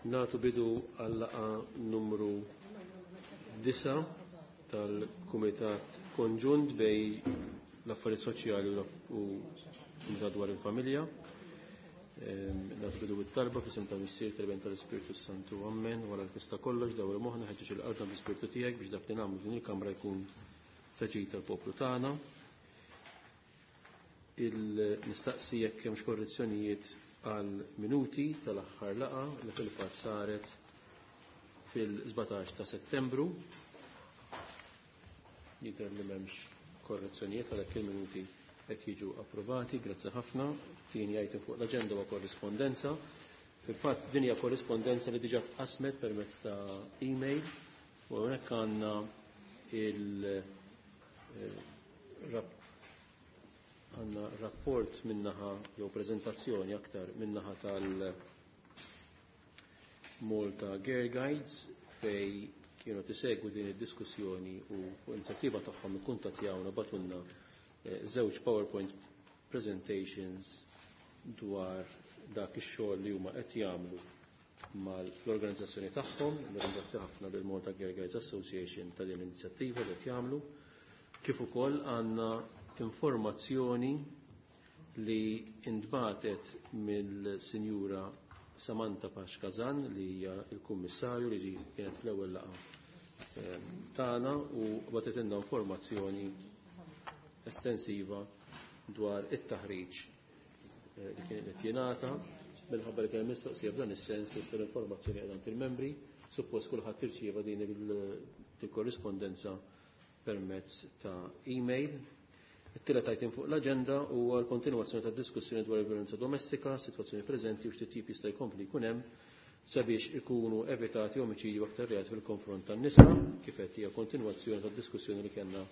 Natu bidu għal-laqa numru 9 tal-Kumitat Konġunt bej l-Affarijiet Soċjali u Kumitat dwar il-Familja. Natu bidu bit-talba f'isem tal-Missier tal-Iben tal-Ispirtu Santu. Ammen. Wara l-festa kollox dawru moħħna ħeġġeġ il-qalbna bl-Ispirtu tiegħek biex dak li nagħmlu din il-kamra jkun taġid tal-poplu tagħna. Il-nistaqsi jekk hemmx korrezzjonijiet għal minuti tal-aħħar laqa li fil-fatt saret fil-17 ta' Settembru. Jidher li m'hemmx korrezzjonijiet għalhekk il-minuti qed jiġu approvati, grazzi ħafna. Tieni item fuq l-aġenda huwa korrispondenza. Fil-fatt din hija korrispondenza li diġà tqasmet permezz ta' email u hawnhekk għandna il għanna rapport minnaħa jew prezentazzjoni aktar minnaħa tal Malta Girl Guides fej kienu tisegwu din id-diskussjoni u fuq inizjattiva tagħhom ikkuntattjawna batunna żewġ PowerPoint presentations dwar dak ix-xogħol li huma qed jagħmlu mal-organizzazzjoni tagħhom, nirringrazzja ħafna lil Malta Girl Guides Association ta' din l-inizjattiva li qed jagħmlu, kif ukoll għandna informazzjoni li intbatet mill-Sinjura Samantha Paxkazan li hija l-Kummissarju li kienet fl-ewwel laqgħa tagħna u bagħtet informazzjoni estensiva dwar it-taħriġ li kien qed jingħata minħabba li kien mistoqsija f'dan is-sens issa l-informazzjoni qiegħda il-membri, suppost kulħadd irċieva din il-korrispondenza permezz ta' email. It-tielet item fuq l-aġenda huwa l-kontinwazzjoni tad-diskussjoni dwar il-violenza domestika, sitwazzjoni preżenti u x'titjib jista' jkompli jkun hemm sabiex ikunu evitati omiċidju aktar reat fil-konfront tan-nisa, kif qed hija kontinwazzjoni tad-diskussjoni li kellna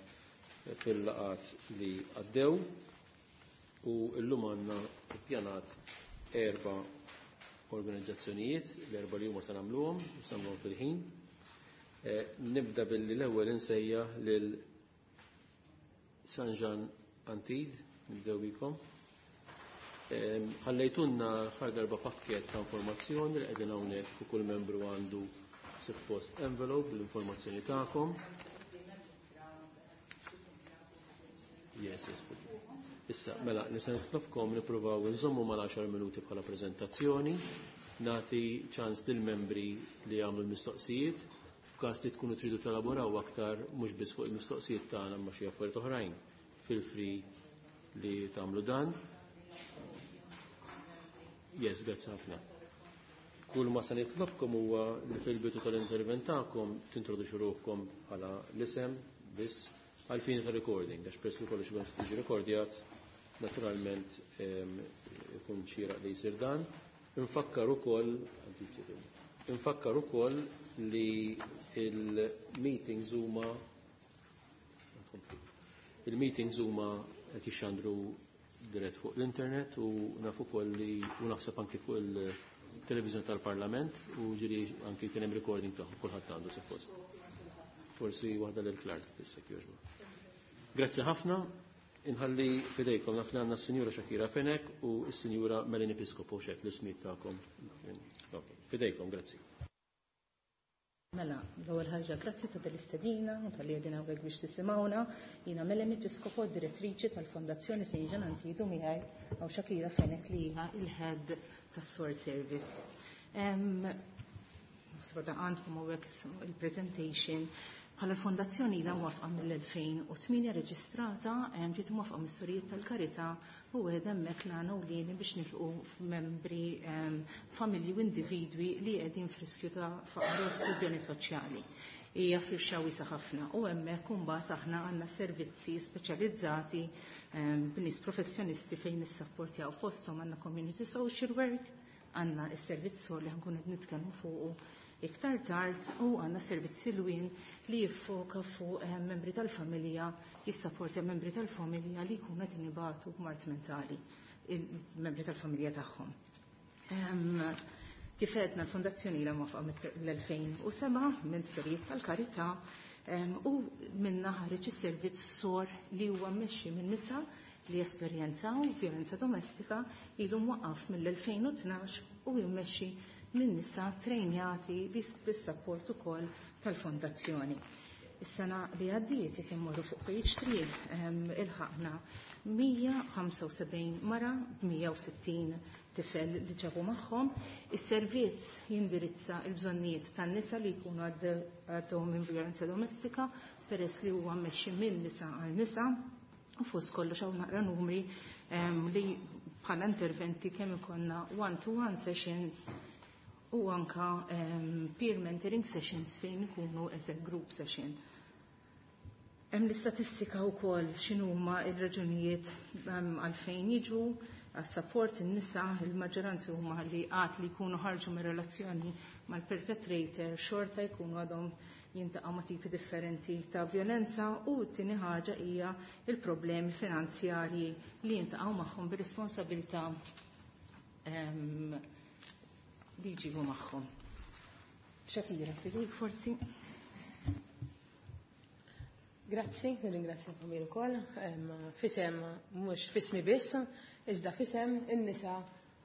fil-laqat li għaddew u llum għandna ppjanat erba' organizzazzjonijiet, l-erba' li huma se nagħmluhom, u se nagħmluhom fil-ħin. Nibda billi l-ewwel insejjaħ lil San Jean Antid, nibdew bikom. Ħallejtunna ħar darba pakket ta' informazzjoni li qegħdin hawnhekk u kull membru għandu suppost envelope bl-informazzjoni tagħkom. Yes, yes. Issa, mela, nisa nitlobkom nippruvaw nżommu mal-10 minuti bħala preżentazzjoni, nagħti ċans lill-membri li jagħmlu l-mistoqsijiet, f'każ li tkunu tridu telaboraw aktar mhux biss fuq il-mistoqsijiet tagħna ma xi affarijiet oħrajn. Feel free li tagħmlu dan. Yes, grazzi ħafna. Kull ma se nitlobkom huwa li fil-bidu tal-intervent tagħkom tintroduxu ruħkom bħala l-isem biss għal-fini ta' recording, għax peress li kollox ikun jiġi rekordjat, naturalment ikun xieraq li jsir dan. Infakkar ukoll infakkar ukoll li il-meetings huma il-meetings huma qed jixxandru dirett fuq l-internet u naf ukoll li u naħseb anki fuq il-televiżjoni tal-Parlament u ġiri anki kien hemm recording tagħhom kulħadd għandu suppost. Forsi waħda lil Clark issa jogħġbu. Grazzi ħafna. Inħalli fidejkom naf li għandna s-Sinjura Shakira Fenek u s-Sinjura Melanie Piscopo xek l-ismijiet tagħkom. Fidejkom, grazzi. Mela, l-ewwel ħaġa grazzi ta' tal-istedina u tal-li qegħdin hawnhekk biex tisimgħuna. Jiena Melanie Piscopo, direttriċi tal-Fondazzjoni St. Jean Antidu miegħi hawn Shakira Fenek li hija il-head tas-Source Service. Naħseb għandkom hawnhekk il-presentation. Bħala l-fondazzjoni ilha mwafqa mill-2008 reġistrata, ġiet mwafqa mis-sorijiet tal-Karità u wieħed hemmhekk l-għana u lini biex nilqu membri familji u individwi li qegħdin f'riskju ta' faqar u esklużjoni soċjali. Hija firxa wiesa ħafna u hemmhekk imbagħad aħna għandna servizzi speċjalizzati b'nies professjonisti fejn nissapportjaw fosthom għandna community social work, għandna s-servizz li ħankun qed nitkellmu fuqu iktar tard u għandna servizz silwin li jiffoka fuq membri tal-familja, jissapportja membri tal-familja li jkunu qed inibatu b'mard mentali, il-membri tal-familja tagħhom. Kif għedna l-fondazzjoni ilha mwafqa l-2007 minn Sorijiet tal-Karità u minna ħareġ is-servizz SOR li huwa mmexxi minn nisa li esperjenzaw violenza domestika ilu mwaqqaf mill-2012 u jimmexxi minn nisa trejnjati bis-support ukoll tal-fondazzjoni. Is-sena li għaddiet, jekk immorru fuq page 3, ilħaqna 175 mara b'160 tifel li ġabu magħhom. Is-servizz jindirizza l-bżonnijiet tan-nisa li jkunu għaddew minn vjolenza domestika, peress li huwa mmexxi minn nisa għal nisa. U fost kollox hawn naqra numri li bħala interventi kemm ikollna one-to-one sessions u anka peer mentoring sessions fejn ikunu as a group session. Hemm l-istatistika wkoll x'inhuma r-raġunijiet għalfejn jiġu għas-support in-nisa, il-maġġoranza huma li qatt li jkunu ħarġu mir-relazzjoni mal-perpetrator xorta jkunu għadhom jintaqgħu ma' tipi differenti ta' violenza, u t-tieni ħaġa hija il-problemi finanzjarji li jintaqgħu magħhom bir-responsabilità li jġibu magħhom. Shakira, fidejk forsi. Grazzi, nirringrazzjakom ukoll. Fisem mhux fismi biss, iżda fisem in-nisa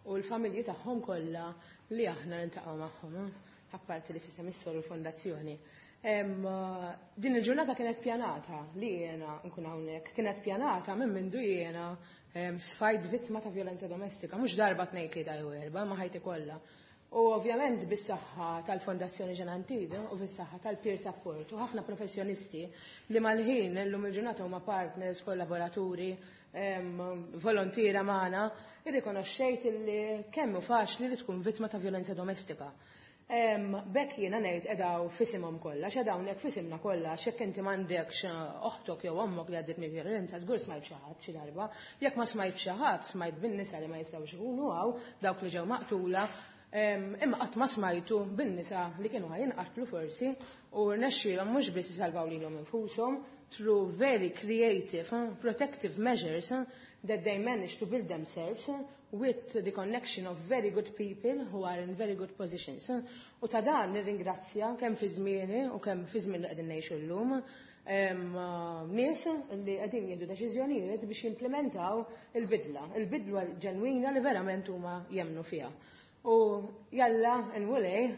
u l-familji tagħhom kollha li aħna niltaqgħu magħhom, apparti li fisem is-sor u l-fondazzjoni. Din il-ġurnata kienet pjanata li jiena nkun hawnhekk, kienet pjanata minn mindu jiena sfajt vittma ta' violenza domestika, mhux darba tnejn tlieta jew erba', ma ħajti kollha. U ovvjament bis-saħħa tal-Fondazzjoni Jeanne Antide u bis-saħħa tal-peer support u ħafna professjonisti li mal-ħin illum il-ġurnata huma partners, kollaboraturi, volontiera magħna, irrikonoxxejt li kemm hu faċli li tkun vittma ta' violenza domestika. Bekk jiena ngħid edaw fisimhom kollha, x'edaw hawnhekk fisimna kollha, x'hekk inti m'għandekx oħtok jew ommok li għaddiet minn violenza, żgur smajt xi ħadd xi darba. Jekk ma smajt xi ħadd, smajt bin-nisa li ma jistgħux ikunu hawn, dawk li ġew maqtula, imma qatt ma smajtu bin-nisa li kienu ħajinqatlu forsi u rnexxielhom mhux biss isalvaw lilhom infushom through very creative, protective measures that they managed to build themselves with the connection of very good people who are in very good positions. U ta' dan nirringrazzja kemm fi żmieni u kemm fi żmien li qegħdin ngħixu llum nies li qegħdin jieħdu deċiżjonijiet biex jimplementaw il-bidla, il-bidla ġenwina li verament huma jemmnu fiha. U jalla n-wulej,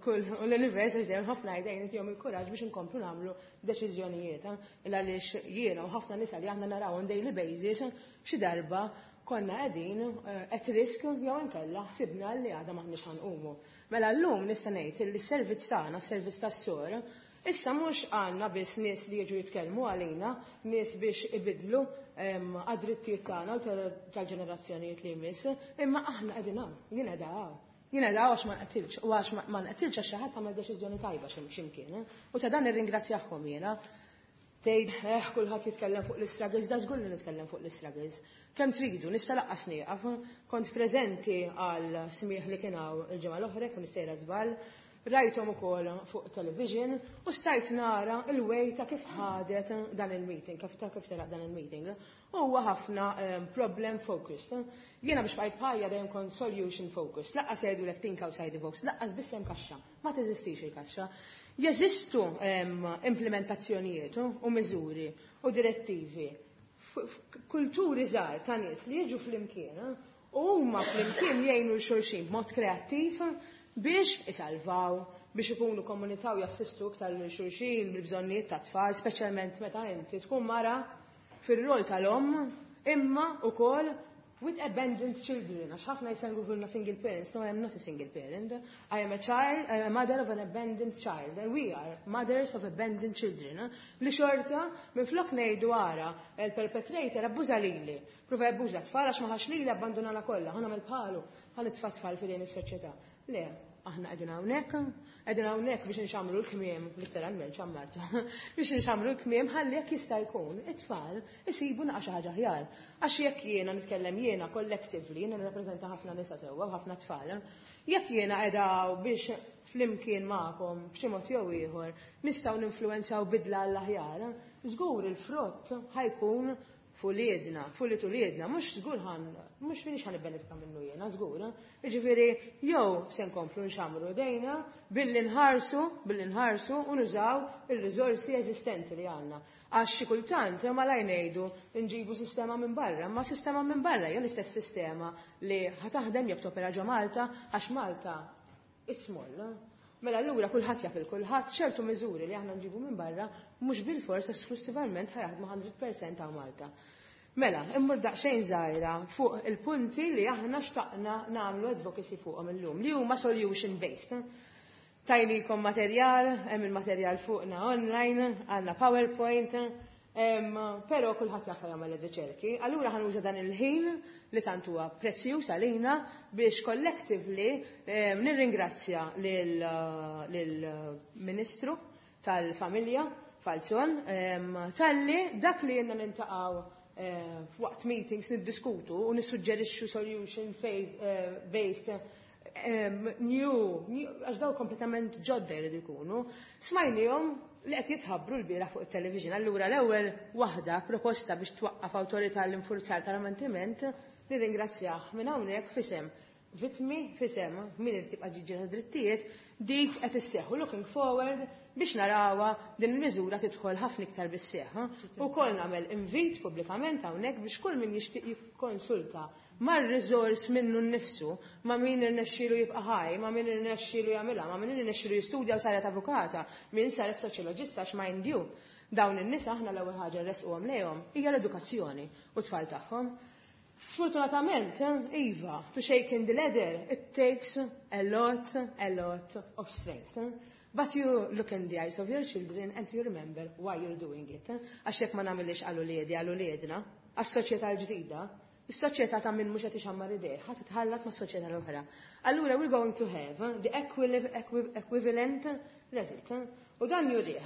kull u l-univers għax dejjem ħafna jdejn jom il-kuraġġ biex inkomplu nagħmlu deċiżjonijiet. Il għaliex jiena u ħafna nisa li aħna naraw on daily basis xi darba konna qegħdin at risk jew inkella ħsibna li għadha m'aħniex ħanqumu. Mela llum nista' ngħid li s-servizz tagħna, s-servizz tas-sor, issa mhux għandna biss nies li jiġu jitkellmu għalina, nies biex ibidlu għad-drittijiet tagħna u tal-ġenerazzjonijiet li jmiss, imma aħna qegħdin hawn, jien qiegħda hawn. Jien qiegħda hawn għax ma nqatilx, u għax ma nqatilx għax xi ħadd għamel deċiżjoni tajba x'imkien. U ta' dan nirringrazzjahom jiena. Tgħid, kulħadd jitkellem fuq l-istruggles, da żgur li nitkellem fuq l-istruggles. Kemm tridu, nista' laqqas nieqaf. Kont preżenti għal smieħ li kien hawn il-ġimgħa l-oħra, kien mistejra żball, rajthom ukoll fuq television u stajt nara il-way ta' kif ħadet dan il-meeting, kif ta' kif telaq dan il-meeting. U huwa ħafna problem focused. Jiena biex bqajt bħajja dejjem kont solution focused. Laqqas jgħidulek think outside the box, laqqas biss hemm kaxxa. Ma teżistix il-kaxxa. Jeżistu implementazzjonijiet u miżuri u direttivi. Kulturi żgħar ta' nies li jiġu flimkien u huma flimkien jgħinu l-xulxin b'mod kreattiv biex isalvaw, biex ikunu komunità u jassistu iktar lil xulxin bil-bżonnijiet ta' tfal, speċjalment meta inti tkun mara fir-rol tal-omm, imma ukoll with abandoned children. Għax ħafna jisengulna single parents. No, I am not a single parent. I am a child, I am a mother of an abandoned child. And we are mothers of abandoned children. Li xorta, minn flok ngħidu ara, il-perpetrator abbuża lili. Prova jabbuża tfal għax ma ħax lili abbandonana kollha, ħa nagħmel bħalu, ħa nitfa' tfal f'idejn is-soċjetà. Le, aħna qegħdin hawnhekk, qegħdin hawnhekk biex nxamru l-kmiem, literalment xammartu, biex nxamru l-kmiem ħalli jekk jista' jkun it-tfal isibu naqa' xi ħaġa aħjar. Għax jekk jiena nitkellem jiena collectively, jiena nirrappreżenta ħafna nisa sewwa u ħafna tfal, jekk jiena qiegħda biex flimkien magħkom b'xi mod jew ieħor nistgħu ninfluwenzaw bidla għall-aħjar, żgur il-frott ħajkun fuliedna, fuliet uliedna, mhux żgur ħan, mhux finix ħan ibbenefika minnu jiena, żgur. Jiġifieri jew se nkomplu nxamru dejna billi nħarsu, billi nħarsu u nużaw ir-riżorsi eżistenti li għandna. Għax xi kultant malaj ngħidu nġibu sistema minn barra, ma sistema minn barra hija l-istess sistema li ħa taħdem jekk topera ġo Malta, għax Malta It's small. Mela allura kulħadd jaf il-kulħadd ċertu miżuri li aħna nġibu minn barra mhux bilfors esklusivament ħa jaħdmu 100% ta' Malta. Mela, immur daqsxejn żgħira fuq il-punti li aħna xtaqna nagħmlu advocacy fuqhom illum, li huma solution based. Tajnikom materjal, hemm il-materjal fuqna online, għandna PowerPoint, però kulħadd jaf jagħmel ir-riċerki. Allura ħa nuża dan il-ħin li tant huwa prezzjuż għalina biex collectively nirringrazzja lill-Ministru tal-Familja Falzon talli dak li jenna niltaqgħu f'waqt meetings niddiskutu u nissuġġerixxu solution based new, għax daw kompletament ġodda jridu jkunu, smajnihom li qed jitħabbru l-bieraħ fuq it-television. Allura l-ewwel waħda proposta biex twaqqaf awtorità l-infurzar tal-manteniment, nirringrazzjah minn hawnhekk fisem vittmi, fisem min irid tibqa' ġiġġiela drittijiet, dik qed isseħħu, looking forward biex narawha din il-miżura tidħol ħafna iktar bis-seħħ. Ukoll nagħmel invit pubblikament hawnhekk biex kull min jixtieq jikkonsulta mar-riżors minnu nnifsu, ma' min irnexxielu jibqa' ħaj, ma' min irnexxielu jagħmilha, ma' min irnexxielu jistudja u saret avukata, min saret soċjoloġista, mind you. Dawn in-nisa aħna l-ewwel ħaġa rresquhom lejhom hija l-edukazzjoni u tfal tagħhom. Sfortunatament, Iva, to shake in the ladder, it takes a lot of strength. But you look in the eyes of your children and you remember why you're doing it. Għax jekk ma nagħmilx għal uliedi, għal uliedna, għas-soċjetà l-ġdida, is-soċjetà ta' min mhux qed ixammar idejh, ħadd titħallat mas-soċjetà l-oħra. Allura we're going to have the equivalent result. U dan jurih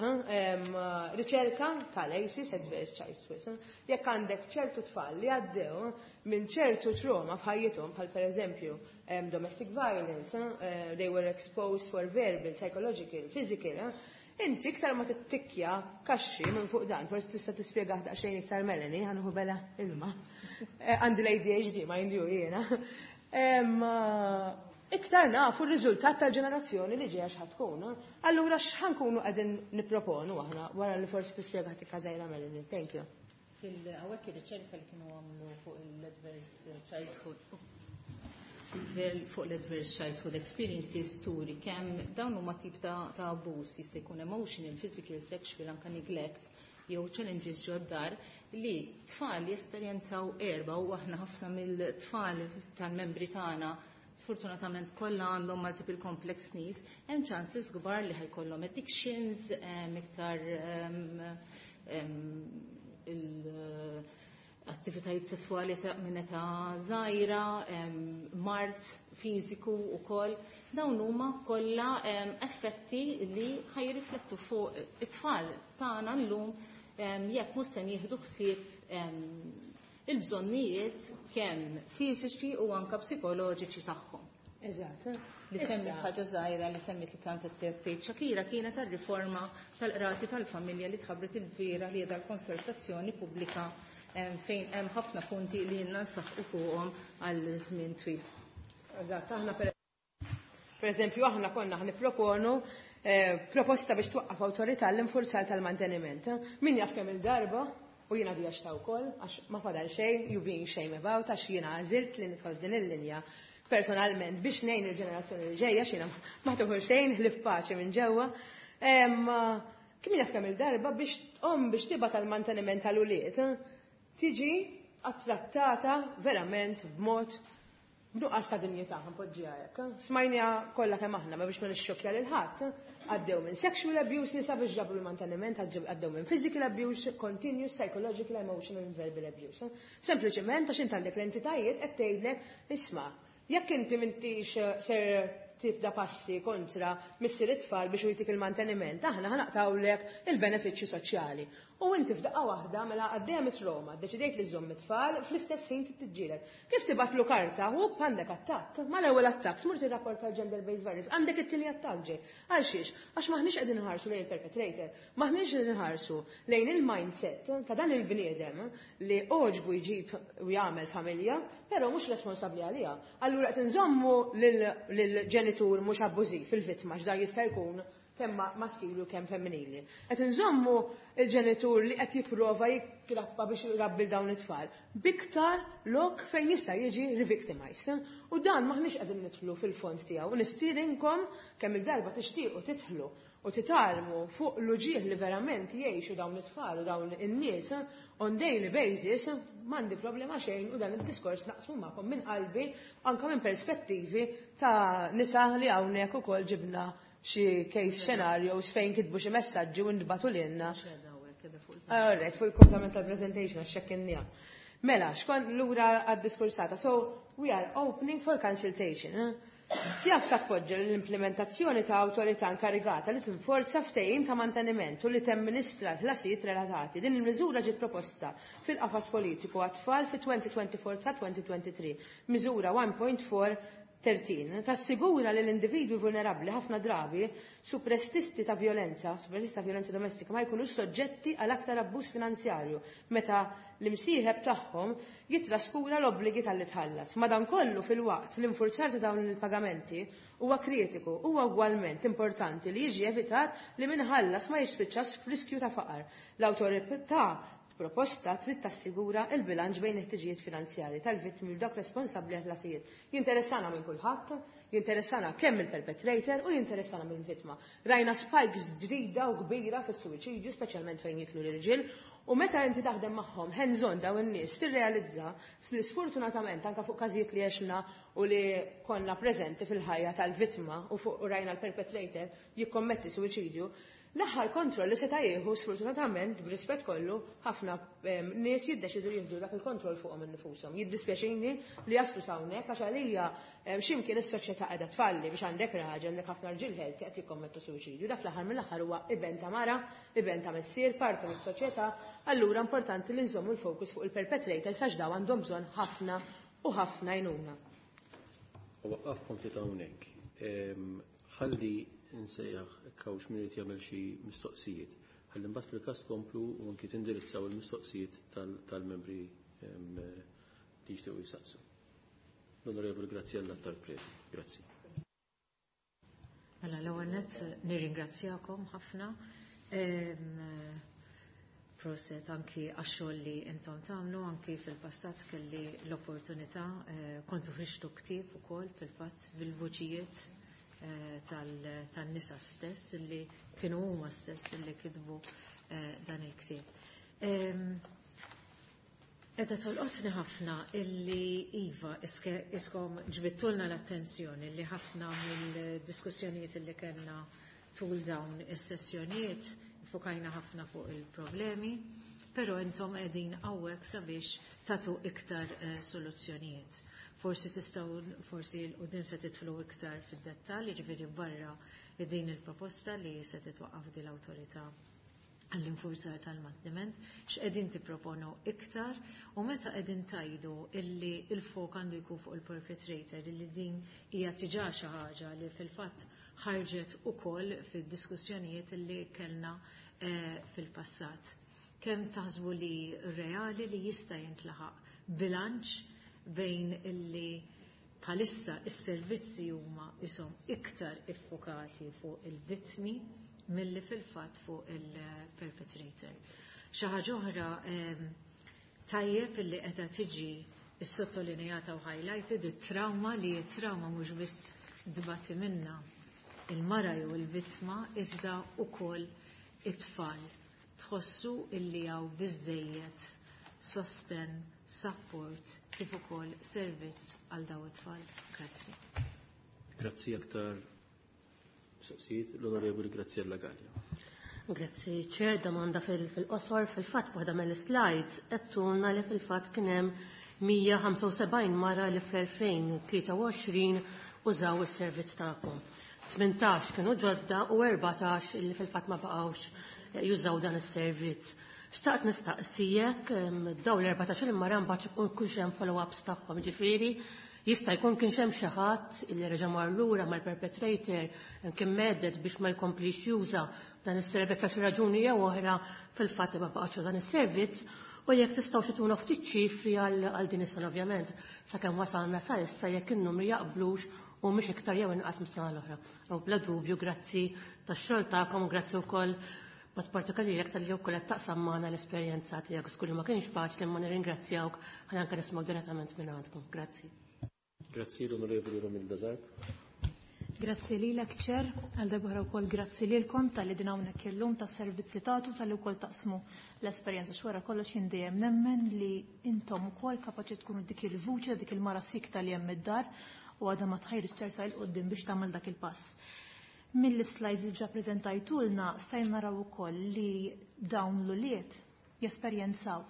riċerka tal-ACEs, Adverse Childhood. Jekk għandek ċertu tfal li għaddew minn ċertu trauma f'ħajjithom, bħal per eżempju domestic violence, they were exposed for verbal, psychological, physical, inti iktar ma tittikkja kaxxi minn fuq dan, forsi tista' tispjega daqsxejn iktar Melanie, ħa nieħu belgħa ilma. Għandi l-ADHD, ma jindju jiena. Iktar nafu r-riżultat tal-ġenerazzjoni li ġejja x'ħa tkun. Allura x'ħa nkunu qegħdin nipproponu aħna wara li forsi tispjega tikka żgħira Melanie. Thank you. Fil-għawek ir-riċerka li kienu għamlu fuq l-adverse childhood experiences turi kemm dawn huma tip ta' abuse, jista' jkun emotional, physical, sexual, anka neglect jew challenges ġod-dar li tfal jesperjenzaw erba, u aħna ħafna mill-tfal tal-membri tagħna sfortunatament kollha għandhom multiple complex needs, hemm chances kbar li ħa jkollhom addictions, iktar il-attivitajiet sessuali ta' minn età żgħira, mard fiżiku wkoll. Dawn huma kollha effetti li ħa jirriflettu fuq it-tfal tagħna llum jekk mhux se nieħdu ħsieb il-bżonnijiet kemm fiżiċi u anka psikoloġiċi tagħhom. Eżatt. Li semmit ħaġa żgħira li semmit li kienet tgħid Shakira kienet tar-riforma tal-qrati tal-familja li tħabbret il-bieraħ, li qiegħda l-konsultazzjoni pubblika, fejn hemm ħafna punti li jiena nsaħħu fuqhom għal żmien twil. Eżatt, aħna per eżempju aħna konna nipproponu proposta biex twaqqaf awtorità l-infurzar tal-manteniment. Min jaf kemm il-darba u jiena di għax ta' wkoll, għax ma fadal xejn, you being shame about, għax jiena għażilt li nidħol din il-linja personalment biex ngħin il-ġenerazzjoni li ġejja, x'jiena ma tuħu xejn ħlief paċi minn ġewwa. Kien jaf kemm il-darba biex om biex tibgħat tal-manteniment tal-ulied tiġi attrattata verament b'mod b'nuqqas ta' dinjità, npoġġiha hekk. Smajnija kollha kemm aħna, ma biex ma nixxokkja lil ħadd, għaddew minn sexual abuse nisa biex ġabru l-manteniment, għaddew minn physical abuse, continuous psychological, emotional and verbal abuse. Sempliċement għax int għandek l-entitajiet qed tgħidlek, isma', jekk inti m'intix ser tibda passi kontra missier it-tfal biex jtik il-manteniment, aħna ħa naqtgħulek il-benefiċċji soċjali. U inti f'daqqa waħda mela għaddejja mit-trauma, deċidejt li żomm it-tfal, fl-istess ħin tiġġieled. Kif tibgħatlu karta, u għandek attakk, mal-ewwel attakk, tmur tirrapporta gender based violence, għandek it-tieni attakk ġej. Għal xiex? Għax maħniex qegħdin nħarsu lejn il-perpetrator, maħniex qegħdin nħarsu lejn il-mindset ta' dan il-bniedem li għoġbu jġib u jagħmel familja, però mhux responsabbli għaliha. Allura qed inżommu lill-ġenitur mhux abbużiv fil-vittma, x'dan jista' jkun. Kemm maskili u kemm femminili. Qed inżommu il-ġenitur li qed jipprova jikkrappa biex jrabbi dawn it-tfal biktar lok fejn jista' jiġi revictimized. U dan maħniex qegħdin nidħlu fil-fond tiegħu. U nistiedinkom kemm il-darba tixtiequ tidħlu u titgħallmu fuq l-uġieħ li verament jgħixu dawn it-tfal u dawn in-nies on daily basis, m'għandi problema xejn u dan id-diskors naqsmu magħkom minn qalbi, anka minn perspettivi ta' nisa li hawnhekk ukoll ġibna xi case scenarios fejn kitbu xi messaġġi u ntbagħtu lilna. Alright, fuq il-komplement tal-presentation għax xekkinnija. Mela, xkon lura għad-diskursata. So, we are opening for consultation. Eh? SIAF tappoġġa l-implementazzjoni ta' awtorità inkarigata li tinforza ftehim ta' manteniment u li temministra l-ħlasijiet relatati. Din il-miżura ġiet proposta fil-qafas politiku għat-tfal fi 2024 sa 2023. Miżura 1.4 13. Tassigura li l-individwi vulnerabbli, ħafna drabi superstiti ta' violenza, superstiti ta' violenza domestika, ma jkunux soġġetti għal aktar abbuż finanzjarju meta l-imsieħeb tagħhom jitraskura l-obbligi talli tħallas. Madankollu, fil-waqt l-infurzar ta' dawn il-pagamenti huwa kritiku, huwa ugwalment importanti li jiġi evitat li min iħallas ma jispiċċax f'riskju ta' faqar. L-awtorità proposta trid tassigura il-bilanċ bejn il-ħtiġijiet finanzjari tal-vittmi u dak responsabbli għal-ħlasijiet. Jinteressana minn kulħadd, jinteressana kemm il-perpetrator u jinteressana minn vittma. Rajna spikes ġdida u kbira fis-suwiċidju, speċjalment fejn jidħlu l-irġiel, u meta inti taħdem magħhom hands-on daw in-nies tirrealizza li sfortunatament anke fuq każijiet li għexna u li konna preżenti fil-ħajja tal-vittma u fuq rajna l-perpetrator jikkommetti suwiċidju, l-aħħar kontroll li seta' jieħu, sfortunatament, b'rispett kollu, ħafna nies jiddeċidu jieħdu dak il-kontroll fuqhom infushom. Jiddispjaċini li jaslu hawnhekk għax għalija x'imkien is-soċjetà qiegħda tfalli biex għandek raġel, għandek ħafna rġiel healthy qed jikkommettu suwiċidju. Dak fl-aħħar mill-aħħar huwa iben ta' mara, iben ta' missier, parti mis-soċjetà, allura importanti li nżommu l-fokus fuq il-perpetrator għax daw għandhom bżonn ħafna u ħafna għajnuna. U waqqafkom ftit hawnhekk. Ħalli nsejjaħ kawx min irid jagħmel xi mistoqsijiet. Ħalli mbagħad fil-każ tkomplu u anki tindirizzaw il-mistoqsijiet tal-membri li jixtiequ jisaqsu. L-Onorevoli Graziella Tarpreti. Grazzi. Mela, l-ewwel nett nirringrazzjakom ħafna. Proset anki għax-xogħol li intom tagħmlu, anki fil-passat kelli l-opportunità, kontu ħriġtu ktieb ukoll fil-fatt bil-vuċijiet tan-nisa stess li kienu huma stess li kitbu dan il-ktieb. Edha tolqotni ħafna illi iva iskom ġbittulna l-attenzjoni li ħafna mill-diskussjonijiet illi kellna tul dawn is-sessjonijiet fokajna ħafna fuq il-problemi, pero intom qegħdin hawnhekk sabiex tatu iktar soluzzjonijiet. Forsi tistgħu, forsi 'l quddiem se tidħlu iktar fid-dettall, jiġifieri barra din il-proposta li se titwaqqaf din l-awtorità għall-infurzar tal-manteniment, x'qegħdin tipproponu iktar u meta qegħdin tajdu illi il-fok għandu jkun fuq il-perpetrator, illi din hija diġà xi ħaġa li fil-fatt ħarġet ukoll fid-diskussjonijiet illi kellna fil-passat. Kemm taħsbu li reali li jista' jintlaħaq bilanċ bejn illi bħalissa is-servizzi huma isom iktar iffokati fuq il-vittmi milli fil-fatt fuq il-perpetrator? Xi ħaġa oħra, tajjeb illi qiegħda tiġi is-sottolineata u highlighted it-trauma, li t-trauma mhux biss dbati minna il-mara jew il-vittma iżda ukoll it-tfal. Tħossu illi hawn biżejjed sosten, support kif ukoll servizz għal daw it-tfal? Grazzi. Grazzi. Aktar mistoqsijiet? L-Onorevoli Graziella Gallia. Grazzi, ċer, domanda fil-qosor. Fil-fatt, waħda mill-slides għedtulna li fil-fatt kien hemm 175 mara li fl-2023 użaw is-servizz tagħkom. 18 kienu ġodda u 14 li fil-fatt ma baqgħux jużaw dan is-servizz. Xtaqt nistaqsijek daw l-14 il-mara mbagħad ikun hemm follow-ups tagħhom, ġifieri jista' jkun kien hemm xi ħadd illi reġa' mar lura mal-perpetrator, kien medet biex ma jkomplix juża dan is-servizz għal xi raġuni jew oħra, fil-fatt ma baqgħux dan is-servizz, u jekk tistgħu xituna ftit ċifri għal din is-sena, ovvjament, sakemm wasalna sa issa, jekk in-numri jaqblux. U mhux iktar jew inqas mis-sena l-oħra. U bla dubju grazzi tax-xogħol tagħkom, grazzi wkoll b'mod partikolari lilek talli wkoll qed taqsam magħna l-esperjenza tiegħek. Żgur li ma kienx faċli imma nirringrazzjawk ħalli anke nisimgħu direttament minn għandkom. Grazzi. Grazzi l-Onorevoli Romilda Zarb. Grazzi lilek Chair, għal darb'oħra wkoll grazzi lilkom talli din hawnhekk illum tas-servizz li tagħtu talli wkoll taqsmu l-esperjenza x'wara kollox jien dejjem nemmen li intom ukoll kapaċi tkunu dik il-vuċi dik il-mara sikta li hemm id-dar u għadha ma tħajrix tersa 'l quddiem biex tagħmel dak il-pass. Mill-slides li ġa preżentajtulna stajna naraw ukoll li dawn l-ulied jesperjenzaw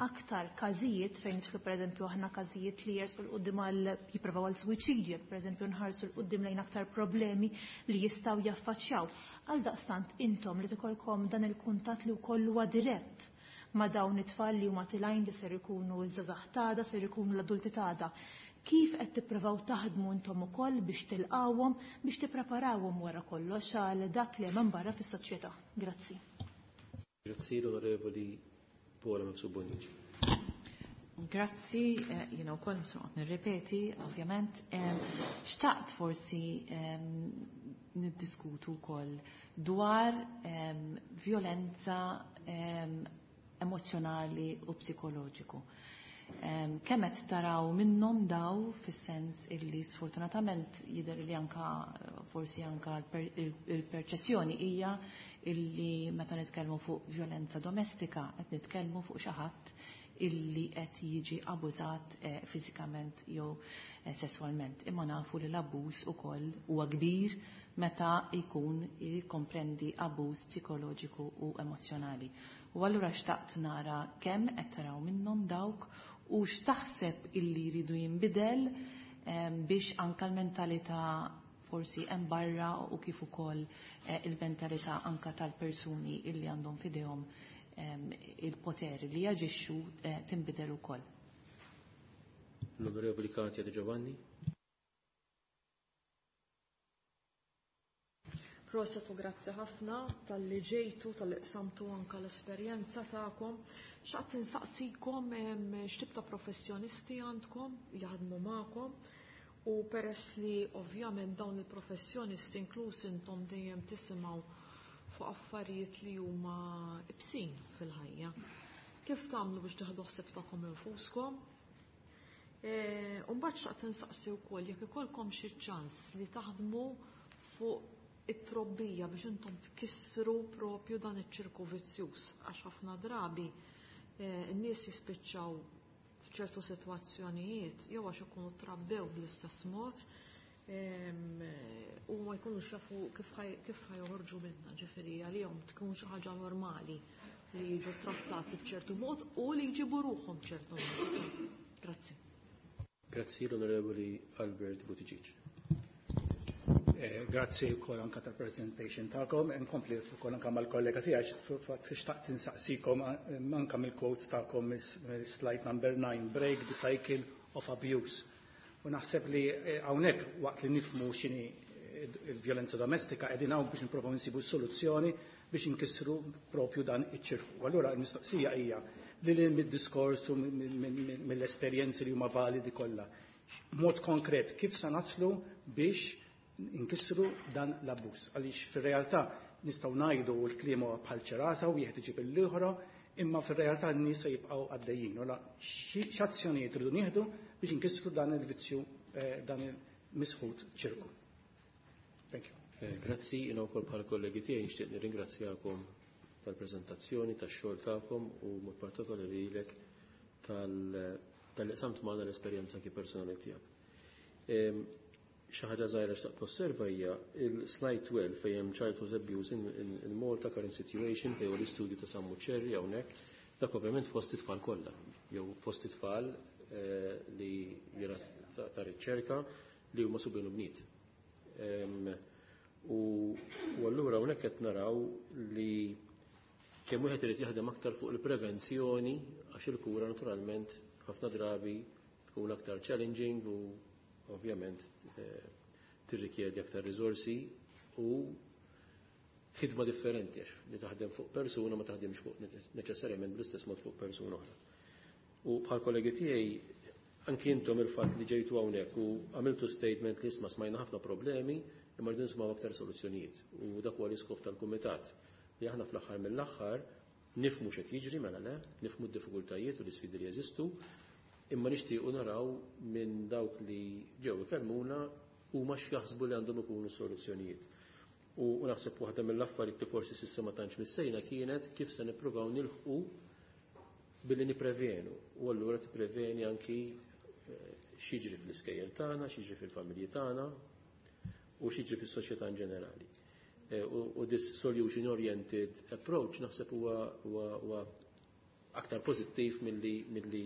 aktar każijiet fejn nidħlu pereżempju aħna każijiet li jersqu 'l quddiem għal jipprovaw għal suwiċidju, jekk pereżempju nħarsu 'l quddiem lejn aktar problemi li jistgħu jaffaċċjaw. Għaldaqstant intom li tikolkom dan il-kuntatt li wkoll huwa dirett ma' dawn it-tfal li huma tilgħin li ser ikunu ż-żgħażagħ t'għada, ser ikunu l-adulti t'għada. Kif qed tipprovaw taħdmu intom ukoll biex tilqawhom, biex tippreparawhom wara kollox għal dak li hemm barra fis-soċjetà? Grazzi. Grazzi l-Onorevoli Paola Mifsud Bonnici. Grazzi, jiena wkoll mhux noqgħod nirrepeti, ovvjament. Xtaqt forsi niddiskutu wkoll dwar violenza emozjonali u psikoloġiku. Kemm qed taraw minnhom daw fis-sens illi sfortunatament jidher li anka forsi anka il-perċessjoni hija illi meta nitkellmu fuq violenza domestika qed nitkellmu fuq xi ħadd illi qed jiġi abużat fiżikament jew sesswalment. Imma nafu li l-abbuż ukoll huwa kbir meta jkun jikkomprendi abbuż psikoloġiku u emozzjonali. U allura xtaqt nara kemm qed taraw minnhom dawk u x'taħseb illi jridu jinbidel biex anka l-mentalità forsi hemm barra u kif ukoll il-mentalità anka tal-persuni illi għandhom f'idejhom il-poter li jaġixxu tinbidel ukoll. L-Onorevoli Katia Di Giovanni. Proset u grazzi ħafna talli ġejtu, talli qsamtu anka l-esperjenza tagħkom. Xtaqt insaqsikom x'tip ta' professjonisti għandkom jaħdmu magħkom u peress li ovvjament dawn il-professjonisti inkluż intom dejjem tisimgħu fuq affarijiet li huma ibsin fil-ħajja. Kif tagħmlu biex tieħdu ħsieb tagħkom infuskom? U mbagħad xtaqt insaqsi wkoll jekk ikollkom xi ċans li taħdmu fuq it-trobbija biex intom tkissru propju dan iċ-ċirku vizzjuż għax ħafna drabi n-nies jispiċċaw f'ċertu sitwazzjonijiet jew għax ikunu trabbew bl-istess mod u ma jkunux jafu kif ħajoħorġu minnha, ġifieri għalihom tkun xi ħaġa normali li jiġu trattati b'ċertu mod u li jġibu ruħhom b'ċertu mod. Grazzi. Grazzi l-Onorevoli Albert Buttigieg. Grazzi wkoll anka tal-presentation tagħkom, nkompli wkoll anka mal-kollega tiegħi fatt xtaqt insaqsikom anka mill-quotes tagħkom mill-slide number 9, break the cycle of abuse. U naħseb li hawnhekk waqt li nifhmu x'inhi il-vjolenza domestika qegħdin hawn biex nipprovaw insibu soluzzjoni biex inkissru propju dan iċ-ċirku. Allura l-mistoqsija hija li li mid-diskors u mill-esperjenzi li huma validi kollha. Mod konkret kif sa naslu biex inkissru dan l-abbuż. Għaliex fir-realtà nistgħu ngħidu l-kliem huwa bħal ċerasa u wieħed iġib l-oħra, imma fir-realtà n-nies se jibqgħu għaddejjin. Ora x'azzjonijiet rridu nieħdu biex inkissru dan il-vizzju, dan il-misħut ċirku. Thank you. Grazzi, jiena wkoll bħal kollegi tiegħi nixtieq nirringrazzjakom tal-preżentazzjoni, tax-xogħol tagħkom u mod partikolari lilek tal-li qsamt magħna l-esperjenza anki personali tiegħek. Xi ħaġa żgħira xtaqt nosserva hija il-slide 12 fejn hemm childhood abuse in Malta current situation fejn huwa l-istudju ta' Sammu Ċerri hawnhekk, dak ovvjament fost it-tfal kollha, jew fost it-tfal li jiena ta' riċerka li huma subien u bniet. U allura hawnhekk qed naraw li kemm wieħed irid jaħdem aktar fuq il-prevenzjoni għax il-kura naturalment ħafna drabi tkun aktar challenging u ovvjament tirrikjedi aktar riżorsi u ħidma differenti għax li taħdem fuq persuna ma taħdimx fuq neċessarjament bl-istess mod fuq persuna oħra. U bħal kollegi tiegħi Anki intom il-fatt li ġejtu hawnhekk u għamiltu statement li isma' smajna ħafna problemi imma rridu nisimgħu aktar soluzzjonijiet. U dak huwa l-iskop tal-kumitat li aħna fl-aħħar mill-aħħar nifhmu x'qed jiġri mela le, nifhmu d-diffikultajiet u l-isfidi li jeżistu, imma nixtiequ naraw minn dawk li ġew ikellmuna huma x'jaħsbu li għandhom ikunu soluzzjonijiet. U naħseb waħda mill-affarijiet li forsi s'issa ma tantx missejna kienet kif se nippruvaw nilħqu billi nipprevenu. U allura tippreveni anki x'jiġri fl-iskejjel tagħna, x'jiġri fil-familji tagħna u x'jiġri fis-soċjetà in ġenerali. U this solution oriented approach naħseb huwa aktar pożittiv milli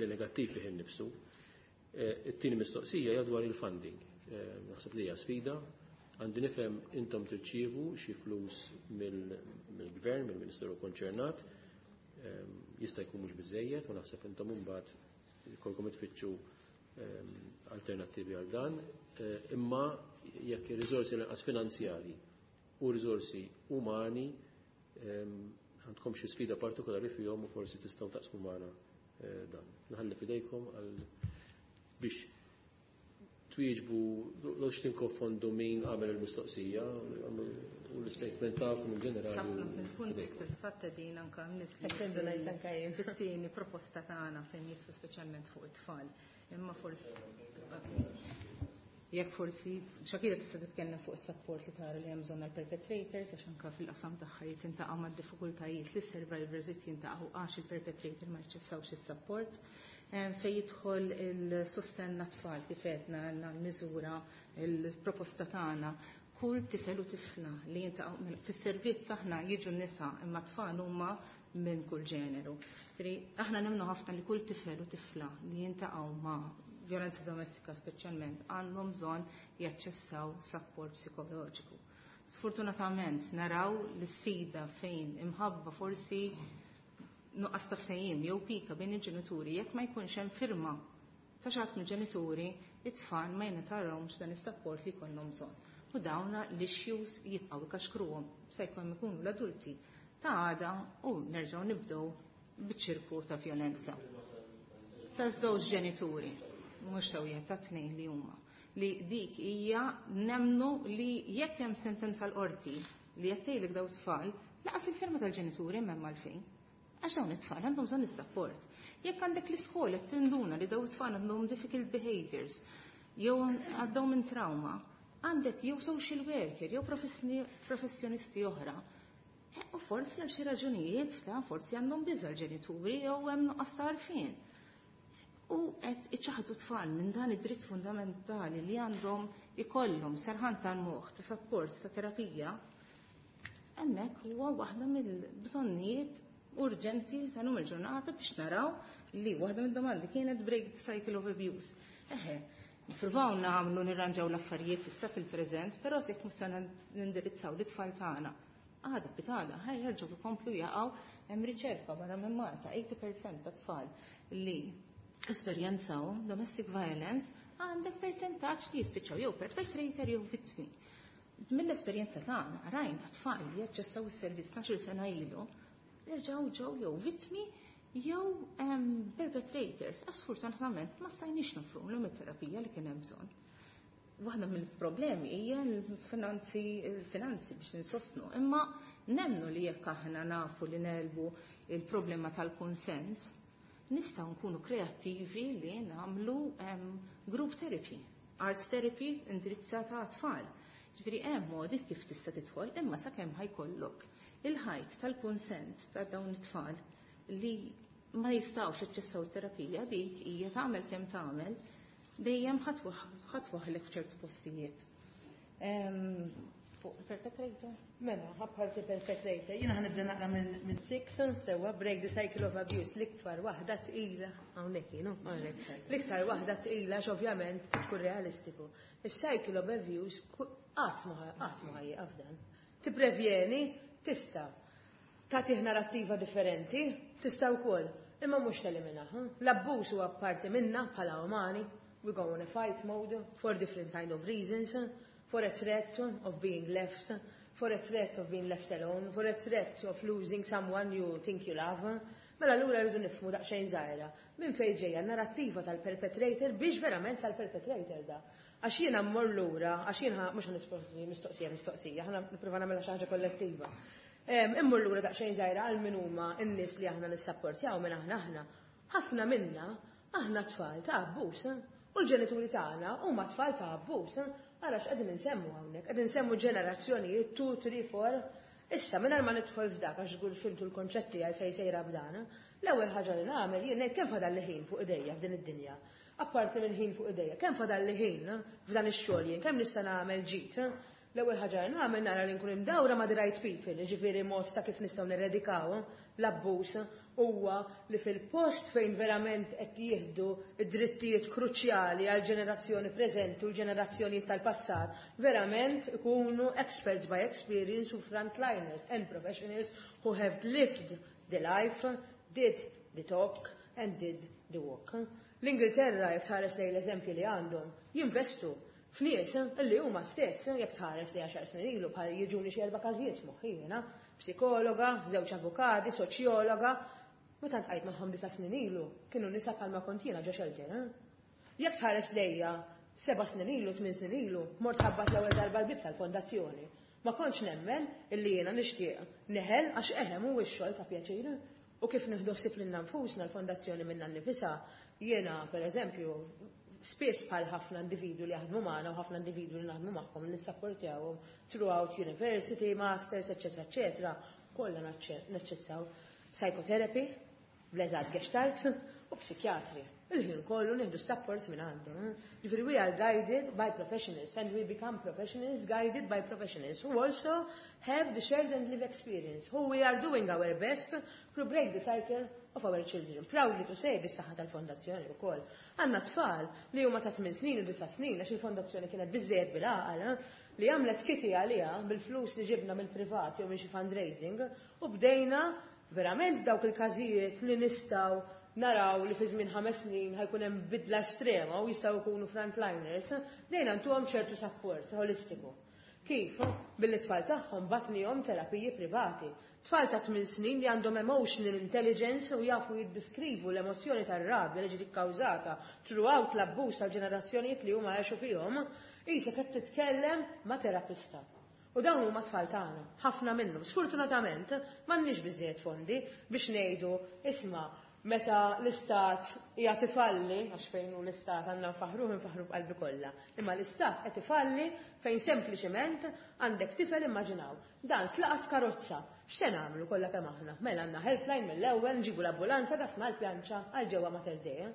negattiv fih innifsu. It-tieni mistoqsija hija dwar il-funding. Naħseb li hija sfida. Għandi nifhem intom tirċievu xi flus mill-gvern, mill-Ministeru konċernat, jista' jkun mhux biżejjed u naħseb intom imbagħad jkollkom tfittxu alternattivi għal dan, imma jekk ir-riżorsi lanqas finanzjali u riżorsi umani għandkom xi sfida partikolari fihom u forsi tistgħu taqsmu magħna dan. Nħalli fidejkom għal biex twieġbu l tinkonfondu min għamel il-mistoqsija u l-statement tagħkom in ġenerali. Ħafna mill-punti fil-fatt din anke fit-tieni proposta tagħna fejn jidħlu speċjalment fuq it-tfal. Imma forsi jekk forsi Shakira tista' titkellem fuq is-support li tara li hemm bżonn għall-perpetrators għax anke fil-qasam tagħha jintaqgħu mad-diffikultajiet li s-survivors jintaqgħu għax il-perpetrator ma jaċċessawx is-support. Fejn jidħol il-sostenn għat-tfal kif għedna għandna l-miżura il-proposta tagħna kull tifel u tifla li jintaqgħu fis-servizz aħna jiġu n-nisa imma tfal huma minn kull ġeneru. Aħna nemmnu ħafna li kull tifel u tifla li jintaqgħu ma' violenza domestika speċjalment għandhom bżonn jaċċessaw support psikoloġiku. Sfortunatament naraw l-isfida fejn imħabba forsi nuqqas ta' ftehim jew pika bejn il-ġenituri jekk ma jkunx hemm firma ta' xi ħadd mill-ġenituri, it-tfal ma jingħatalhomx dan is-support li jkollhom bżonn. U dawna l-issues jibqgħu ikaxkruhom se jkun ikunu l-adulti ta' għada u nerġgħu nibdew biċ-ċirku ta' violenza. Ta' żewġ ġenituri, mhux ta' wieħed ta' tnejn li huma. Li dik hija nemnu li jekk hemm sentenza l-qorti li qed tgħidlek daw tfal, laqas il-firma tal-ġenituri m'hemm għalfejn. Għax dawn it-tfal għandhom bżonn is-support. Jekk għandek l-iskola qed tinduna li daw it-tfal għandhom difficult behaviors, jew għaddew minn trauma, għandek jew social worker, jew professjonisti oħra. U forsi għal xi raġunijiet ta' forsi għandhom biża' l-ġenituri jew hemm nuqqas ta' għarfien. U qed iċaħdu tfal minn dan id-dritt fundamentali li għandhom ikollhom serħan tal-moħħ ta' support ta' terapija, hemmhekk huwa waħda mill-bżonnijiet urġenti ta' lum il-ġurnata biex naraw li waħda mid-domandi kienet break the cycle of abuse. Eħe, nippruvaw nagħmlu nirranġaw l-affarijiet issa fil-preżent, però jekk mhux se nindirizzaw l-itfal tagħna. Għada pitgħada, ħaj jerġgħu jkomplu jaqgħu hemm riċerka barra minn Malta, 80% ta' tfal li esperjenzaw domestic violence għandek percentaġġ li jispiċċaw jew perpetrator jew vittmi. Mill-esperjenza tagħna rajna tfal li jaċċessaw is-servizz 12 sena ilu, jerġgħu ġew jew vittmi jew perpetrators. Għax sfortunatament ma stajniex nofrulhom it-terapija li kien hemm bżonn. Waħda mill-problemi hija l-finanzi biex insostnu, imma nemnu li jekk aħna nafu li nelbu il-problema tal-konsent, nistgħu nkunu kreattivi li nagħmlu group therapy, art therapy indirizzata għat-tfal. Ġifieri hemm modi kif tista' tidħol, imma sakemm ħajkollok il-ħajt tal-konsent ta' dawn it-tfal li ma jistgħux jaċċessaw terapija dik hija tagħmel kemm tagħmel dejjem ħatwaħlek f'ċertu postijiet. Fuq perpetrator? Mela, ħabħarti perpetrator. Jiena ħanibda naqra minn six, sewa break the cycle of abuse, l-iktar waħda tqila, hawnhekk jienu, l-iktar waħda tqila ovvjament tkun realistiku. Is-cycle of abuse qatt ma ħajjieqaf dan. Tipprevjeni, tista' tagħtih narrattiva differenti, tista' wkoll, imma mhux teliminaha. L-abbuż huwa parti minna bħala umani, we go on a fight mode for different kind of reasons, for a threat of being left, for a threat of being left alone, for a threat of losing someone you think you love. Mela allura rridu nifhmu daqsxejn żgħira minn fejn ġejja n-narrattiva tal-perpetrator biex verament sal-perpetrator da. Għax jiena mmur lura, għax jiena mhux ħa mistoqsija mistoqsija, ħa nipprova nagħmilha xi ħaġa kollettiva. Immur lura daqsxejn żgħira għal min huma n-nies li aħna nissapportjaw minn aħna aħna. Ħafna minna aħna tfal ta' abbuż. U l-ġenituri tagħna huma tfal ta' abbuż. Ara x'qegħdin insemmu hawnhekk, qegħdin insemmu ġenerazzjonijiet 2, 3, 4. Issa mingħajr ma nidħol f'dak għax żgur fhimtu l-konċetti għal fejn sejra b'dan, l-ewwel ħaġa li nagħmel jien ngħid kemm fadal ħin fuq idejja f'din id-dinja. Apparti minn ħin fuq idejja, kemm fadal li ħin f'dan ix-xogħol jien, kemm nista' nagħmel ġid. L-ewwel ħaġa li nagħmel nara li nkun imdawra ma' the right people, jiġifieri mod ta' kif nistgħu neredikaw l-abbuż huwa li fil-post fejn verament qed jieħdu id-drittijiet kruċjali għal ġenerazzjoni preżenti u l-ġenerazzjonijiet tal-passat, verament ikunu experts by experience u frontliners and professionals who have lived the life, did the talk and did the walk. L-Ingilterra, jekk tħares lejn l-eżempji li għandhom, jinvestu f'nies illi huma stess, jekk tħares li 10 snin ilu bħal jiġuni xi erba' każijiet f'moħħi jiena, psikologa, żewġ avukati, soċjologa, meta ltqajt magħhom 9 snin ilu, kienu nisa bħalma kont jiena ġo shelter. Jekk tħares lejja 7 snin ilu, 8 snin ilu, mort ħabbat l-ewwel darba l-bib tal-fondazzjoni. Ma kontx nemmen illi jiena nixtieq neħel għax eħem hu x-xogħol ta' pjaċir. U kif nieħdu ħsieb lilna nfusna l-fondazzjoni minna nnifisha, jiena pereżempju spiss bħal ħafna individwi li jaħdmu magħna u ħafna individwi li naħdmu magħhom li nissapportjawhom throughout university, masters, eċetera, eċetera, kollha naċċessaw psychotherapy, bl-eżatt gestalt u psikjatri. Il-ħin kollu nieħdu support minn għandhom. Ġifieri we are guided by professionals and we become professionals guided by professionals who also have the shared and live experience, who we are doing our best to break the cycle of our children. Proudly to say, bis-saħħa tal-fondazzjoni wkoll. Għandna tfal li huma ta' 8 snin u 9 snin għax il-fondazzjoni kienet biżejjed bil-għaqal li għamlet kitty għaliha bil-flus li ġibna mill-privat jew minn xi fundraising u bdejna verament dawk il-każijiet li nistgħu naraw li fi żmien 5 snin ħa jkun hemm bidla estrema u jistgħu jkunu frontliners, bdejna ntuhom ċertu support holistiku. Kif? Billi tfal tagħhom bgħatnihom terapiji privati. Tfal ta' 8 snin li għandhom emotional intelligence u jafu jiddiskrivu l-emozjoni tar-rabja li ġiet ikkawżata throughout l-abbuż tal-ġenerazzjonijiet li huma għexu fihom, qisek qed titkellem ma' terapista. U dawn huma tfal tagħna, ħafna minnhom. Sfortunatament m'għandniex biżejjed fondi biex ngħidu isma' meta l-istat qiegħed ifalli, għax fejn hu l-istat għandna nfaħruh nfaħru b'qalbi kollha. Imma l-istat qed ifalli fejn sempliċement għandek tifel immaġinaw. Dan tlaqat karozza. X'se nagħmlu kollha kemm aħna? Mela għandna helpline mill-ewwel, nġibu l-ambulanza dasma l-pjanċa għal ġewwa Mater Dei.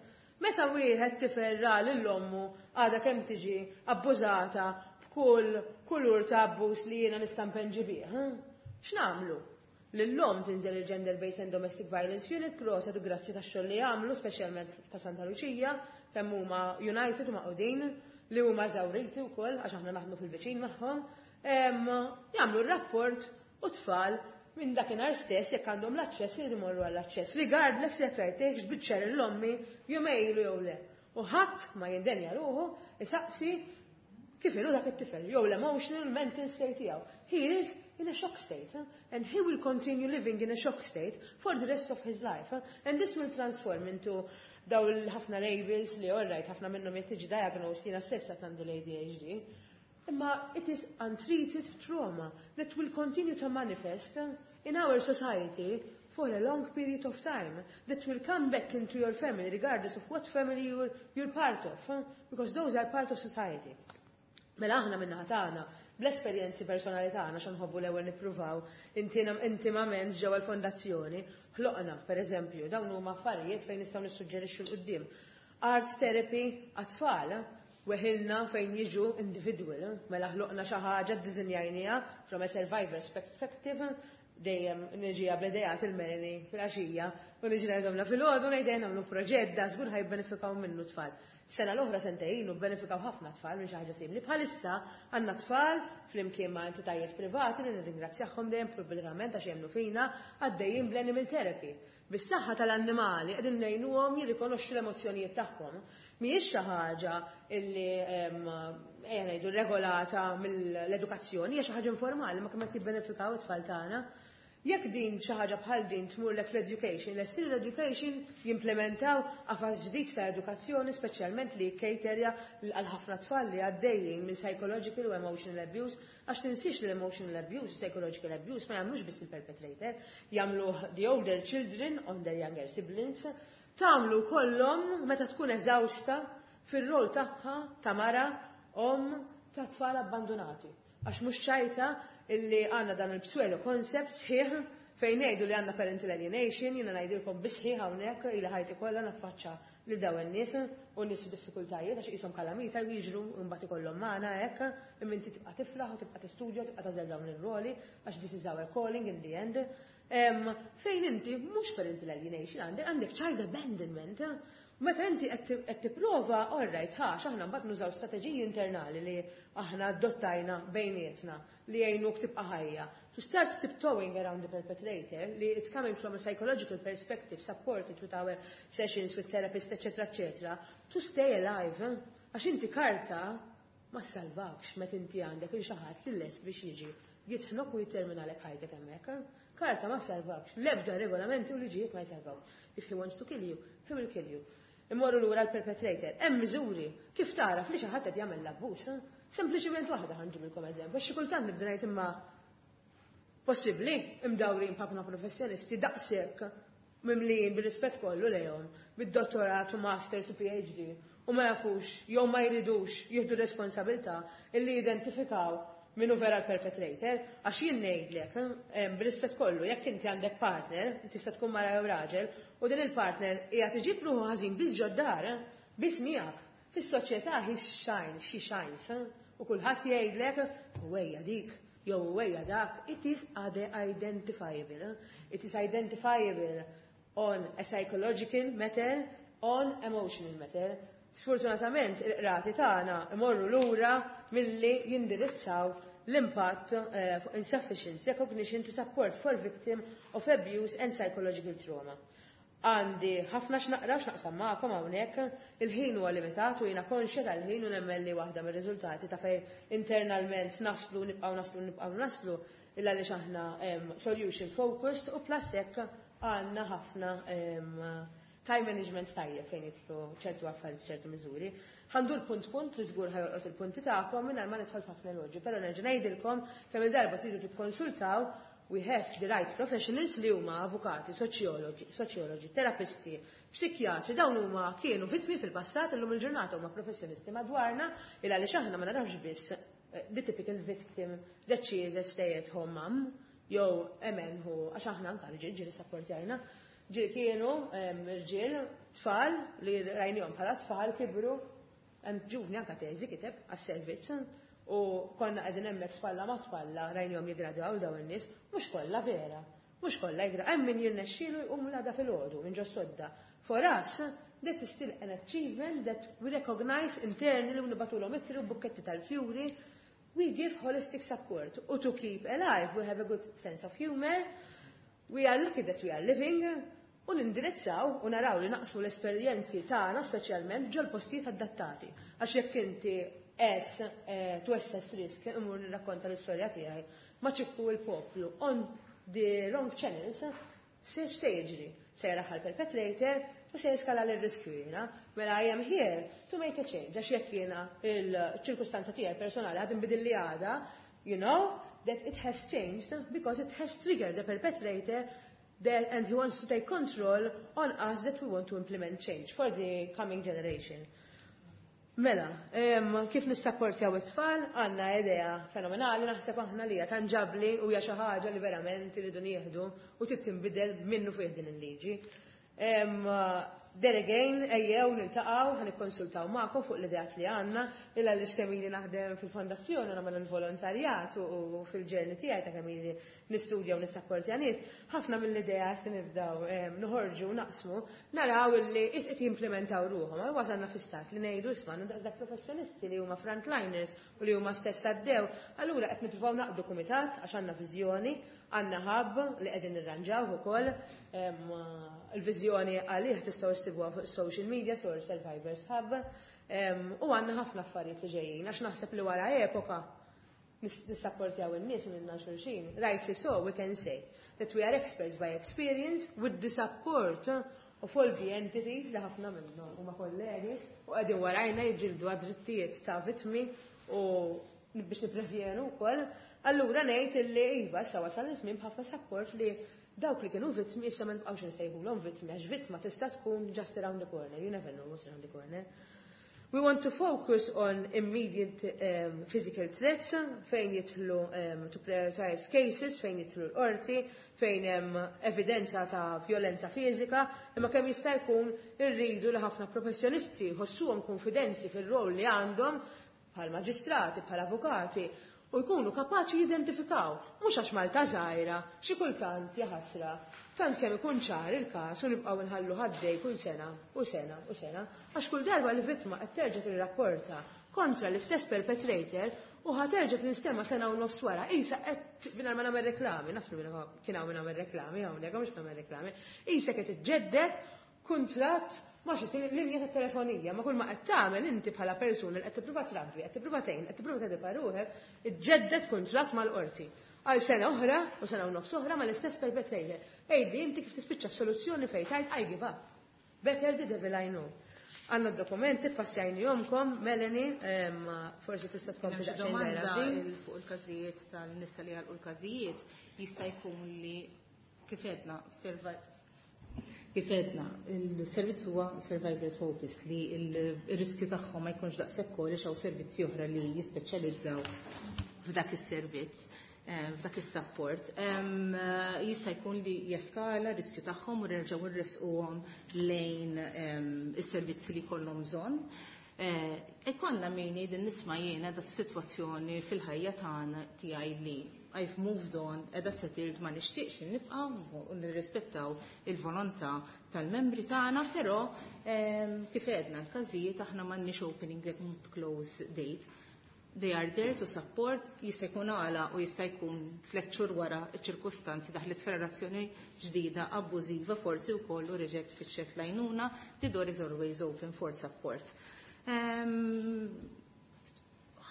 Meta wieħed tifel ra lil ommu għadha kemm tiġi abbużata b'kull kulur ta' abbuż li jiena nista' npenġi bih. X'nagħmlu? L-lum tinżel il-Gender Based and Domestic Violence Unit proset u grazzi ta' xogħol li għamlu, speċjalment ta' Santa Lucia, kemm huma united u maqudin li huma eżawriti wkoll għax aħna naħdmu fil-viċin magħhom. Jagħmlu r-rapport u tfal minn dakinhar stess jekk għandhom l-aċċess jridu jmorru għall-aċċess. Regardless jekk rajtekx biċċer l-ommi jumejlu jew le. U ħadd ma jindenja ruħu isaqsi kif inhu dak it-tifel jew l-emotional mental state tiegħu. He is in a shock state and he will continue living in a shock state for the rest of his life. And this will transform into daw l-ħafna labels li all right, ħafna minnhom jekk tiġi diagnosed jiena stessa għandi l-ADHD. Imma it is untreated trauma that will continue to manifest in our society for a long period of time that will come back into your family regardless of what family you're part of, because those are part of society. Mela aħna minna tagħna, bl-esperjenzi personali tagħna xa nħobbu l-ewwel nippruvaw intimament ġewwa l-fondazzjoni, ħloqna, pereżempju, dawn huma affarijiet fejn nistgħu nissuġġerixxu 'l quddiem. Art therapy għat-tfal, weħilna fejn jiġu individual, mela ħloqna xi ħaġa ddisinjajniha from a survivor's perspective, dejjem niġi bl-idejat il-Melanie fil-għaxija u niġi ngħidhomna fil-għodu ngħidejn nagħmlu proġett da żgur ħa jibbenefikaw minnu tfal. Sena l-oħra sentejn u benefikaw ħafna tfal minn xi ħaġa simili. Bħalissa għandna tfal flimkien ma' entitajiet privati li nirringrazzjahom dejjem pubblikament għax jemmnu fina għaddejjin bl-animal therapy. Bis-saħħa tal-annimali qegħdin ngħinuhom jirrikonoxxu l-emozzjonijiet tagħhom. Mhijiex xi ħaġa illi ejja ngħidu regolata mill-edukazzjoni, hija xi ħaġa informali ma kemm qed jibbenefikaw it-tfal tagħna. Jekk din xi ħaġa bħal din tmurlek fl-education, lesti l-education jimplementaw qafas ġdid ta' edukazzjoni, speċjalment li jikkaterja għal ħafna tfal li għaddejjin minn psychological u emotional abuse, għax tinsiex li l-emotional abuse, psychological abuse ma jagħmlux biss il-perpetrator, jagħmlu the older children on their younger siblings, tagħmlu kollhom meta tkun eżawsta fir-rol tagħha ta' mara, omm, ta' tfal abbandonati. Għax mhux ċajta illi għandna dan il-pseudo concept sħiħ fejn ngħidu li għandna parental alienation, jiena ngħidilkom bisħiħ hawnhekk ili ħajti kollha naffaċċa lil dawn in-nies u nies f'diffikultajiet għax qishom kalamita jiġru mbagħad ikollhom magħna hekk, imma inti tibqa' tiflaħ u tibqa' tistudja u tibqa' tagħżel dawn ir-roli għax this is our calling in the end. Fejn inti mhux parental alienation għandek, għandek child abandonment. Meta inti qed tipprova, all right, ħa, aħna mbagħad nużaw strateġiji internali li aħna adottajna bejnietna li jgħinuk tibqa' ħajja. To start tiptoeing around the perpetrator, li it's coming from a psychological perspective, supported with our sessions with therapists, etc., etc., to stay alive. Għax inti karta ma salvakx meta inti għandek il xi ħadd li lest biex jiġi jitħnok u jitterminalek ħajtek hemmhekk. Karta ma salvakx, l-ebda regolamenti u liġijiet ma jsalvawk. If he wants to kill you, he will kill you. Immorru lura l-perpetrator. Hemm miżuri kif tara li xi ħadd qed jagħmel l-abbuż. Sempliċiment waħda ħa nġibilkom eżempju. Xi kultant nibda ngħid imma possibbli imdawrin b'ħafna professjonisti daqshekk mimlijin bir-rispett kollu lejhom, bid-dottorat u masters u PhD, u ma jafux jew ma jridux jieħdu responsabilità illi jidentifikaw minnu vera l-perpetrator, għax jien ngħidlek, bir-rispett kollu, jekk inti għandek partner, tista' tkun mara jew raġel, u din il-partner hija tiġib ruħu ħażin biss ġod-dar, biss miegħek. Fis-soċjetà he shine, she shines, u kulħadd jgħidlek wejja dik, jew wejja dak, it is identifiable. It is identifiable on a psychological matter, on emotional matter. Sfortunatament, il-qrati tagħna imorru lura milli jindirizzaw l-impatt fuq insufficient recognition to support for victim of abuse and psychological trauma. Għandi ħafna x'naqra x'naqsam magħkom hawnhekk, il-ħin huwa limitat u jiena konxja tal-ħin u nemmen li waħda mir-riżultati ta' fejn internalment naslu, nibqgħu naslu, nibqgħu naslu, illa li aħna solution focused u plus hekk għandna ħafna time management tajjeb fejn jidħlu ċertu affarijiet, ċertu miżuri. Ħa ndur punt punt li żgur ħa jolqot il-punti tagħkom mingħajr ma nidħol f'ħafna eloġi, però nerġa' ngħidilkom kemm il-darba tridu tikkonsultaw, we have the right professionals li huma avukati, soċjologi, terapisti, psikjatri, dawn huma kienu vittmi fil-passat, illum il-ġurnata huma professjonisti madwarna, il għaliex aħna ma narawx biss the typical victim that she is a stay at home mom, jew emen hu, għax aħna anka rġiel ġieli sapportjajna, ġieli kienu rġiel, tfal li rajnihom bħala tfal kibru, hemm ġuvni anka teżi kiteb għas-servizz, u konna qegħdin hemmhekk spalla ma' spalla rajnihom jiggradwaw dawn in-nies, mhux kollha vera, mhux kollha jigra, hemm min jirnexxielu jqum l-għada filgħodu minn ġo sodda. For us, that is still an achievement that we recognize internally u nibagħtulhom ittri u bukketti tal-fjuri. We give holistic support. U to keep alive, we have a good sense of humor. We are lucky that we are living. U nindirizzaw u naraw li naqsmu l-esperjenzi tagħna speċjalment ġol postijiet adattati. Għax jekk inti es to assess risk, imur nirrakkonta l-istorja tiegħi, ma ċikku il-poplu on the wrong channels, se jiġri? Se jaraħħal perpetrator u se jeskala l-riskju jiena. Mela I am here to make a change. Għax jekk jiena il-ċirkustanza tiegħi personali għad inbidil li għada, you know that it has changed because it has triggered the perpetrator that, and he wants to take control on us that we want to implement change for the coming generation. Mela, kif nissapportjaw it-tfal, għandna idea fenomenali, naħseb aħna li hija tanġabli u hija xi ħaġa li verament iridu nieħdu u trid tinbidel minnu fih din il-liġi. There again, ejjew niltaqgħu, ħa nikkonsultaw magħkom fuq l-ideat li għandna, illa li kemm ili naħdem fil-fondazzjoni, nagħmel il-volontarjat u fil-journey tiegħi ta' kemm ili nistudja u nissapportja nies, ħafna mill-ideat li nibdew noħorġu u naqsmu, naraw illi qed jimplementaw ruħhom. Għal wasalna fi stat li ngħidu isma' dak professjonisti li huma frontliners u li huma stess għaddew, allura qed nippruvaw naqdu kumitat għax għandna viżjoni, għandna hub li qegħdin nirranġaw ukoll, il-viżjoni għalih tistgħu issibuha fuq social media, Source Survivors Hub, u għandna ħafna affarijiet li ġejjin, għax naħseb li wara epoka Nissapportjaw in-nies minna xulxin. Rightly so, we can say that we are experts by experience with the support of all the entities li ħafna minnhom huma kollegi u qegħdin warajna jiġġieldu għad-drittijiet ta' vittmi u biex nipprevjenu wkoll. Allura ngħid illi iva issa wasal iż-żmien b'ħafna support li dawk li kienu vittmi issa ma nibqgħux insejħulhom vittmi għax vittma tista' tkun just around the corner, you never know what's around the corner. We want to focus on immediate physical threats fejn jidħlu to prioritize cases, fejn jidħlu l-qorti, fejn hemm evidenza ta' violenza fiżika, imma kemm jista' jkun irridu li ħafna professjonisti jħossuhom konfidenzi fir-rol li għandhom bħal maġistrati, bħal avukati, u jkunu kapaċi jidentifikaw, mhux għax Malta żgħira, xi kultant jaħasra. Tant kemm ikun ċar il-każ u nibqgħu nħallu ħaddej kull sena u sena u sena, għax kull darba li vittma qed terġa' tirrapporta kontra l-istess perpetrator u ħa terġa' tinstema' sena u nofs wara, isa qed mingħajr ma nagħmel reklami, naf li kien hawn nagħmel reklami hawnhekk mhux nagħmel reklami, isa qed iġġedded kuntratt ma xi linja ta' telefonija, ma kull ma qed tagħmel inti bħala persuna li qed tippruva trabbi, qed tippruva tgħin, qed tippruva tedika ruħek, iġġedded kuntratt mal-qorti. Għal sena oħra u sena u nofs oħra mal-istess perpetrator. Ejdi inti kif tispiċċa f'soluzzjoni fejn tgħid I give up. Better the devil I know. Għandna d-dokumenti, passajnihomlkom, Melanie, forsi tista' tkompli Hemm xi daqsxejn domanda żgħira f'din. fuq il-każijiet tal-nisa li għalqu l-każijiet jista' jkun li kif għedna kif għedna, il-servizz huwa survival focus li il-riskju tagħhom ma jkunx daqshekk għoli hawn servizzi oħra li jispeċjalizzaw f'dak is-servizz, f'dak is-support. Jista' jkun li jeskala riskju tagħhom u nerġgħu nresquhom lejn is-servizzi li jkollhom bżonn. Ikollna min jgħid nisma' jiena da f'sitwazzjoni fil-ħajja tagħna tiegħi li I've moved on, edha settled, ma nixtieqx nibqa' u nirrispettaw il-volontà tal-membri tagħna, però kif għedna l-każijiet aħna m'għandniex opening and close date. They are there to support, jista' jkun għala u jista' jkun 3 xhur wara ċ-ċirkustanzi daħlet f'relazzjoni ġdida abbużiva forsi wkoll u reġgħet fittxet l-għajnuna, the door is always open for support.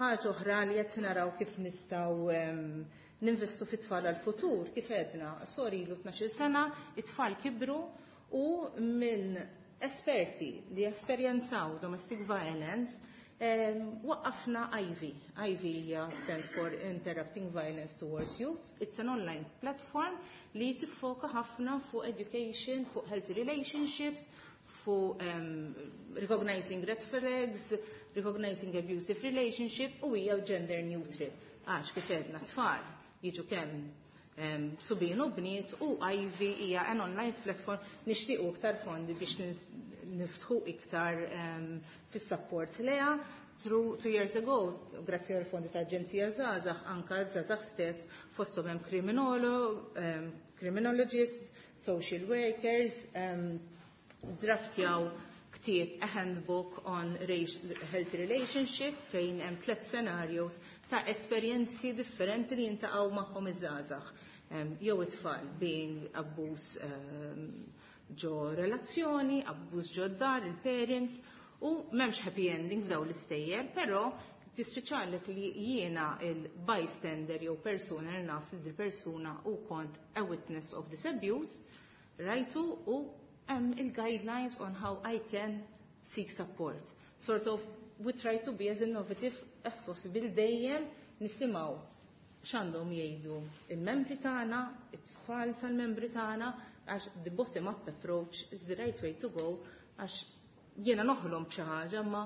Ħaġa oħra li qed naraw kif nistgħu ninvestu fit-tfal għal-futur, kif għedna, sorry, ilu 12 sena, it-tfal kibru u minn esperti li esperjenzaw domestic violence, waqqafna Ivy. Ivy hija stands for Interrupting Violence Towards Youth. It's an online platform li tiffoka ħafna fuq education, fuq healthy relationships, fuq recognizing red flags, recognizing abusive relationship u hija gender neutral. Għax kif għedna tfal jiġu kemm subien u bniet u Ivy hija an online platform nixtiequ iktar fondi biex niftħu iktar fis-support leha. Through 2 years ago, grazzi għal fondi ta' Aġenzija Żgħażagħ, anka żgħażagħ stess fosthom hemm criminologists, social workers, draftjaw ktieb, a handbook on healthy relationship fejn hemm tliet scenarios ta' esperjenzi differenti li jintaqgħu magħhom iż-żgħażagħ. Jew it-tfal being abbuż ġo relazzjoni, abbuż ġo dar, il-parents, u m'hemmx happy ending f'dawn l-istejjer, però tispiċċalek li jiena il-bystander jew persuna li naf li dil-persuna u kont a witness of this abuse, rajtu u hemm il-guidelines on how I can seek support. Sort of, we try to be as innovative as possible dejjem nisimgħu x'għandhom jgħidu il-membri tagħna, it-tfal tal-membri tagħna, għax the bottom up approach is the right way to go, għax jiena noħlom b'xi ħaġa, ma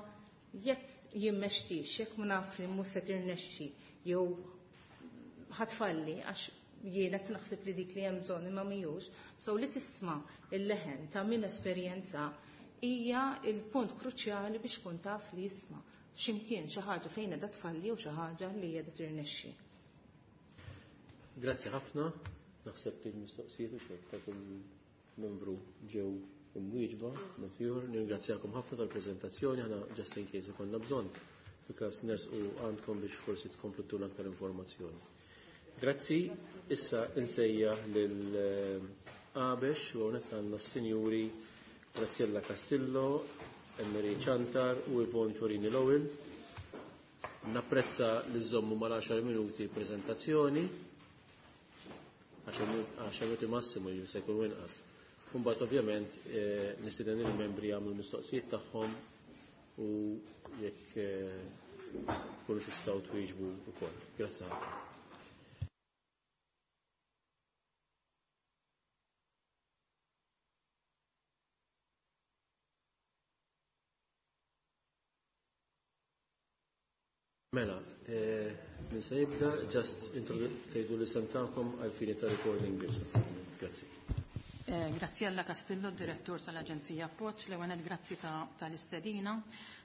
jekk jien mextix, jekk ma naf li mhux se tirnexxi jew ħa tfalli għax jiena qed naħseb li dik li hemm bżonn imma mhijiex, so li tisma' il-leħen ta' min esperjenza hija il-punt kruċjali biex kun taf li jisma' x'imkien xi ħaġa fejn qiegħda tfalli jew xi ħaġa li qiegħda tirnexxi. Grazzi ħafna. Naħseb li l-mistoqsijiet u xejn ta' kull membru ġew imwieġba, Matjur, nirringrazzjakom ħafna tal-preżentazzjoni, aħna just in case ikollna bżonn fil-każ nersqu għandkom biex forsi tkomplu tuna aktar informazzjoni. Grazzi, issa insejjaħ lil Għabex u hawnhekk għandna s-sinjuri Graziella Castillo, Emery Chantar u Yvonne Fiorini Lowell. Napprezza li żommu mal-10 minuti prezentazzjoni, 10 minuti massimu jiġifieri se jkun inqas. Imbagħad ovvjament nistieden il-membri jagħmlu l-mistoqsijiet tagħhom u jekk tkunu tistgħu twieġbu wkoll. Grazzi ħafna. Mela, min se jibda, just tgħidu l-isem tagħkom għal fini ta' recording biss. Grazzi. Graziella Castillo, direttur tal-Aġenzija Appoġġ, l-ewwel grazzi tal-istedina.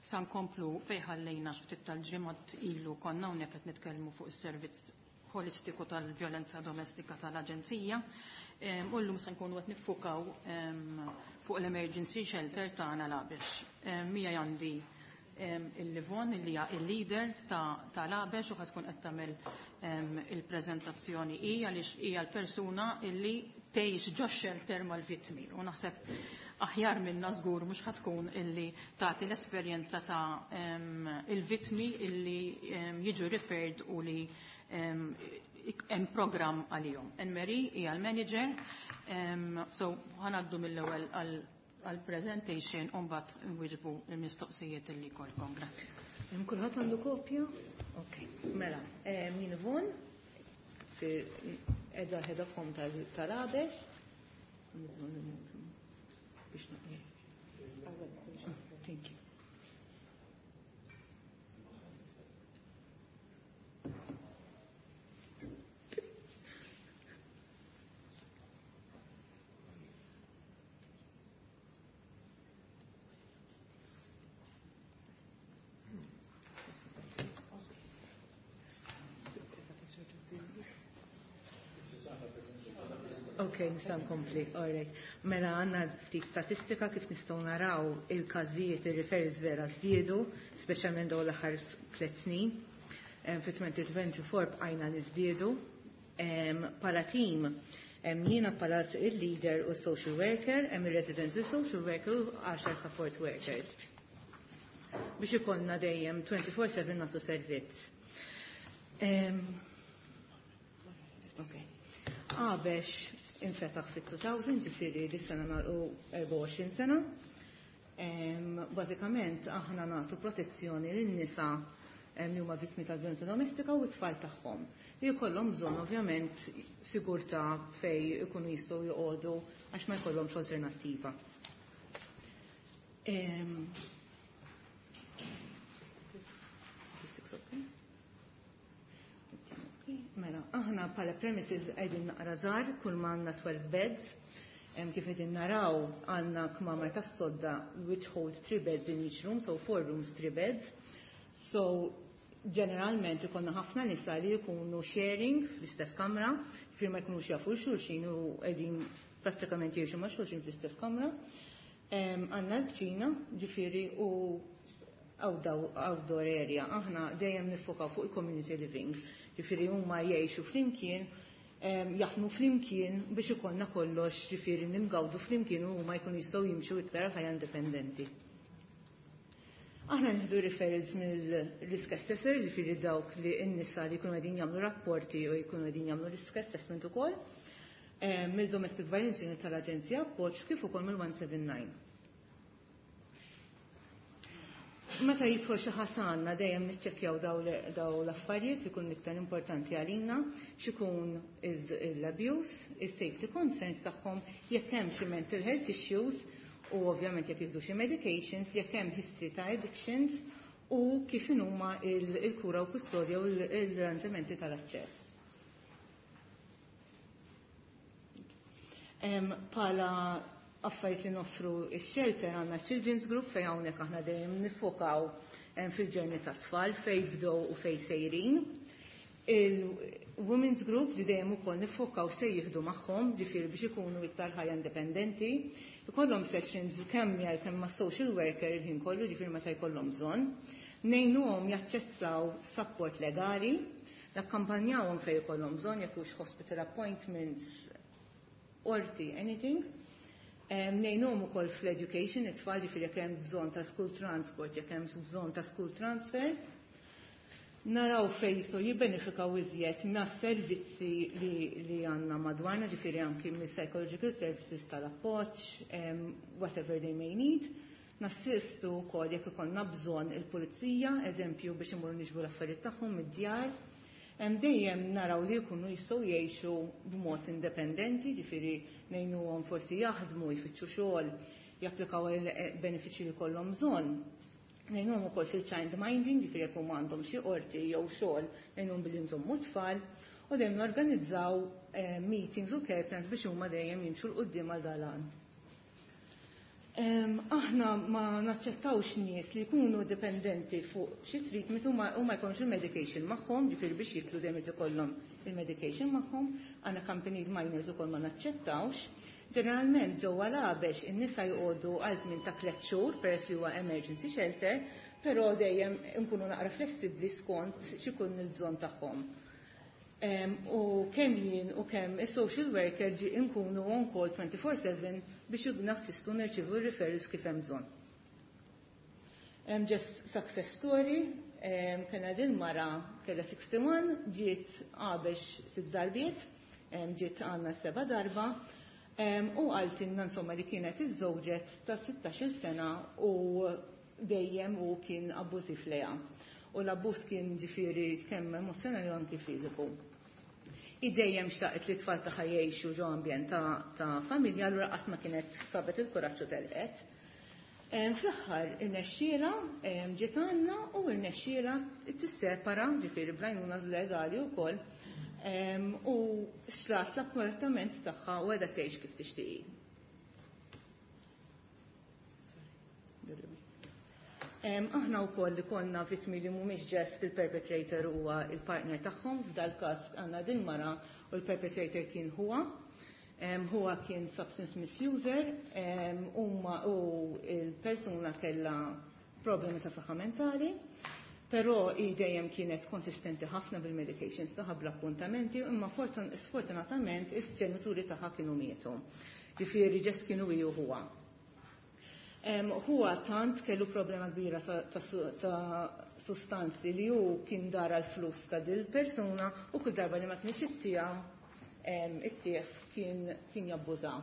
Sa nkomplu fejn ħallejna ftit tal-ġimgħat ilu konna hawnhekk qed nitkellmu fuq is-servizz holistiku tal-vjolenza domestika tal-Aġenzija. U llum se nkunu qed niffukaw fuq l-emergency shelter tagħna Labex. Mija għandi il-Livon li hija il-leader ta' Labex u tkun qed tagħmel il-preżentazzjoni hi għaliex hija l-persuna illi tgħix ġo shelter mal-vittmi u naħseb aħjar minna żgur mhux ħatkun illi tagħti l-esperjenza ta' il-vittmi illi jiġu referred u li hemm programm għalihom. Anne-Marie hija l-manager, so ħanaddu mill-ewwel għal-presentation u mbagħad nwieġbu l-mistoqsijiet illi jkollkom. Grazzi. Hemm kulħadd għandu kopja? Ok, mela, min Yvonne, edha head of home tal-Abex. Thank you. Ok, nista' nkompli. Alright. Mela għandna ftit statistika kif nistgħu naraw il-każijiet ir-referrals vera żdiedu, speċjalment dawn l-aħħar 3 snin. Fi 2024 bqajna niżdiedu. Pala team, jiena bħala il-leader u social worker, hemm il-residential social worker u 10 support workers. Biex ikollna dejjem 24/7 nagħtu servizz. Ok. Għabex infetaħ fit-2000, ġifieri li sena nagħlqu 24 sena. Bażikament aħna nagħtu protezzjoni lin-nisa li huma vittmi tal-vjolenza domestika u t-tfal tagħhom. Li jkollhom bżonn ovvjament sigurtà fej ikunu jistgħu joqogħdu għax ma jkollhomx alternattiva. Statistics okay? Mela, aħna bħala premises qegħdin naqra żgħar, kull ma għandna 12 beds. Kif qegħdin naraw għandna kmamar tas-sodda which hold 3 beds in each room, so 4 rooms, 3 beds. So ġeneralment ikollna ħafna nisa li jkunu sharing fl-istess kamra, ġifieri ma jkunux jafu xulxin u qegħdin prattikament jgħixu ma' xulxin fl-istess kamra. Għandna l-kċina, ġifieri u outdoor area. Aħna dejjem nifokaw fuq il-community living. Ġifieri huma jgħixu flimkien, jaħdmu flimkien biex ikollna kollox, ġifieri ningawdu flimkien u huma jkunu jistgħu jimxu iktar ħajja indipendenti. Aħna nieħdu referrals mill-risk assessors, ġifieri dawk li n-nisa li jkunu qegħdin jagħmlu rapporti u jkunu qegħdin jagħmlu risk assessment ukoll, mill-Domestic Violence Unit tal-Aġenzija Appoġġ kif ukoll mill-179. Meta jidħol xi ħadd għandna dejjem niċċekkjaw daw l-affarijiet ikun iktar importanti għalina, x'ikun l-abuse, is-safety concerns tagħhom, jekk hemm xi mental health issues u ovvjament jekk jieħdu xi medications, jekk hemm history ta' addictions u kif inhuma il-kura u kustodja u l-arranġamenti tal-aċċess. Pala affarijiet li noffru ix-shelter għandna Children's Group fejn hawnhekk aħna dejjem nifokaw fil-ġerni ta' tfal fejn bdew u fejn sejrin. Il-Women's Group li dejjem ukoll nifokaw se jieħdu magħhom, ġifieri biex ikunu iktar ħajja indipendenti. Ikollhom sessions kemm jgħal kemm ma' social worker il-ħin kollu, ġifieri meta jkollhom bżonn. Ngħinuhom jaċċessaw support legali, nakkampanjawhom fejn ikollhom bżonn jekk hux hospital appointments, qorti, anything. Ngħinuhom ukoll fl-education, it-tfal ġifieri jekk hemm bżonn ta' school transport, jekk hemm bżonn ta' school transfer. Naraw fejn jistgħu jibbenefikaw iżjed ma' servizzi li għandna madwarna, ġifieri anki mis-psychological services tal-appoġġ, whatever they may need. Nassistu wkoll jekk ikollna bżonn il-pulizija, eżempju biex imorru niġbu l-affarijiet tagħhom mid-djar. Dejjem naraw li jkunu jistgħu jgħixu b'mod indipendenti, ġifieri ngħinuhom forsi jaħdmu, jfittxu xogħol, japplikaw il-benefiċċji li jkollhom bżonn. Ngħinuhom ukoll fil-child minding, ġifieri jekk huma għandhom xi qorti jew xogħol, ngħinuhom billi nżommu tfal, u dejjem norganizzaw meetings u care plans biex huma dejjem jimxu 'l quddiem għal dalan. Aħna ma naċċettawx nies li jkunu dipendenti fuq xi treatment u ma jkollhomx il-medication magħhom, ġifieri biex jiklu dejjem irid ikollhom il-medication magħhom, għandna accompanied minors ukoll ma naċċettawx. Ġeneralment ġewwa l-Għabex in-nisa joqogħdu għal żmien ta' 3 xhur peress li huwa emergency shelter, però dejjem nkunu naqra flessibbli skont x'ikun il-bżonn tagħhom. U kemm jien u kemm is-social worker ġi nkunu on call 24/7 biex nassistu nirċievu r-referrals kif hemm bżonn. Just success story, kena din mara kellha 61, ġiet Għabex 6 darbiet, ġiet għandna 7 darba, u qaltilna insomma li kienet iżżewġet ta' 16 sena u dejjem u kien abbużiv lejha. U l-abbuż kien ġifieri kemm emozzjonali u anki fiżiku. I dejjem xtaqet li t-tfal tagħha jgħixu ġo ambjent ta' familja, allura qatt ma kienet sabet il-kuraġġ u telqet. Fl-aħħar irnexxiela ġiet għandna u irnexxiela tissepara, ġifieri bl-għajnuna legali wkoll, u xtrat l-appartament tagħha u qiegħda tgħix kif tixtieq. Aħna wkoll li konna vittmi li mhumiex ġest il-perpetrator huwa il-partner tagħhom, f'dal każ għandna din mara u l-perpetrator kien huwa. Huwa kien substance misuser, u il-persuna kellha problemi ta' saħħa mentali, però hi dejjem kienet konsistenti ħafna bil-medications tagħha bl-appuntamenti, imma sfortunatament il-ġenituri tagħha kienu mietu. Ġifieri ġest kienu hi u huwa. Huwa tant kellu problema kbira ta' sustanzi li hu kien dara l-flus ta' dil persuna u kull darba li ma kienx ittieħ kien jabbuża.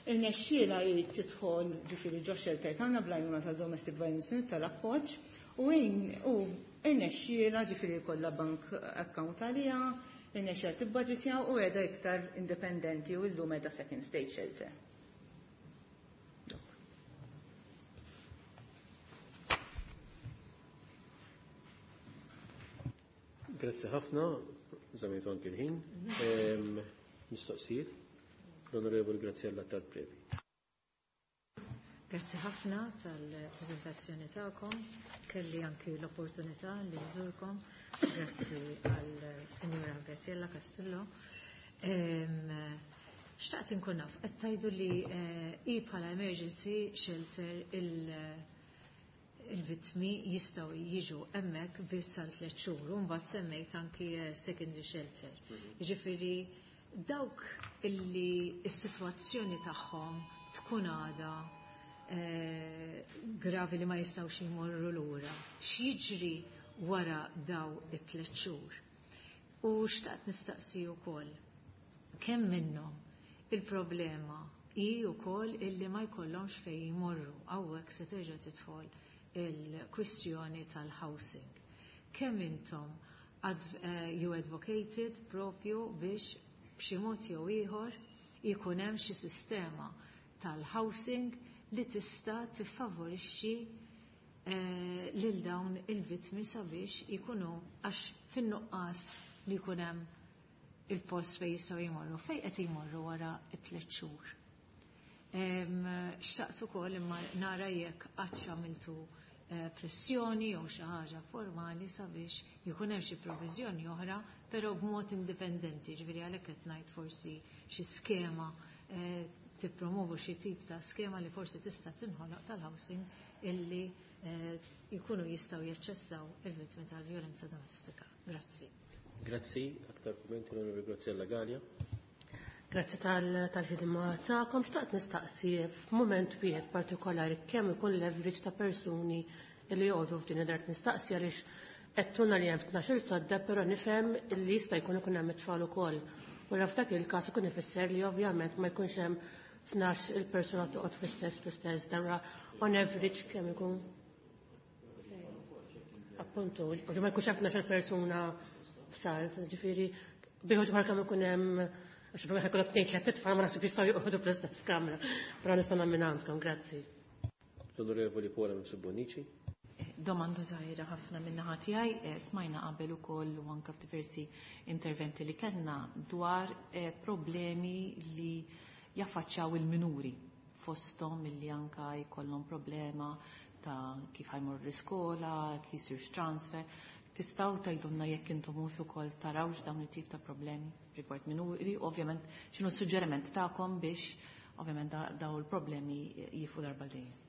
Irnexxiela hi tidħol ġifieri ġo shelter tagħna bl-għajnuna tal-Domestic Violence Unit tal-appoġġ u irnexxiela ġifieri jkollha bank account għaliha, irnexxiela tibbaġitja u qiegħda iktar indipendenti u llum qiegħda second stage shelter. Grazzi ħafna, żamejtu anki l-ħin. Mistoqsijiet, l-Onorevoli Graziella Tard-Previ. Grazzi ħafna tal-prezentazzjoni tagħkom. Kelli anki l-opportunità li nżurkom. Grazzi għal Sinjura Graziella Castillo. Xtaqt inkun naf, qed tgħidu li hi bħala emergency shelter il-vittmi jistgħu jiġu hemmhekk biss għal 3 xhur u mbagħad semmejt anki secondary shelter. Jiġifieri dawk illi s-sitwazzjoni tagħhom tkun għadha gravi li ma jistgħux jmorru lura. X'jiġri wara daw it-3 xhur? U xtaqt nistaqsi wkoll kemm minnhom il-problema hi wkoll illi ma jkollhomx fejn jmorru, hawnhekk se terġa' tidħol il-kwistjoni tal-housing. Kemm intom you advocated propju biex b'xi mod jew ieħor jkun hemm xi sistema tal-housing li tista' tiffavorixxi lil dawn il-vittmi sabiex jkunu għax fin-nuqqas li jkun hemm il-post fejn jistgħu jmorru, fejn qed jmorru wara t-3 xhur. Xtaqt ukoll imma nara jekk qatt għamiltu pressjoni jew xi ħaġa formali sabiex jkun hemm xi proviżjoni oħra, però b'mod indipendenti, ġifieri għalhekk qed ngħid forsi xi skema tippromovu xi tip ta' skema li forsi tista' tinħoloq tal-housing illi jkunu jistgħu jaċċessaw il-vittmi tal-vjolenza domestika. Grazzi. Grazzi, aktar kummenti l-Onorevoli Graziella Galea. Grazzi tal-ħidma tagħkom. Xtaqt nistaqsi f'mument wieħed partikolari kemm ikun leverage ta' persuni li joqogħdu f'din id-dar. Nistaqsi għaliex Għedtulna li hemm 12-il sodda, però nifhem li jista' jkun ikun hemm it-tfal ukoll. U f'dak il-każ ikun ifisser li ovvjament ma jkunx hemm 12 il-persuna toqgħod fl-istess darra on average kemm ikun. Appuntu, ma jkunx hemm 12 persuna f'salt, ġifieri bieħu dwar kemm ikun hemm għax bieħu jkollok tnejn tliet titfal ma naħseb jistgħu joqogħdu fl-istess kamra. Però nista' minn għandkom, grazzi. L-Onorevoli Paola Mifsud Bonnici. Domanda żgħira ħafna min-naħa tiegħi, smajna qabel ukoll u anke f'diversi interventi li kellna dwar problemi li jaffaċċjaw il-minuri fosthom illi anka jkollhom problema ta' kif ħajmur l-iskola, kif jsirx transfer. Tistgħu tgħidulna jekk intom ukoll tarawx dawn it-tip ta' problemi rigward minuri, ovvjament x'inhu s-suġġeriment tagħkom biex ovvjament daw il-problemi jifu darba dejjem.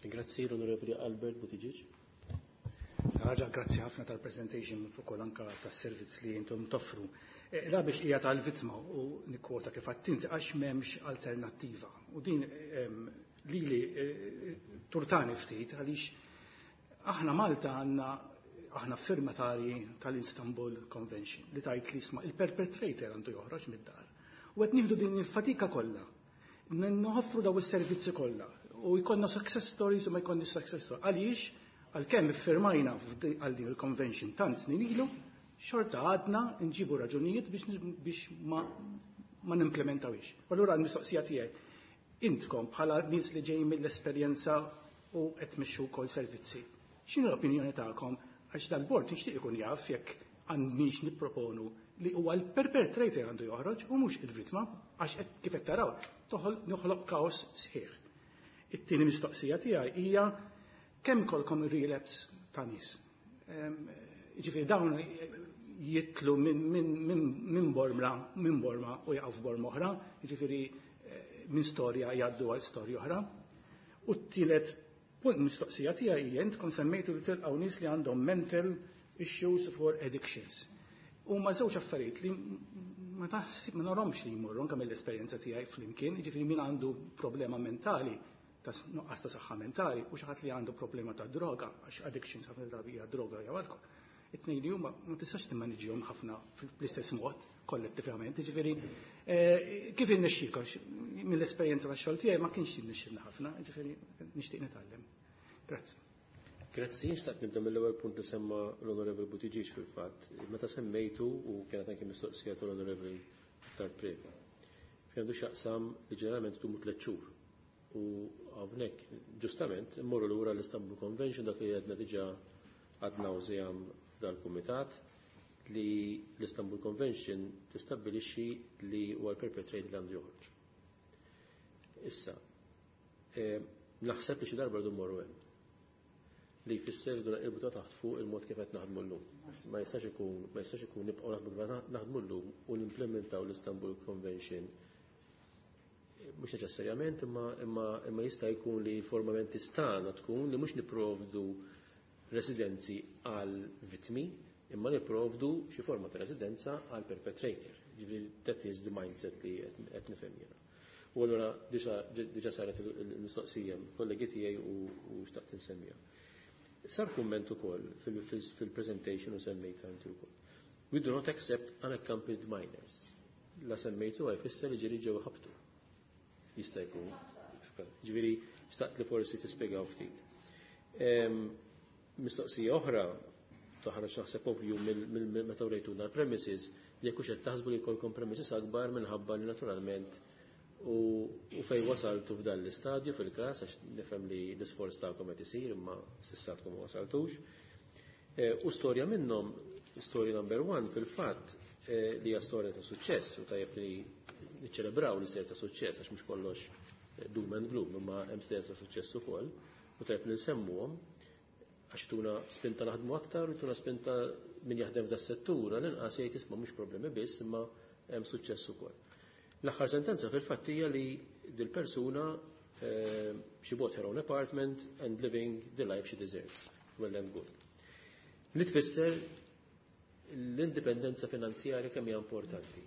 Grazzi l-Onorevoli Albert Buttigieg. Raġa, grazzi ħafna tal-presentation fuq ukoll anka tas-servizz li intom toffru. La biex hija tal-vittma u nikkwota kif għattinti għax m'hemmx alternattiva. U din lili turtani ftit għaliex aħna Malta għandna aħna firmatarji tal-Istanbul Convention li tajt li isma' il-perpetrator għandu joħroġ mid-dar. U qed nieħdu din il-fatika kollha. Noffru daw is-servizzi kollha u jkollna success stories u ma jkollniex success stories. Għaliex għalkemm iffirmajna għal din il-convention tant snin ilu, xorta għadna nġibu raġunijiet biex ma nimplementawix. Allura l-mistoqsija tiegħi, intkom bħala nies li ġejjin mill-esperjenza u qed tmexxu wkoll servizzi. X'inhu l-opinjoni tagħkom għax dal-bord nixtieq ikun jaf jekk għandniex nipproponu li huwa l-perpetrator għandu joħroġ u mhux il-vittma għax kif qed taraw noħloq kaos sħiħ. It-tieni mistoqsija tiegħi hija kemm kolkom relapse ta' nies. Ġifieri dawn jitlu minn borma, minn borma u jaqgħu f'borma oħra, jiġifieri minn storja jgħaddu għal storja oħra. U t-tielet punt mistoqsija tiegħi hija intkom semmejtu li tilqgħu nies li għandhom mental issues for addictions. U ma żewġ affarijiet li ma taħsib ma narhomx li jmorru anke mill-esperjenza tiegħi flimkien, jiġifieri min għandu problema mentali ta' nuqqas ta' saħħa mentali u xi ħadd li għandu problema ta' droga, għax addictions ħafna drabi hija droga jew alkohol. It-tnejn li huma ma tistax timmaniġihom ħafna fl-istess mod kollettivament. Jiġifieri kif innexxielkom mill-esperjenza tax-xogħol tiegħi ma kienx jinnexxilna ħafna, jiġifieri nixtieq nitgħallem. Grazzi. Grazzi, nixtaq nibda mill-ewwel punt li semma l-Onorevoli Buttigieg fil-fatt. Meta semmejtu u kienet anke mistoqsija tal-Onorevoli Attard Previ. Fejn għandu x'jaqsam li ġeneralment tumu 3 xhur. U hawnhekk ġustament immorru lura l-Istanbul Convention dak li għedna diġà ad nauseam f'dal-kumitat li l-Istanbul Convention tistabbilixxi li huwa l-perpetrator li għandu joħroġ. Issa, naħseb li xi darba rridu mmorru hemm. Li jfisser li naqilbu ta' taħt fuq il-mod kif qed naħdmu llum. Ma jistax ikun, ma jistax ikun nibqgħu naħdmu kif naħdmu llum u nimplementaw l-Istanbul Convention mhux neċessarjament, imma jista' jkun li l-forma tistana tkun li mhux nipprovdu residenzi għal vittmi, imma nipprovdu xi forma ta' residenza għal perpetrator. Ġifieri that is the mindset li qed nifhem jiena. U allura diġà saret il-mistoqsija kollegi tiegħi u xtaqt insemmija. Sar kumment ukoll fil-presentation u semmejt inti wkoll. We do not accept unaccompanied minors. La semmejtu għaj fisser li ġieli ġew ħabtu. Jista' jkun. Ġifieri xtaqt li forsi tispjegaw ftit. Mistoqsija oħra toħroġ naħseb ovvju mill meta wrejtuna l-premises li jekk hux qed taħsbu li jkollkom premises akbar minħabba li naturalment u fej wasaltu f'dan l-istadju fil-każ għax nifhem li l-isforz tagħkom qed isir imma s'issa għadkom ma wasaltux. U storja minnhom, story number 1 fil-fatt li hija storja ta' suċċess u tajjeb li niċċelebraw l-istorja ta' suċċess għax mhux kollox doom and gloom imma hemm storja ta' suċċess ukoll u tajjeb li nsemmuhom għax tuna spinta naħdmu aktar u tuna spinta min jaħdem f'da settur għal-inqas jgħid isma' mhux problemi biss imma hemm suċċess ukoll. L-aħħar sentenza fil-fatt hija li dil-persuna she bought her own apartment and living the life she deserves. Well and good. Li tfisser l-indipendenza finanzjarja kemm hija importanti.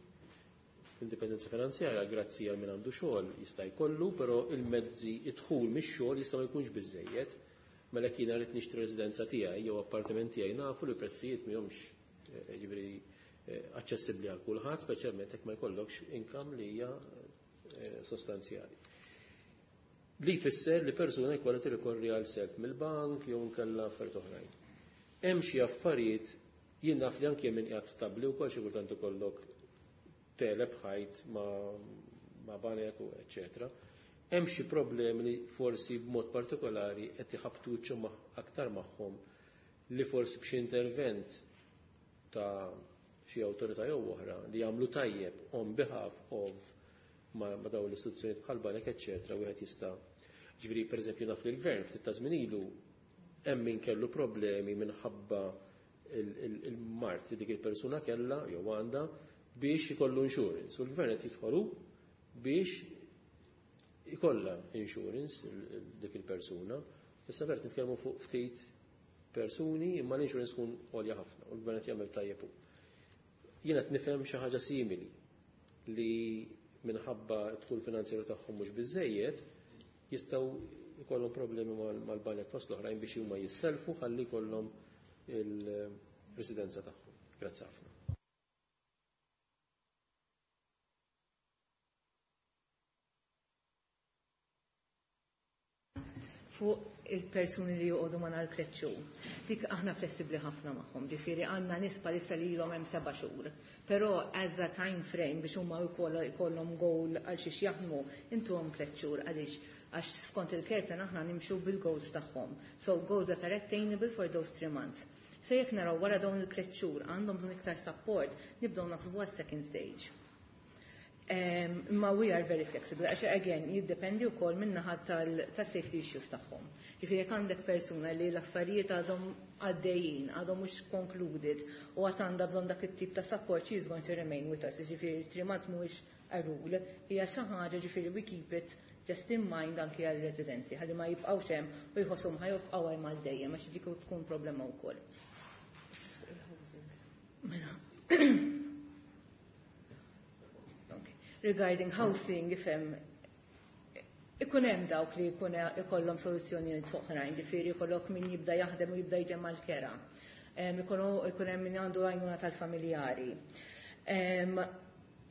L-indipendenza finanzjarja grazzi għal min għandu xogħol jista' jkollu, però il-mezzi id-dħul mix-xogħol jista' ma jkunx biżejjed. Mela jekk jiena rrid nixtri residenza tiegħi jew appartament tiegħi nafu li prezzijiet mihomx eh, ġifieri eh, aċċessibbli għal kulħadd, speċjalment jekk ma jkollokx income li hija eh, sostanzjali. Li jfisser li persuna jkollha tirrikorri għal self mill-bank jew inkella affarijiet oħrajn. Hemm xi affarijiet jien naf li anke min qiegħed stabbli wkoll xi kultant ikollok teleb ħajt ma' banek u eċetera. Hemm xi problemi li forsi b'mod partikolari qed iħabbtu wiċċhom aktar magħhom li forsi b'xi intervent ta' xi awtorità jew oħra li jagħmlu tajjeb on behalf of ma, ma dawn l-istituzzjonijiet bħal banek eċetera wieħed jista' ġifieri pereżempju naf li l-gvern ftit ta' żmien ilu hemm min kellu problemi minħabba il-mard li dik il-persuna kellha jew għandha biex ikollu insurance. U l-gvern qed jidħolu biex ikollha insurance dik il-persuna. Issa vert nitkellmu fuq ftit persuni imma l-insurance tkun għolja ħafna u l-gvern qed jagħmel tajjeb hu. Jien qed nifhem xi ħaġa simili li minħabba d-dħul finanzjarju tagħhom mhux biżejjed jistgħu jkollhom problemi mal-banek fost l-oħrajn biex huma jisselfu ħalli jkollhom il-residenza tagħhom. Grazzi ħafna. Fuq il-persuni li joqogħdu ma nhar xhur. Dik aħna flessibbli ħafna magħhom, ġifieri għandna nies bħalissa li ilhom hemm 7 xhur. Però as a time frame biex huma jkollhom goal għal xiex jaħdmu, intuhom 3 xhur għaliex għax skont il-care plan aħna nimxu bil-goals tagħhom. So goals that are attainable for those 3 months. Se jekk naraw wara dawn il-3 xhur għandhom bżonn iktar support, nibdew naħsbu għas-second stage. Ma we are very flexible, għax again, jiddependi wkoll min-naħa tal-safety issues tagħhom. Ġifieri jekk għandek persuna li l-affarijiet għadhom għaddejjin, għadhom mhux concluded u għad għandha bżonn dak it-tip ta' support, she is going to remain with us. Ġifieri 3 months mhuwiex a rule, hija xi ħaġa ġifieri we keep it just in mind anki għal-residenti, ħalli ma jibqgħux hemm u jħossuhom ħa jibqgħu hemm għal dejjem għax dik tkun problema wkoll. Mela. Regarding housing, ifhem, ikun hemm dawk li jkun ikollhom soluzzjonijiet oħrajn, ġifieri jkollok min jibda jaħdem u jibda jġemma l-kera. Ikun hemm min għandu għajnuna tal-familjari.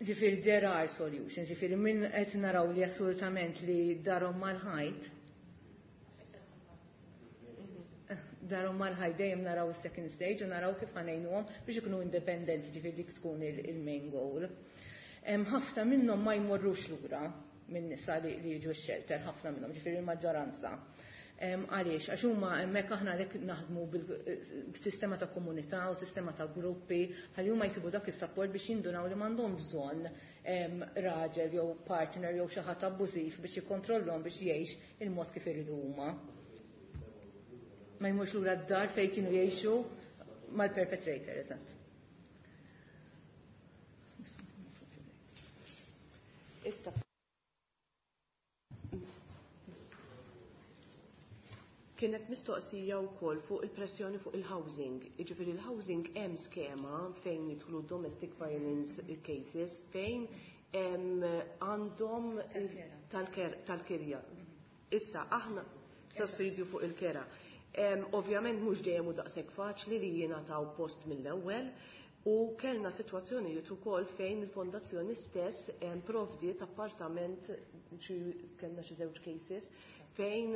Ġifieri there are solutions, ġifieri min qed naraw li assolutament li darhom mal-ħajt, darhom mal-ħajt dejjem naraw is-second stage u naraw kif ħa ngħinuhom biex ikunu independenti, ġifieri dik tkun il-main goal. Ħafna minnhom ma jmorrux lura minn nisa li jiġu x-shelter, ħafna minnhom, ġifieri il-maġġoranza. Għaliex, għax huma hemmhekk aħna għalhekk naħdmu bil-sistema ta' komunità u sistema ta' gruppi, ħalli huma jsibu dak is-support biex jindunaw li m'għandhom bżonn raġel jew partner jew xi ħadd abbużiv biex jikkontrollhom biex jgħix il-mod kif iridu huma. Ma jmurx lura d-dar fejn kienu jgħixu mal-perpetrator, eżatt. Issa kienet mistoqsija wkoll fuq il-pressjoni fuq il-housing. Jiġifieri il-housing hemm skema fejn jidħlu domestic violence cases fejn għandhom tal-kirja. Issa aħna sussidju fuq il-kera. Ovvjament mhux dejjem hu daqshekk faċli li jingħataw post mill-ewwel u kellna sitwazzjonijiet ukoll fejn il-fondazzjoni stess provdiet appartament, kellna xi żewġ cases fejn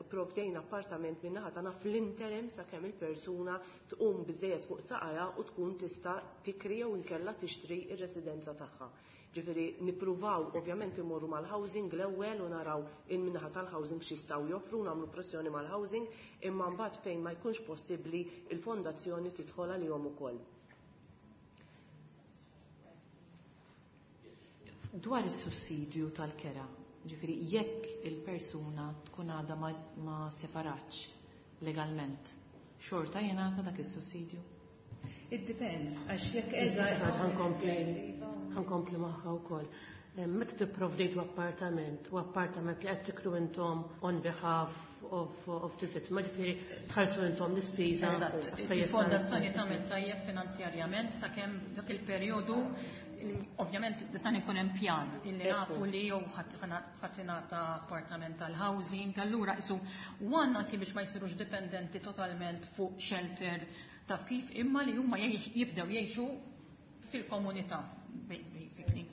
provdejna appartament min-naħa tagħna fl-interim sakemm il-persuna tqum biżejjed fuq saqajha u tkun tista' tikri jew inkella tixtri r-residenza tagħha. Ġifieri nippruvaw ovvjament imorru mal-housing l-ewwel u naraw in-naħa tal-housing x'jistgħu joffru, nagħmlu pressjoni mal-housing, imma mbagħad fejn ma jkunx possibbli il-fondazzjoni tidħol għalihom ukoll. Dwar is-sussidju tal-kera, ġifieri jekk il-persuna tkun għadha ma separatx legalment, xorta jingħata dak is-sussidju? It depends, għax jekk eża. Ħa nkompli magħha wkoll. Meta tipprovdejtu appartament u appartament li qed tikru intom on behalf of the vittma, ġifieri tħallsu intom l-ispiża. Il-fondazzjoni tagħmel tajjeb finanzjarjament sakemm dak il-perjodu. Ovvjament dan ikun hemm pjan illi nafu li jew ħadd ingħata appartament tal-housing, allura isu one anki biex ma jsirux dipendenti totalment fuq shelter taf kif imma li huma jibdew jgħixu fil-komunità basically.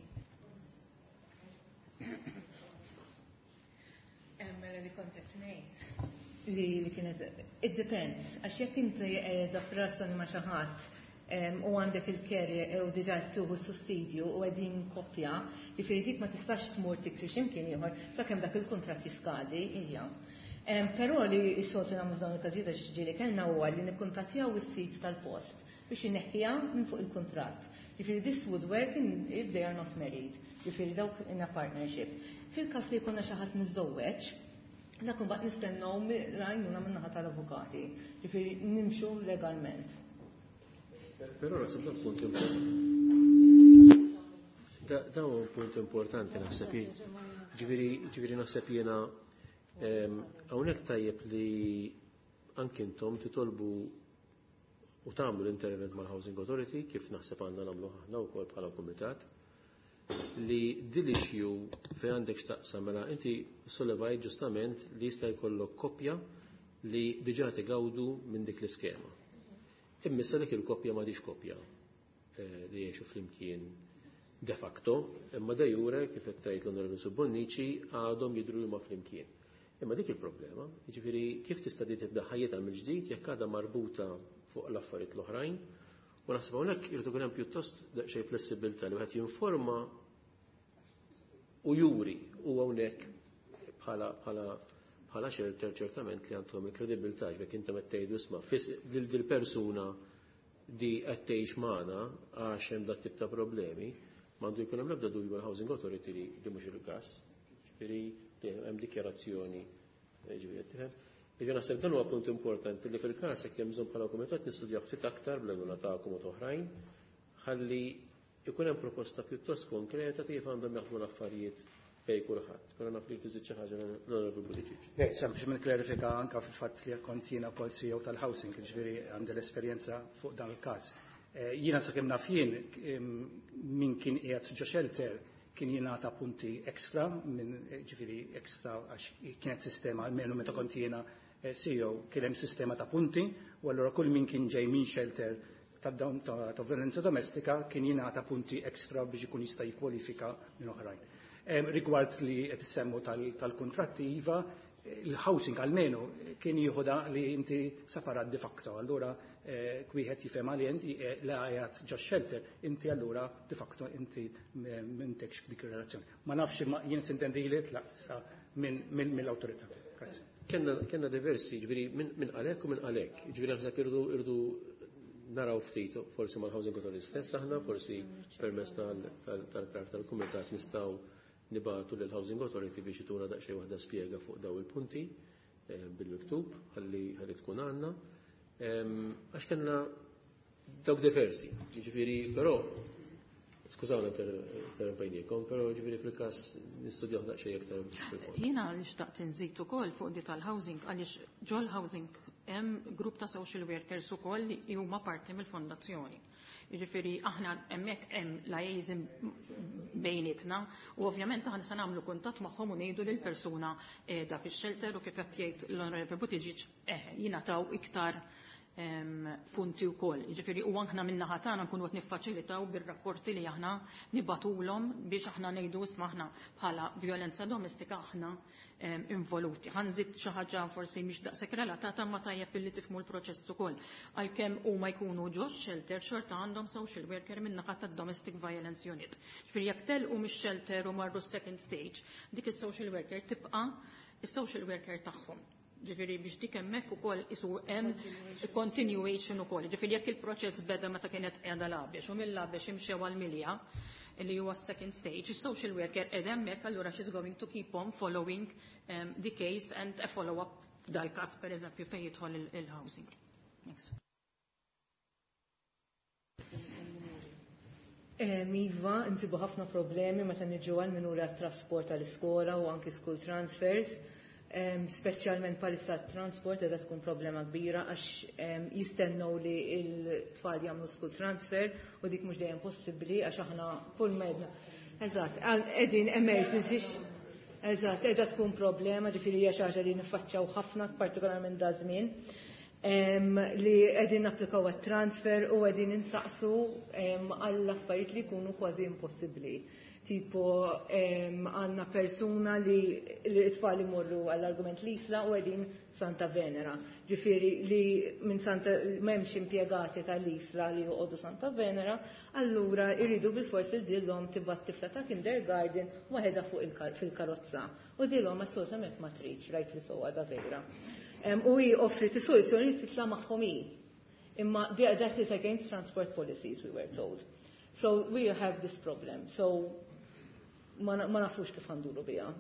Mela li kont qed ngħid li li kienet it depends għax jekk inti qiegħda f'relazzjoni ma' xi ħadd u għandek il-care u diġà qed tieħu s-sussidju u qegħdin koppja, jiġifieri dik ma tistax tmur tikri x'imkien ieħor sakemm dak il-kuntratt jiskadi hija. Però li s-soltu nagħmlu f'dawn il-każijiet għax ġieli kellna huwa li nikkuntattjaw is-sid tal-post biex ineħħiha minn fuq il-kuntratt. Jiġifieri this would work in, if they are not married, jiġifieri dawk in a partnership. Fil-każ li jkollna xi ħadd miżżewweġ, dak imbagħad nistennew l-għajnuna min-naħa tal-avukati, jiġifieri nimxu legalment. Però naħseb dan punt importanti. Dan huwa punt importanti naħseb jien. Ġifieri naħseb jiena hawnhekk tajjeb li anki intom titolbu u tagħmlu l-intervent mal-Housing Authority kif naħseb għandna nagħmlu aħna wkoll bħala kumitat li din l-issue fejn għandek x'taqsam mela inti sollevajt ġustament li jista' jkollok koppja li diġà tigawdu minn dik l-iskema. Imma issa dik il-koppja m'għadix koppja li jgħixu flimkien de facto, imma de jure kif qed tgħid l-Onorevoli Subbonnici għadhom jidhru huma flimkien. Imma dik il-problema, jiġifieri kif tista' di tibda ħajjitha mill-ġdid jekk għadha marbuta fuq l-affarijiet l-oħrajn, u naħseb hawnhekk irid ikun hemm pjuttost daqsxejn flessibilità li wieħed jinforma u juri u hawnhekk bħala bħala bħala shelter ċertament li għandhom il-kredibilità jekk intom qed tgħidu isma' lil dil persuna di qed tgħix magħna għax hemm dat tip ta' problemi, m'għandu jkun hemm l-ebda dubju mal-Housing Authority li mhux il-każ. Ġifieri hemm dikjarazzjoni ġifieri tifhem. Ġifieri naħseb dan huwa punt importanti li fil-każ jekk hemm bżonn bħala kumitat nistudjaw ftit aktar bl-għajnuna tagħkom u oħrajn ħalli ikun hemm proposta pjuttost konkreta kif għandhom jaħdmu l-affarijiet bejn kulħadd. Però naf li tiżid xi ħaġa l-Onorevoli Buttigieg. Le, sempliċement klarifika anka fil-fatt li kont jiena wkoll CEO tal-housing, ġifieri għandi l-esperjenza fuq dan il-każ. Jiena sakemm naf jien min kien qiegħed ġo shelter kien jingħata punti extra minn ġifieri extra għax kienet sistema almenu meta kont jiena CEO kien hemm sistema ta' punti u allura kull min kien ġej minn shelter ta' ta' violenza domestika kien jingħata punti extra biex ikun jista' jikkwalifika minn oħrajn. Rigward li qed issemmu tal-kuntratti iva, il-housing almenu kien jieħu da li inti separat de facto, allura wieħed jifhem għalli inti la qiegħed ġo shelter, inti allura de facto inti m'intekx f'dik ir-relazzjoni. Ma nafx imma jien sintendi li tlaq sa mill-awtorità. Grazzi. Kenna diversi, ġifieri minn għalek u minn għalek. Ġifieri naħseb irridu naraw ftit forsi mal-Housing Authority stess aħna, forsi permezz tal-krar tal-kumitat nistgħu nibatu lil Housing Authority biex ituna daqsxejn waħda spjega fuq daw il-punti bil-miktub ħalli tkun għandna. Għax kellna dawk diversi, ġifieri, però skużawna interrompejniekom, però ġifieri fil-każ nistudjaw daqsxejn aktar fil-fond. Jiena li xtaqt inżid ukoll fuq di tal-housing għaliex ġol housing hemm grupp ta' social workers ukoll li huma parti mill-fondazzjoni. Jiġifieri aħna hemmhekk hemm liaison bejnietna u ovvjament aħna se nagħmlu kuntatt magħhom u ngħidu lil persuna qiegħda fix-shelter u kif qed jgħid l-Onorevoli Buttigieg jingħataw iktar punti wkoll. Jiġifieri u aħna min-naħa tagħna nkunu qed niffaċilitaw bir-rapporti li aħna nibatulhom biex aħna ngħidu isma' aħna bħala violenza domestika aħna involuti. Ħa nżid xi ħaġa forsi mhix daqshekk relatata ma tajjeb billi tifhmu l-proċess ukoll. Għalkemm huma jkunu ġo shelter xorta għandhom social worker min-naħa tad-Domestic Violence Unit. Ġifieri jekk telqu mix-shelter u marru second stage, dik is-social worker tibqa' is-social worker tagħhom. Ġifieri biex dik hemmhekk ukoll isu hemm continuation ukoll. Ġifieri jekk il-proċess beda meta kienet qiegħda l-Għabex u mill-Għabex imxew għall-Milja li huwa second stage, is-social worker qiegħda hemmhekk allura she's going to keep on following the case and a follow-up f'dal-każ pereżempju fejn jidħol il-housing. Thanks. Iva, nsibu ħafna problemi meta niġu għal minuri għat-trasport għall-iskola u anki school transfers. Speċjalment palissa transport edha tkun problema kbira għax jistennew li l-tfal jagħmlu school transfer u dik mhux dejjem possibbli għax aħna kull medna. Eżatt, qegħdin emergency. Eżatt, qiegħda tkun problema, ġifieri hija xi ħaġa li niffaċċjaw ħafna, partikolarment da żmien. Li qegħdin napplikaw għat-transfer u qegħdin insaqsu għall affarijiet li jkunu kważi impossibbli. Tipo għandna persuna li t-tfal imorru għall-argument l-Isla u qegħdin Santa Venera. Ġifieri li minn Santa m'hemmx impjegati tal-Isla li joqogħdu Santa Venera, allura jridu bilfors il dillhom tibgħat tifla ta' kindergarten waħedha fuq fil-karozza. U dillhom assolutament ma tridx, rajt li sewwa da vera. U hi offri soluzzjoni li titla' magħhom hi. Imma that is against transport policies, we were told. So we have this problem. So ma nafux kif għanduru biha.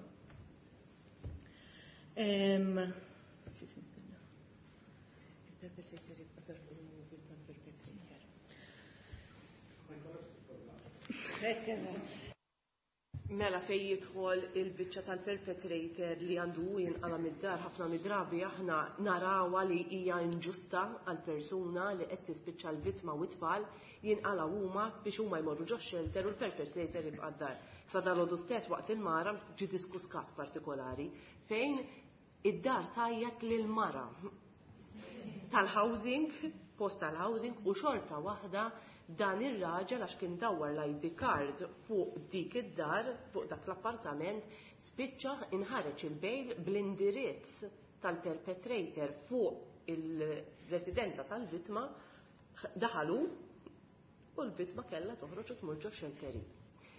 Mela fej jidħol il-biċċa tal-perpetrator li għandu jinqala mid-dar ħafna mid-drabi aħna narawha li hija inġusta għal persuna li qed tispiċċa l-vittma u t-tfal jinqala huma biex huma jmorru ġo shelter u l-perpetrator jibqa' d-dar. Sa dalodu stess waqt il-mara ġi diskuss każ partikolari fejn id-dar tajjat lil mara tal-housing, post tal-housing u xorta waħda dan ir-raġel għax kien dawwar l-ID card fuq dik id-dar, fuq dak l-appartament, spiċċa inħareġ il-bail bl-indirizz tal-perpetrator fuq il-residenza tal-vittma, daħalu u l-vittma kellha toħroġ u tmur ġo xelteri.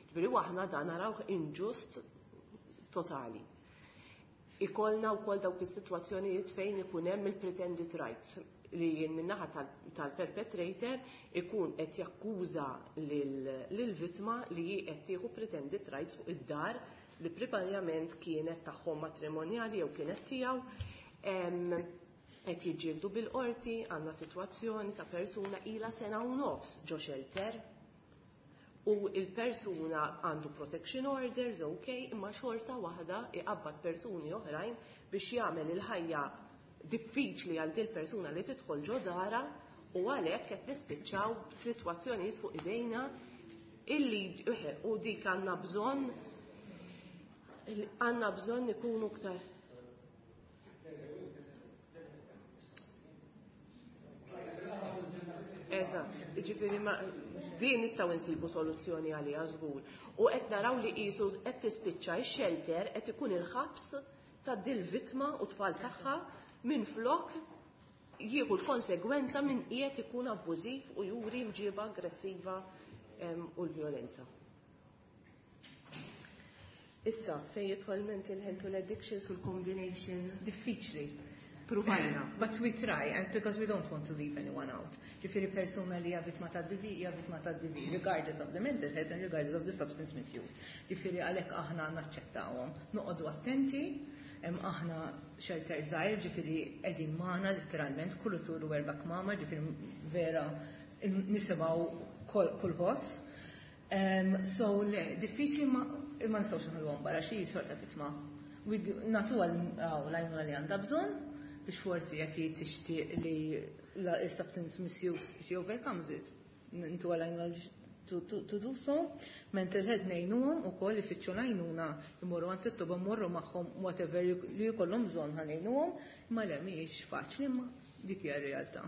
Ġifieri aħna dan narawh inġust totali. Ikollna wkoll dawk is-sitwazzjonijiet fejn ikun hemm il-pretended rights li jien min-naħa tal-perpetrator ikun qed jakkuża lill-vittma li hi qed tieħu pretended rights fuq id-dar li primarjament kienet tagħhom matrimonjali jew kienet tiegħu. Qed jiġġieldu bil-qorti, għandna sitwazzjoni ta' persuna ilha sena u nofs ġo shelter u il-persuna għandu protection orders, ok, imma xorta waħda iqabbad persuni oħrajn biex jagħmel il-ħajja diffiċli għal dil persuna li tidħol ġo dara u għalhekk qed nispiċċaw b'sitwazzjonijiet fuq idejna illi u dik għandna bżonn għandna bżonn ikunu iktar. Eżatt, ġifieri ma din nistgħu nsibu soluzzjoni għaliha żgur. U qed naraw li qisu qed tispiċċa x-shelter qed ikun il-ħabs ta' dil vittma u tfal tagħha minn flok jieħu l-konsegwenza minn qiegħed ikun abbużiv u juri mġiba aggressiva u l-vjolenza. Issa, fejn jidħol mental health u l-addictions u l-combination. Diffiċli. Pruvajna. But we try, and because we don't want to leave anyone out. Ġifieri persuna li hija vittma ta' DV, hija vittma ta' DV, regardless of the mental health and regardless of the substance misuse. Ġifieri għalhekk aħna naċċettawhom. Noqogħdu attenti, aħna shelter żgħir, ġifieri qegħdin magħna letteralment kull tur u erba' kmama, ġifieri vera nisimgħu kull ħoss. So le, diffiċli ma nistgħux nħalluhom barra xi sorta vittma. Nagħtuha l-għajnuna li għandha bżonn biex forsi jekk hi tixtieq li l-substance misuse she overcomes it. Ntuha l-għajnuna to do so. Mental health ngħinuhom ukoll ifittxu l-għajnuna jmorru għand it-toba mmorru magħhom whatever li jkollhom bżonn ħa ngħinuhom, imma le mhijiex faċli imma dik hija r-realtà.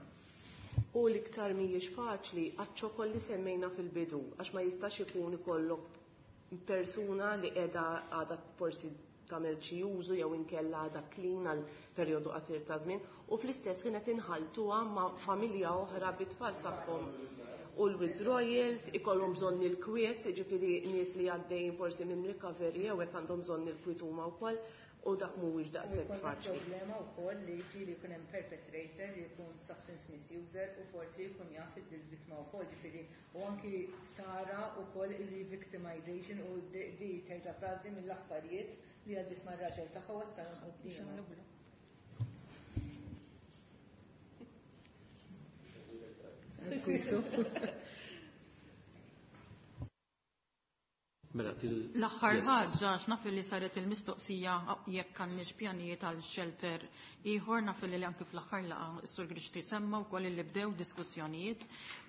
U l-iktar mhijiex faċli għaċ-ċokol li semmejna fil-bidu, għax ma jistax ikun ikollok persuna li qiegħda għadha forsi tagħmel xi użu jew inkella għadha clean għal perjodu qasir ta' żmien u fl-istess ħin qed inħaltuha ma' familja oħra bit-tfal tagħhom u l-withdrawals, ikollhom bżonn il-kwiet, ġifieri nies li għaddejjin forsi minn recovery jew hekk għandhom bżonn il-kwiet huma wkoll u dak mhuwiex daqshekk faċli. Problema wkoll li ġieli jkun hemm perpetrator li jkun substance misuser u forsi jkun jaf id-vittma wkoll, ġifieri u anki tara wkoll il-revictimization u di terġa' tgħaddi mill-affarijiet li għaddiet mar-raġel tagħha u għattarhom quddiemha. Mela, L-aħħar ħaġa għax naf li saret il-mistoqsija jekk għandniex pjanijiet għal shelter ieħor, naf li anke fl-aħħar laqgħa s-Sur Grixti semma wkoll li bdew diskussjonijiet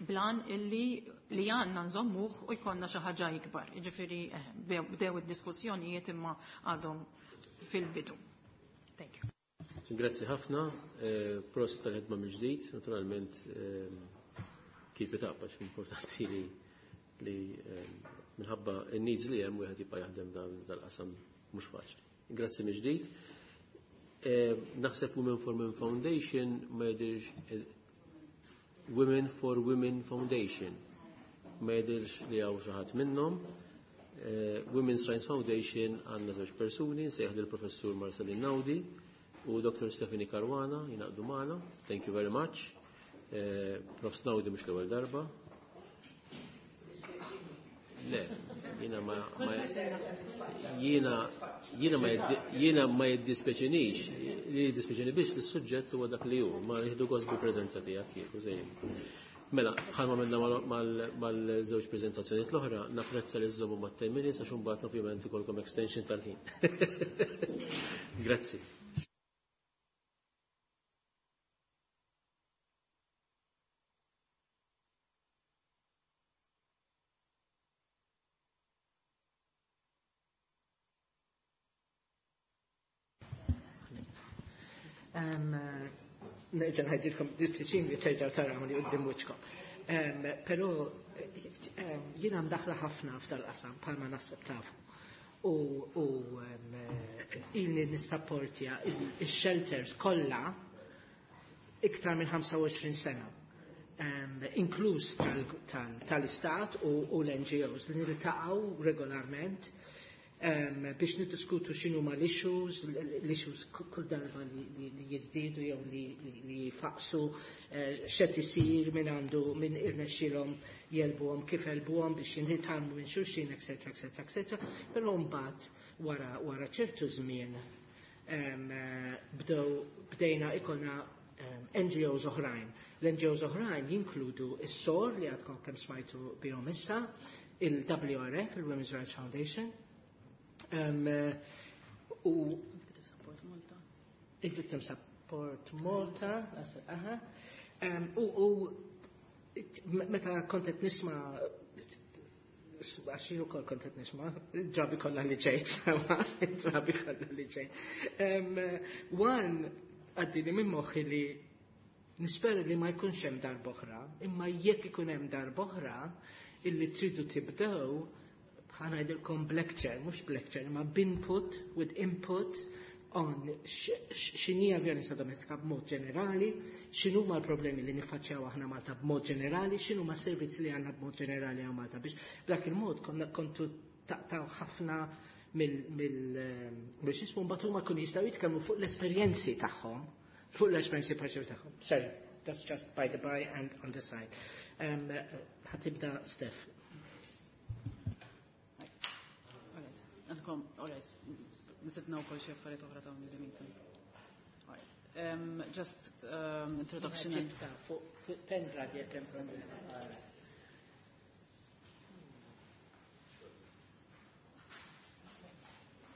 blan illi li għandna nżommuh u jkollna xi ħaġa ikbar. Jiġifieri bdew id-diskussjonijiet imma għadhom fil-bidu. Thank you. Grazzi ħafna, prosit tal-ħidma mill-ġdid, naturalment kif itaqbax importanti li minħabba n-needs li hemm wieħed jibqa' jaħdem dal-qasam mhux faċli. Grazzi mill-ġdid. Naħseb Women for Women Foundation ma jidhirx, Women for Women Foundation ma jidhirx li hawn xi ħadd minnhom. Women's Rights Foundation għandna żewġ persuni, nsejjaħ lill-Professur Marcelin Naudi u Dr. Stephanie Caruana jingħaqdu magħna. Thank you very much. Prof. Naudi mhux l-ewwel darba. Le, jiena ma, ma jiena jiena ma jiena ma jiddispeċinix, li jiddispeċini biex li s-suġġett huwa dak li hu, ma jieħdu gost bil-preżenza tiegħek kieku żejjin. Mela, bħalma minna mal-żewġ preżentazzjonijiet l-oħra, napprezza li żommu ma' 10 minutes għax imbagħad ovvjament ikolkom extension tal-ħin. Grazzi. Nerġa' ngħidilkom diffiċin li terġgħu tarawni quddiem wiċċkom. Però jiena mdaħla ħafna f'dal-qasam bħalma naħseb tafu. U ilni nissapportja il-shelters kollha iktar minn 25 sena. Inkluż tal-istat u l-NGOs li niltaqgħu regolarment biex niddiskutu x'inhu ma l-issues, l-issues kull darba li jiżdiedu jew li jfaqsu, x'qed isir, min għandu, min irnexxielhom jelbuhom, kif jelbuhom biex jinħitgħallmu minn xulxin, eċetera, eċetera, eċetera. Però mbagħad wara ċertu żmien bdejna ikolna NGOs oħrajn. L-NGOs oħrajn jinkludu is-SOR li għadkom kemm smajtu bihom issa, il-WRF, il-Women's Rights Foundation, u Victim Support Malta. Il-Victim Support Malta, aha. U meta kont qed nisma', għax jien ukoll kont qed nisma', drabi kollha li ġejt, drabi kollha li ġejt. One, għaddini minn moħħi li nispera li ma jkunx hemm darb'oħra, imma jekk ikun hemm darb'oħra illi tridu tibdew, ħa ngħidilkom lecture, mhux lecture, imma b'input, with input on x'inhija vjolenza domestika b'mod ġenerali, x'inhuma l-problemi li niffaċċjaw aħna Malta b'mod ġenerali, x'inhuma s-servizzi li għandna b'mod ġenerali hawn Malta, biex b'dak il-mod konna kontu taqtaw ħafna mill x'ismu, mbagħad huma jkunu jistgħu jitkellmu fuq l-esperjenzi tagħhom, fuq l-esperjenzi parċivi tagħhom. Sorry, that's just by the by and on the side. Ħa tibda Steph. Għandkom, all right, nisibna u kol xie affarijiet oħra ta' il-meeting. All right. Just introduction. Fuq pendrive jekk hemm problema.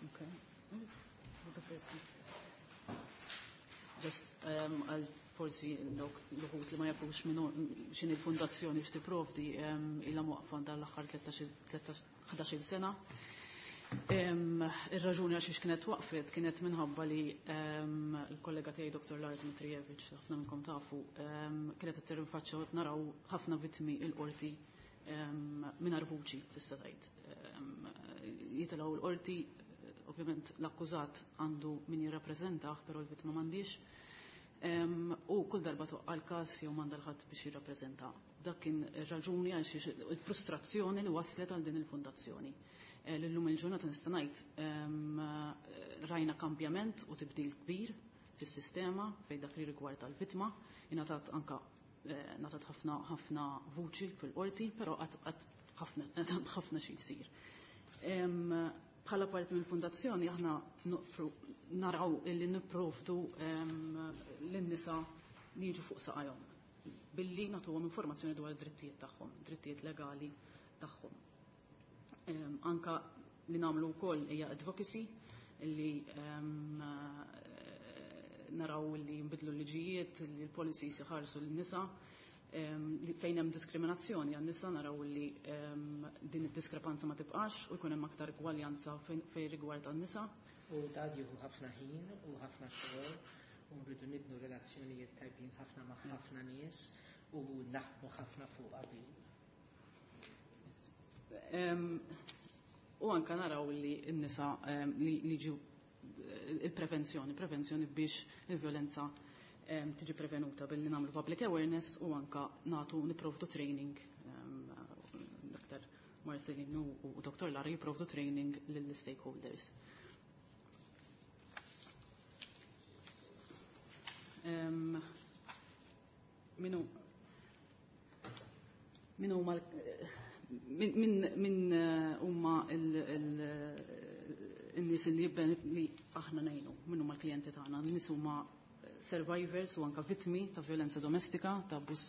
Okay. The first one. Just għal forsi dawk l-uħut li ma jafux minnu xin il-fondazzjoni x'tipprovdi, ilha mwaqfa dan l-aħħar 11 sena. Ir-raġuni għax kienet waqfet kienet minħabba li l-kollega tiegħi Dr. Lara Dmitrijevic, ħafna minnkom tafu, kienet qed tirrinfaċċja u naraw ħafna vittmi il-qorti mingħajr vuċi tista' tgħid. Jitilgħu l-qorti, ovvjament l-akkużat għandu min jirrappreżentah, però l-vittma m'għandix. U kull darba toqqa l-każ jew m'għandha l-ħadd biex jirrappreżenta. Dak kien ir-raġuni għal xiex il-frustrazzjoni li waslet għal din il-fondazzjoni. L-lum il-ġurnata nista' ngħid rajna kambjament u tibdil kbir fis-sistema fejn dak li rigward tal-vittma, ingħatat anka ngħatat ħafna ħafna vuċi fil-qorti, però qatt ħafna ħafna xi jsir. Bħala parti mill-fondazzjoni aħna naraw illi nipprovdu lin-nisa li jiġu fuq saqajhom billi nagħtuhom informazzjoni dwar id-drittijiet tagħhom, drittijiet legali tagħhom. Anka li nagħmlu wkoll hija advocacy li naraw li nbidlu l-liġijiet, li l-policies iħarsu l-nisa, fejn hemm diskriminazzjoni għan-nisa naraw li din id-diskrepanza ma tibqax u jkun hemm aktar gwaljanza fejn rigward għan-nisa. U dan jieħu ħafna ħin u ħafna xogħol u nridu nibnu relazzjonijiet tajbin ħafna ma' ħafna nies u naħdmu ħafna fuq qabel. U anka naraw li n-nisa li ġu il-prevenzjoni, prevenzjoni biex il-violenza tiġi prevenuta billi nagħmlu public awareness u anka natu niprovdu training. Dr. Marcelin u Dr. Lara jiprovdu training lill-stakeholders. Minu min huma min huma il-nies li li aħna ngħinu, min huma l-klijenti tagħna, n-nies huma survivors u anka vittmi ta' violenza domestika, ta' abbuż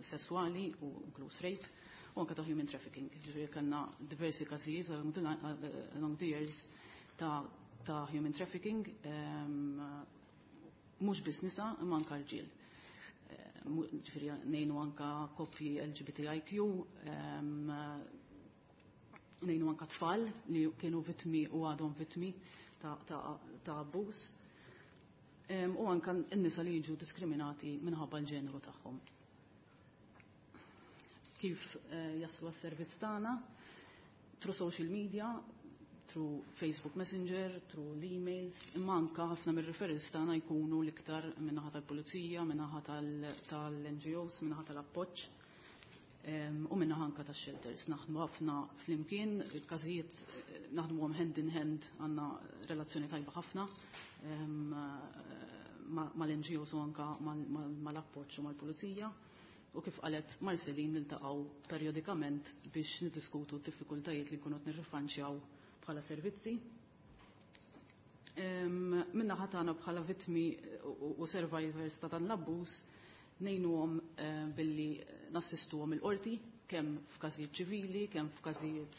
sessuali u inkluż rape, u anka ta' human trafficking. Ġifieri kellna diversi każijiet along the years ta' human trafficking, mhux biss nisa imma anka rġiel. Ġifieri ngħinu anka koppji LGBTIQ, ngħinu anka tfal li kienu vittmi u għadhom vittmi ta' abbuż. U anka n-nisa li jiġu diskriminati minħabba l-ġeneru tagħhom. Kif jaslu għas-servizz tagħna? Through social media, through Facebook Messenger, through l-emails, imma anka ħafna mir-referrals tagħna jkunu l-iktar min-naħa tal-pulizija, min-naħa tal-NGOs, min-naħa tal-appoġġ u min-naħa anka tax-shelters. Naħdmu ħafna flimkien, il-każijiet naħdmuhom hand in hand, għandna relazzjoni tajba ħafna mal-NGOs u anka mal-appoġġ u mal-pulizija. U kif qalet Marcelin niltaqgħu periodikament biex niddiskutu d-diffikultajiet li nkunu qed nirrifanċjaw bħala servizzi. Minna ħatana bħala vittmi u survivors ta' dan l-abbuż ngħinuhom billi nassistuhom il-qorti kemm f'każijiet ċivili, kemm f'każijiet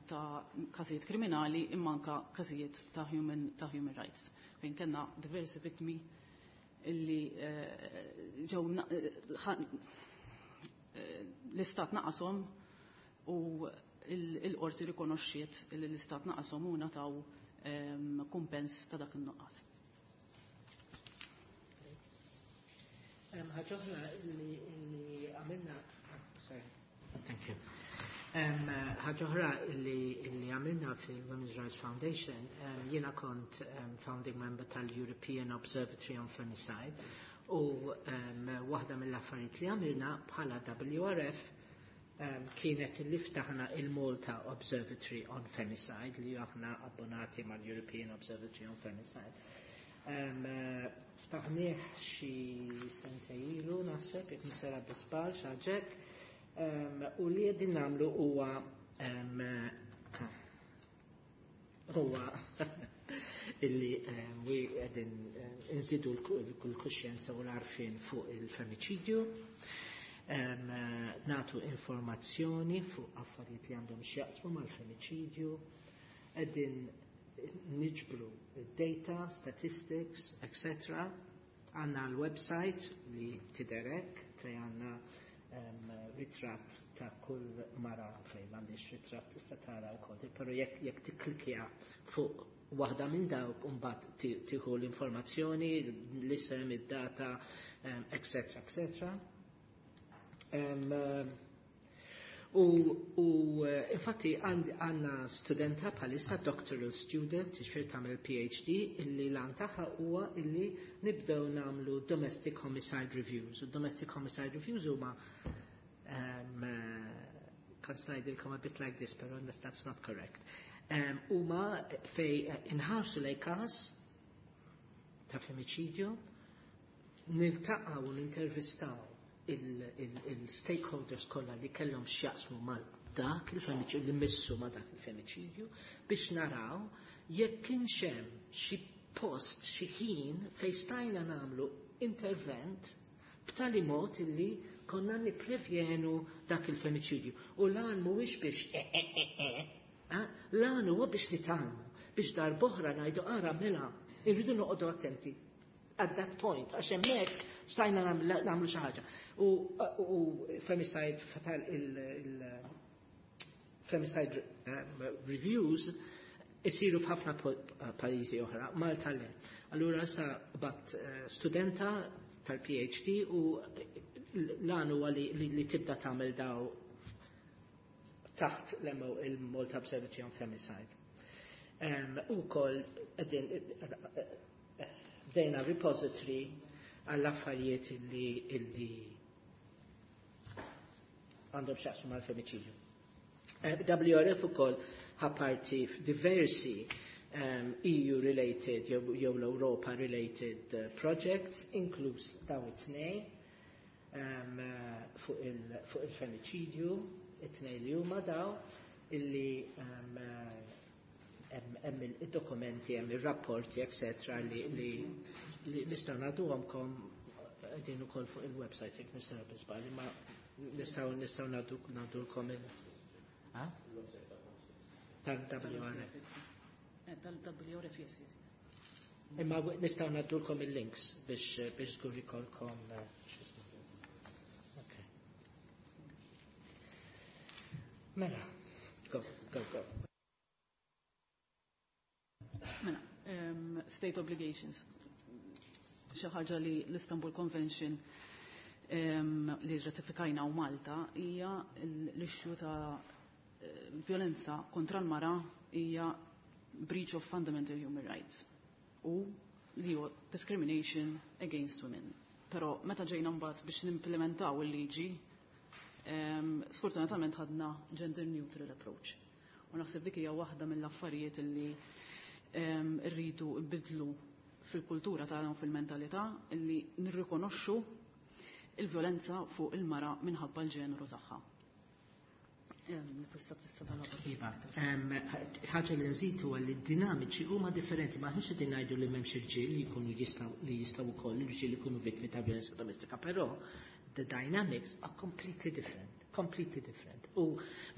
ta' każijiet kriminali, imma anka każijiet ta' human rights. Fejn kellna diversi vittmi illi ġew l-istat naqashom u il-qorti rikonoxxiet li l-istat naqashom u ngħataw kumpens ta' dak in-nuqqas. Ħaġa oħra li għamilna, sorry, thank you. Ħaġa oħra li għamilna fil-Women's Rights Foundation, jiena kont founding member tal-European Observatory on Femicide u waħda mill-affarijiet li għamilna bħala WRF kienet li ftaħna il-Malta Observatory on Femicide li aħna abbonati mal-European Observatory on Femicide. Ftaħnieh xi sentejn ilu naħseb, jekk mhux sejra bi żball xi ħaġa hekk. U li qegħdin nagħmlu huwa illi we qegħdin nżidu l-kuxjenza u l-għarfien fuq il-femiċidju, natu informazzjoni fuq affarijiet li għandhom x'jaqsmu mal-femiċidju, qegħdin niġbru data, statistics, etc. Għandna l-website li tidher hekk fej għandna ritratt ta' kull mara, fej m'għandix ritratt tista' tara wkoll, però jekk tikklikja fuq waħda minn dawk imbagħad tieħu l-informazzjoni, l-isem, id-data, etc. etc. U infatti għandna studenta bħalissa, doctoral student, ġifieri tagħmel PhD, illi l-għan tagħha huwa illi nibdew nagħmlu domestic homicide reviews. U domestic homicide reviews huma kan ngħidilkom a bit like this, pero that's not correct. Huma fej inħarsu lej każ ta' femiċidju, niltaqgħu u nintervistaw il-stakeholders kollha li kellhom x'jaqsmu mal dak il-femiċidju, li missu ma dak il-femiċidju, biex naraw jekk kienx hemm xi post, xi ħin fejn stajna nagħmlu intervent. B'tali mod illi konna nipprevjenu dak il-femiċidju. U lan mhuwiex biex e e e e, lan huwa biex nitgħallmu, biex darb'oħra ngħidu ara mela, irridu noqogħdu attenti at that point, għax hemmhekk stajna nagħmlu xi ħaġa. U femicide fatal il-femicide reviews isiru f'ħafna pajjiżi oħra, Malta le. Allura sa bat studenta tal-PhD u l-għan huwa li tibda tagħmel daw taħt il-Malta Observatory on Femicide. U koll bdejna repository għall-affarijiet illi għandhom x'jaqsmu mal-femiċidju. WRF ukoll ħa parti f'diversi EU-related jew l-Europa-related projects, inkluż daw it-tnej fuq il-femiċidju, it-tnej li huma daw, illi hemm id-dokumenti, hemm ir-rapporti, etc. li nistgħu nagħduhomkom qegħdin ukoll fuq il-website jekk nistgħu biżbal, imma nistgħu ngħadulkom il tal-WRF. Tal-WRF, yes, yes. Imma nistgħu ngħaddulkom il-links biex żgur ikolkom Okay. Mela, go, go, go. Mela, state obligations, xi ħaġa li l-Istanbul Convention li ratifikajna u Malta hija l-issue ta' violenza kontra l-mara hija breach of fundamental human rights u li huwa discrimination against women. Però meta ġejna mbagħad biex nimplementaw il-liġi, sfortunatament ħadna gender neutral approach. U naħseb dik hija waħda mill-affarijiet li rridu nbidlu fil-kultura tagħna u fil-mentalità li nirrikonoxxu il-violenza fuq il-mara minħabba l-ġeneru tagħha. Iva, ħaġa li nżid huwa li d-dinamiċi huma differenti, ma aħniex qegħdin ngħidu li m'hemmx irġiel li jkunu jistgħu li jistgħu wkoll irġiel jkunu vittmi ta' violenza domestika, però the dynamics are completely different, completely different. U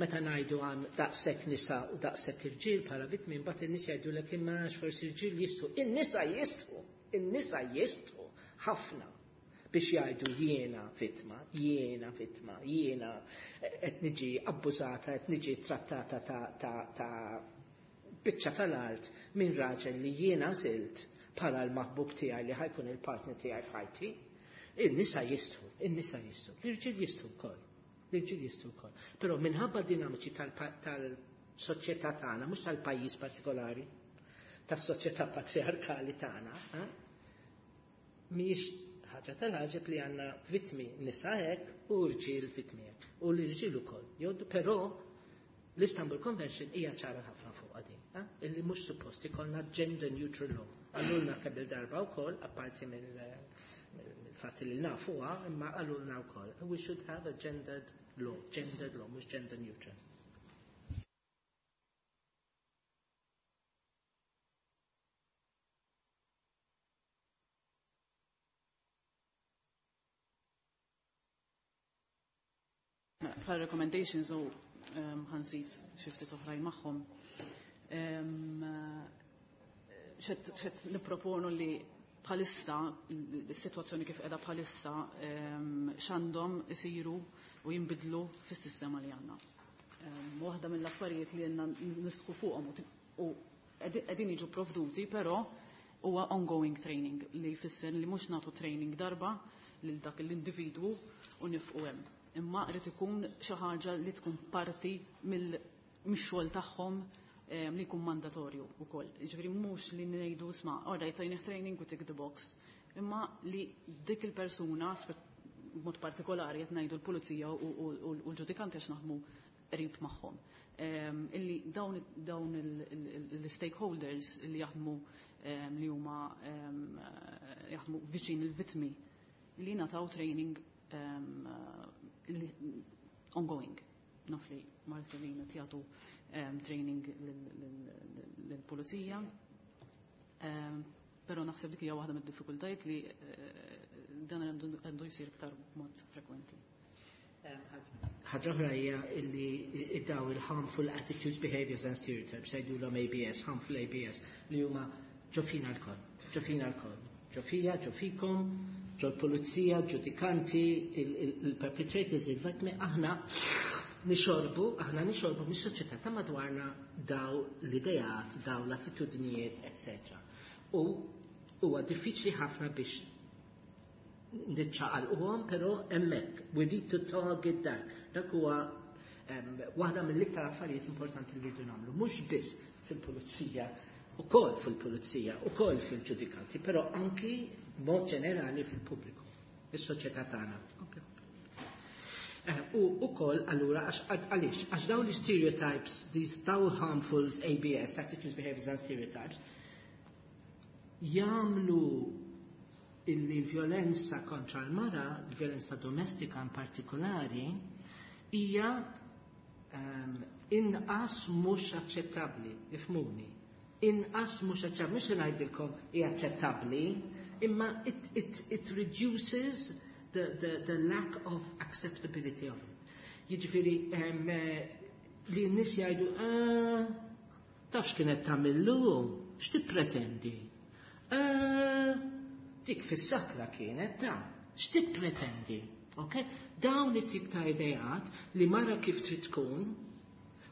meta ngħidu għan daqshekk nisa u daqshekk irġiel bħala vittmi, mbagħad in-nies jgħidulek imma għax forsi irġiel jistgħu. In-nisa jistgħu, in-nisa jistgħu ħafna biex jgħidu jiena vittma, jiena vittma, jiena qed niġi abbużata, qed niġi trattata ta' biċċa tal-art minn raġel li jiena għażilt bħala l-maħbub tiegħi li ħajkun il-partner tiegħi f'ħajti. In-nisa jistgħu, in-nisa jistgħu, l-irġiel jistgħu wkoll, l-irġiel jistgħu wkoll. Però minħabba dinamiċi tal-soċjetà tagħna, mhux tal-pajjiż partikolari, tas-soċjetà patriarkali tagħna, mhijiex ħaġa tal-ħaġeb li għandna vittmi nisa hekk u rġiel vittmi hekk. U l-irġiel ukoll. Joddu, però l-Istanbul Convention hija ċara ħafna fuq din, illi mhux suppost ikollna gender neutral law. Għallulna kemm il-darba wkoll, apparti mill-fatt li nafuha, imma għallulna wkoll. We should have a gendered law, gendered law, mhux gender neutral. Bħal recommendations u ħansit xi ftit oħrajn magħhom. Xed nipproponu li bħalissa, is-sitwazzjoni kif qiegħda bħalissa, x'għandhom isiru u jinbidlu fis-sistema li għandna. Waħda mill-affarijiet li għandna nisħu fuqhom u qegħdin jiġu provduti, però huwa ongoing training li jfisser li mhux nagħtu training darba lil dak l-individwu u nifqu hemm. Imma qed ikun xi ħaġa li tkun parti mix-xogħol tagħhom li jkun mandatorju wkoll. Jiġifieri mhux li ngħidu sma' all right tajnih training u tick the box, imma li dik il-persuna b'mod partikolari qed ngħidu l-pulizija u l-ġudikanti għax naħdmu qrib magħhom. Illi dawn l-stakeholders li jaħdmu li huma jaħdmu viċin il-vittmi li nataw training ongoing. Naf li Marcelina jagħtu training lill-pulizija. Però naħseb dik hija waħda mid-diffikultajiet li Dan għandu jsir iktar b'mod frekwenti. Ħaġa oħra hija illi daw il-harmful attitudes, behaviors and stereotypes, jgħidulhom ABS, harmful ABS, li huma ġo fina lkoll, ġo fina lkoll. Ġo fija, ġo fikom, ġo l-pulizija, ġudikanti, il-perpetrators, il-vittmi, aħna nixorbu, aħna nixorbu mis-soċjetà ta' madwarna daw l-idejat, daw l-attitudnijiet, etc. U huwa diffiċli ħafna biex niċċaqalquhom, però hemmhekk we need to target that. Dak huwa waħda mill-iktar affarijiet importanti li rridu nagħmlu, mhux biss fil-pulizija, ukoll fil-pulizija, ukoll fil-ġudikanti, però anki b'mod ġenerali fil-pubbliku, is-soċjetà tagħna. U ukoll allura għaliex għax dawn l-stereotypes, these dawn harmful ABS, attitudes, behaviors and stereotypes, jagħmlu illi l-vjolenza kontra l-mara, l-vjolenza domestika in partikolari, hija inqas mhux aċċettabbli, ifhmuni. Inqas mhux aċċettabbli, mhux se ngħidilkom hija aċċettabbli, imma it reduces the lack of acceptability of it. Jiġifieri li n-nies jgħidu, ah, tafx kienet tagħmillu, x'tippretendi? Ah, dik fis-sakra kienet ta' x'tippretendi? Okay? Dawn it-tip ta' idejat li mara kif trid tkun,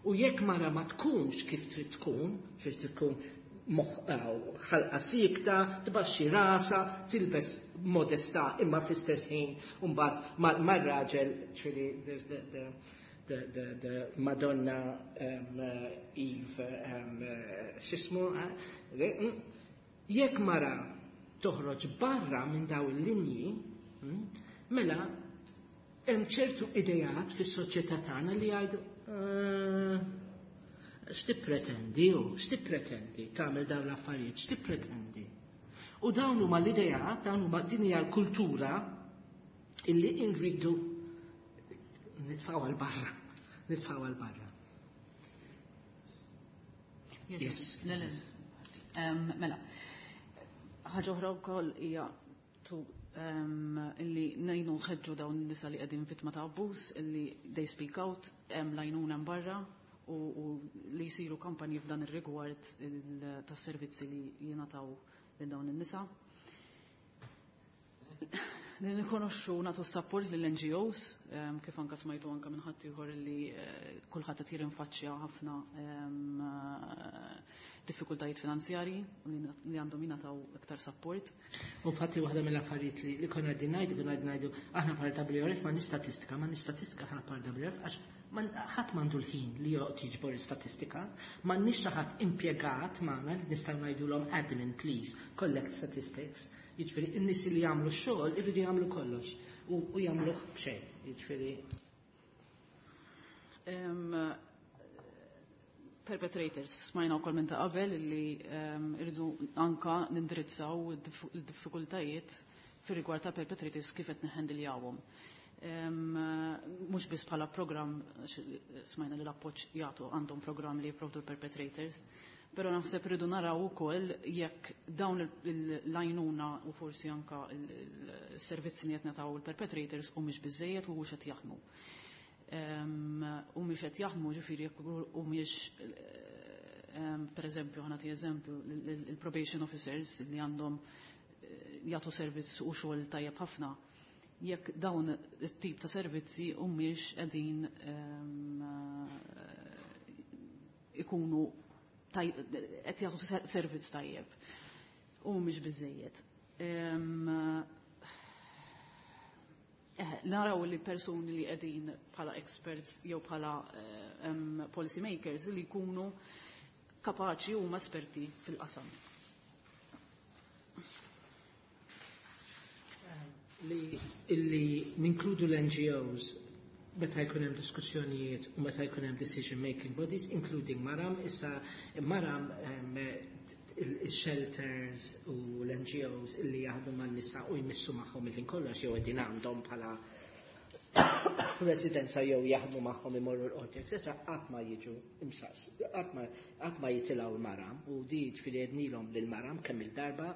u jekk mara ma tkunx kif trid tkun, trid tkun ħalqa sikta, tbaxxi rasa, tilbes modesta imma fl-istess ħin mbagħad mar-raġel, ċili there's the Madonna Eve, x'ismu, jekk mara toħroġ barra minn daw il-linji, mela hemm ċertu idejat fis-soċjetà tagħna li jgħidu x'tippretendi u x'tippretendi tagħmel dawn l-affarijiet, x'tippretendi. U dawn huma l-idejat, dawn huma din hija l-kultura illi nridu nitfgħu għal barra, nitfgħu għal barra. Yes. Le, le. Mela, ħaġa oħra wkoll hija illi ngħinu nħeġġu dawn in-nisa li qegħdin vittma ta' abbuż, illi they speak out, hemm l-għajnuna hemm barra u li jsiru kampanji f'dan ir-rigward tas-servizzi li jingħataw lil dawn in-nisa. Li nikonoxxu nagħtu support lill-NGOs, kif anka smajtu anka minn ħadd ieħor li kulħadd qed jirinfaċċja ħafna diffikultajiet finanzjarji li għandhom jingħataw iktar support. U fatti waħda mill-affarijiet li konna qegħdin ngħidu, konna qegħdin ngħidu aħna bħala WRF ma statistika, ma statistika aħna bħala WRF għax ħadd m'għandu l-ħin li joqgħod jiġbor statistika, m'għandniex xi ħadd impjegat magħna li nistgħu ngħidulhom admin please collect statistics. Jiġifieri in-nies li jagħmlu x-xogħol iridu jagħmlu kollox u jagħmluh b'xejn. Jiġifieri Perpetrators, smajna wkoll minn ta' qabel li irridu anka nindirizzaw il-diffikultajiet fir-rigward ta' perpetrators kif qed neħendiljawhom. Mhux biss bħala programm, smajna li l-appoġġ jagħtu għandhom programm li jipprovdu l-perpetrators, però naħseb irridu naraw ukoll jekk dawn l-għajnuna u forsi anka il-servizzi li qed nagħtaw il-perpetrators humiex biżejjed u hux qed jaħdmu. U mhix qed jaħdmu ġifieri jekk humiex per eżempju, ħa nagħti eżempju, il-probation officers li għandhom jagħtu servizz u xogħol tajjeb ħafna, jekk dawn it-tip ta' servizzi humiex qegħdin ikunu qed jagħtu servizz tajjeb u mhumiex biżejjed. Naraw li persuni li qegħdin bħala experts jew bħala policy makers li jkunu kapaċi huma esperti fil-qasam. Li illi ninkludu l-NGOs meta jkun hemm diskussjonijiet u meta jkun hemm decision making bodies, including Maram, issa Maram il-shelters u l-NGOs illi jaħdmu man-nisa u jmissu magħhom il-ħin kollox jew qegħdin għandhom bħala Residenza jew jaħdmu magħhom imorru l-qorti, etc. qatt ma jiġu imsaqs, qatt ma jitilgħu l-maram u di ġifieri għednilhom lill-maram kemm il-darba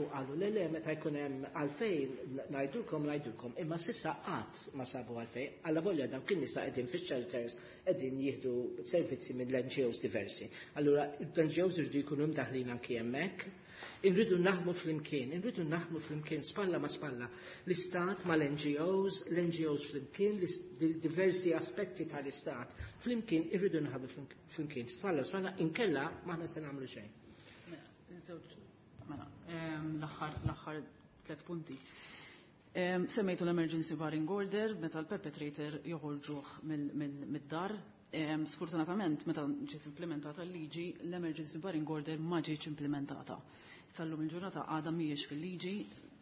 u qalu le le meta jkun hemm għalfejn ngħidulkom ngħidulkom imma s'issa qatt ma sabu għalfejn allavolja dawk in-nisa qegħdin fix-shelters qegħdin jieħdu servizzi mill-NGOs diversi. Allura l-NGOs irridu jkunu mdaħlin anki hemmhekk. Irridu naħdmu flimkien, irridu naħdmu flimkien spalla ma' spalla. L-istat mal-NGOs, l-NGOs flimkien, diversi aspetti tal-istat flimkien irridu naħdmu flimkien spalla spalla inkella m'aħna se nagħmlu xejn. Mela, l-aħħar l-aħħar tliet punti. Semmejtu l-emergency barring order meta l-perpetrator joħorġuh mid-dar. Sfortunatament, meta ġiet implementata l-liġi, l-emergency barring order ma ġietx implementata. Sal-lum il-ġurnata għadha mhijiex fil-liġi,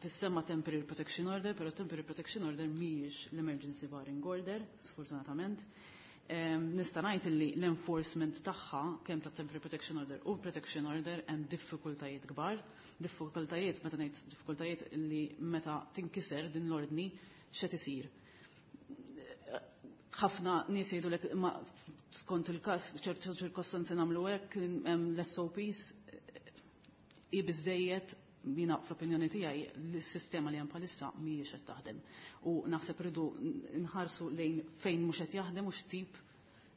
tissemma temporary protection order, però temporary protection order mhijiex l-emergency barring order, sfortunatament. Nista' ngħid li l-enforcement tagħha kemm ta' temporary protection order u protection order hemm diffikultajiet kbar. Diffikultajiet meta ngħid diffikultajiet li meta tinkiser din l-ordni x'qed isir. Ħafna nies jgħidulek ma skont il-każ ċertu ċirkostanzi nagħmlu hekk hemm l-SOPs hi biżejjed jiena fl-opinjoni tiegħi l-sistema li hemm bħalissa mhijiex qed taħdem. U naħseb rridu nħarsu lejn fejn mhux qed jaħdem u x'tip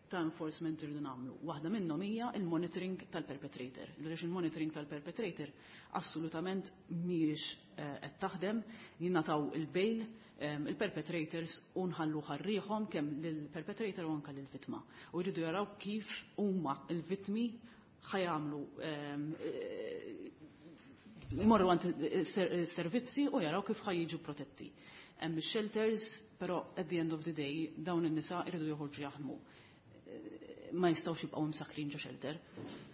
ta' enforcement irridu nagħmlu. Waħda minnhom hija il-monitoring tal-perpetrator. Għaliex il-monitoring tal-perpetrator assolutament mhijiex qed taħdem, jingħataw il-bail il-perpetrators u nħallu ħarriħhom kemm lill-perpetrator u anke lill-vittma. U jridu jaraw kif huma l-vittmi ħa jagħmlu imorru għand servizzi u jaraw kif ħa jiġu protetti. Hemm shelters, però at the end of the day dawn in-nisa jridu joħorġu jaħdmu. Ma jistgħux jibqgħu msakrin ġo shelter.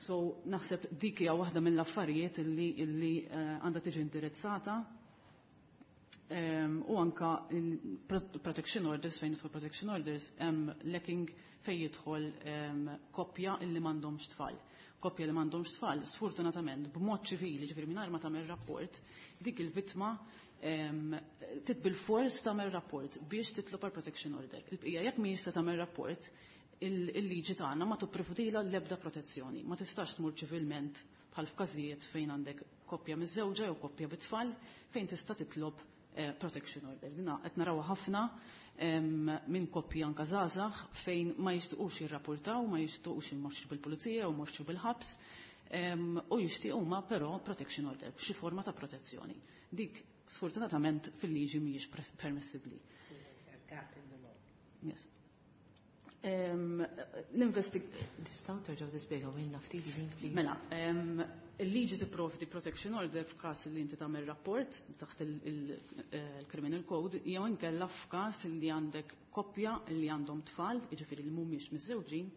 So naħseb dik hija waħda mill-affarijiet illi illi għandha tiġi indirizzata u anka protection orders fejn jidħol protection orders hemm lacking fejn jidħol koppja illi m'għandhomx tfal. Koppja li m'għandhomx tfal, sfortunatament b'mod ċivili, ġifieri mingħajr ma tagħmel rapport, dik il-vittma trid bil-fors tagħmel rapport biex titlob għal protection order. Il-bqija jekk mhijiex se tagħmel rapport, il-liġi tagħna ma tipprovdilha l-ebda protezzjoni. Ma tistax tmur ċivilment bħal f'każijiet fejn għandek koppja miżżewġa jew koppja bit-tfal fejn tista' titlob protection order. Dina qed naraw ħafna minn koppji anka żgħażagħ fejn ma jixtiequx jirrapportaw, ma jixtiequx imorxu bil-pulizija u jmorxu bil-ħabs u jixtiequ huma però protection order, xi forma ta' protezzjoni. Dik sfortunatament fil-liġi mhijiex permissibbli. Yes. L-investig... Tistgħu terġgħu tispjegaw lilna ftit din, please? Mela, il-liġi tipprovdi protection order f'każ li inti tagħmel rapport taħt il-Criminal Code jew inkella f'każ li għandek koppja li għandhom tfal, jiġifieri li mhumiex miżżewġin,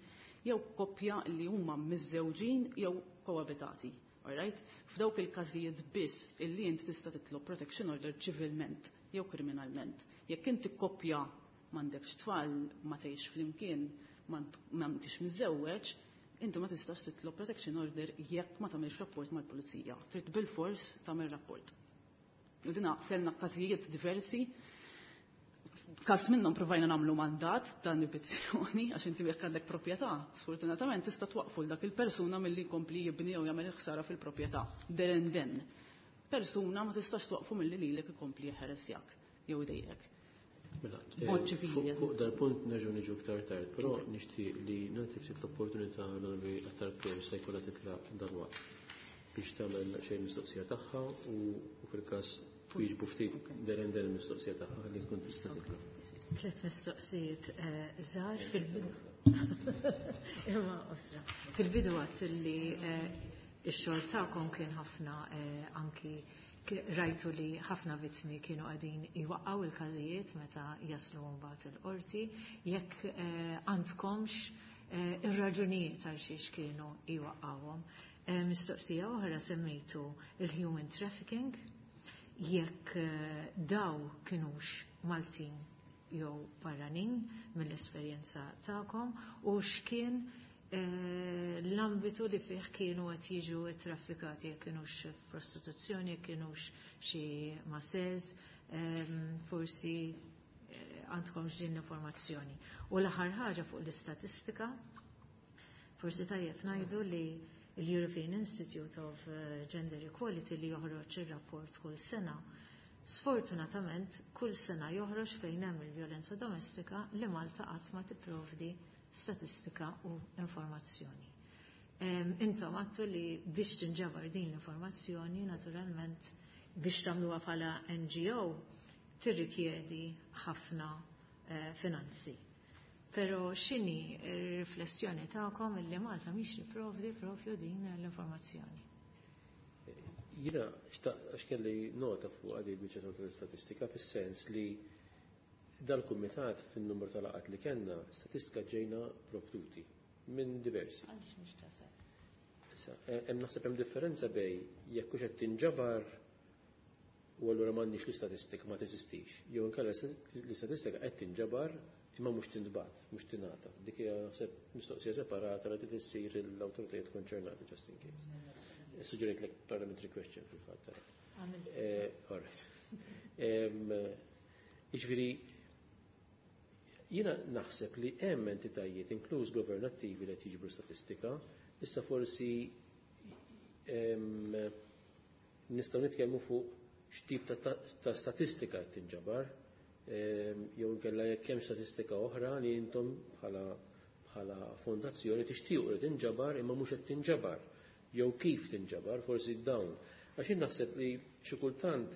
jew koppja li huma miżżewġin jew koabitati. Alright? F'dawk il-każijiet biss illi inti tista' titlob protection order ċivilment jew kriminalment. Jekk inti koppja m'għandekx tfal, ma tgħix flimkien, ma intix miżżewweġ, inti ma tistax titlob protection order jekk ma tagħmilx rapport mal-pulizija. Trid bil-fors tagħmel rapport. U dina kellna każijiet diversi. Każ minnhom provajna nagħmlu mandat ta' inibizzjoni għax inti jekk għandek proprjetà, sfortunatament tista' twaqfu dak il-persuna milli jkompli jibni jew jagħmel ħsara fil-proprjetà. There and then. Persuna ma tistax twaqfu milli lilek ikompli jeħeresjak jew idejjek. Mela, Mod ċivili. Fuq dal-punt nerġgħu niġu iktar tard, però nixtieq li nagħti ftit l-opportunità l-Onorevoli Attard Pierre se jkollha titlaq dalwaqt biex tagħmel xejn mistoqsija tagħha u fil-każ twieġbu ftit there and then il-mistoqsija tagħha li tkun tista' titlaq. Tliet mistoqsijiet żgħar fil-bidu. Imma osra. Fil-bidu għedt li x-xogħol tagħkom kien ħafna anki rajtu li ħafna vittmi kienu qegħdin iwaqqgħu il-każijiet meta jaslu mbagħad il-qorti, jekk għandkomx ir-raġunijiet għal xiex kienu iwaqqgħuhom. Mistoqsija oħra semmejtu il-human trafficking, jekk daw kienux Maltin jew barranin mill-esperjenza tagħkom u x'kien l-ambitu li fih kienu qed jiġu traffikati, jekk kienux prostituzzjoni, jekk kienux xi masseurs, forsi. għandkomx din l-informazzjoni. U l-aħħar ħaġa fuq l-istatistika, forsi tajjeb ngħidu li l-European Institute of Gender Equality li joħroġ ir-rapport kull sena, sfortunatament kull sena joħroġ fejn hemm il-vjolenza domestika li Malta qatt ma tipprovdi statistika u informazzjoni. Intom għattu li biex tinġabar din l-informazzjoni, naturalment biex tagħmluha bħala NGO tirrikjedi ħafna finanzi. Pero x'inhi r-riflessjoni tagħkom illi Malta mhix tipprovdi propju din l-informazzjoni? Jiena għax kelli nota fuq għadi l-biċċa tal-istatistika fis-sens li dal-kumitat fin-numru tal-laqgħat li kellna statistika ġejna provduti minn diversi. Għaliex mhix tasal? Hemm naħseb hemm differenza bej jekk hux qed tinġabar u allura m'għandniex l-istatistika ma teżistix. Jew inkella l-istatistika qed tinġabar imma mhux tintbagħat, mhux tingħata. Dik hija naħseb mistoqsija separata li trid issir l-awtoritajiet konċernati just in case. Suġġerejt lek parliamentary question fil-fatt. All right. Jiġifieri jiena naħseb li hemm entitajiet inkluż governattivi li qed jiġbru statistika, issa forsi nistgħu nitkellmu fuq x'tip ta' statistika qed tinġabar, jew inkella jekk hemm statistika oħra li intom bħala fondazzjoni tixtiequ li tinġabar imma mhux qed tinġabar, jew kif tinġabar, forsi dawn. Għax jien naħseb li xi kultant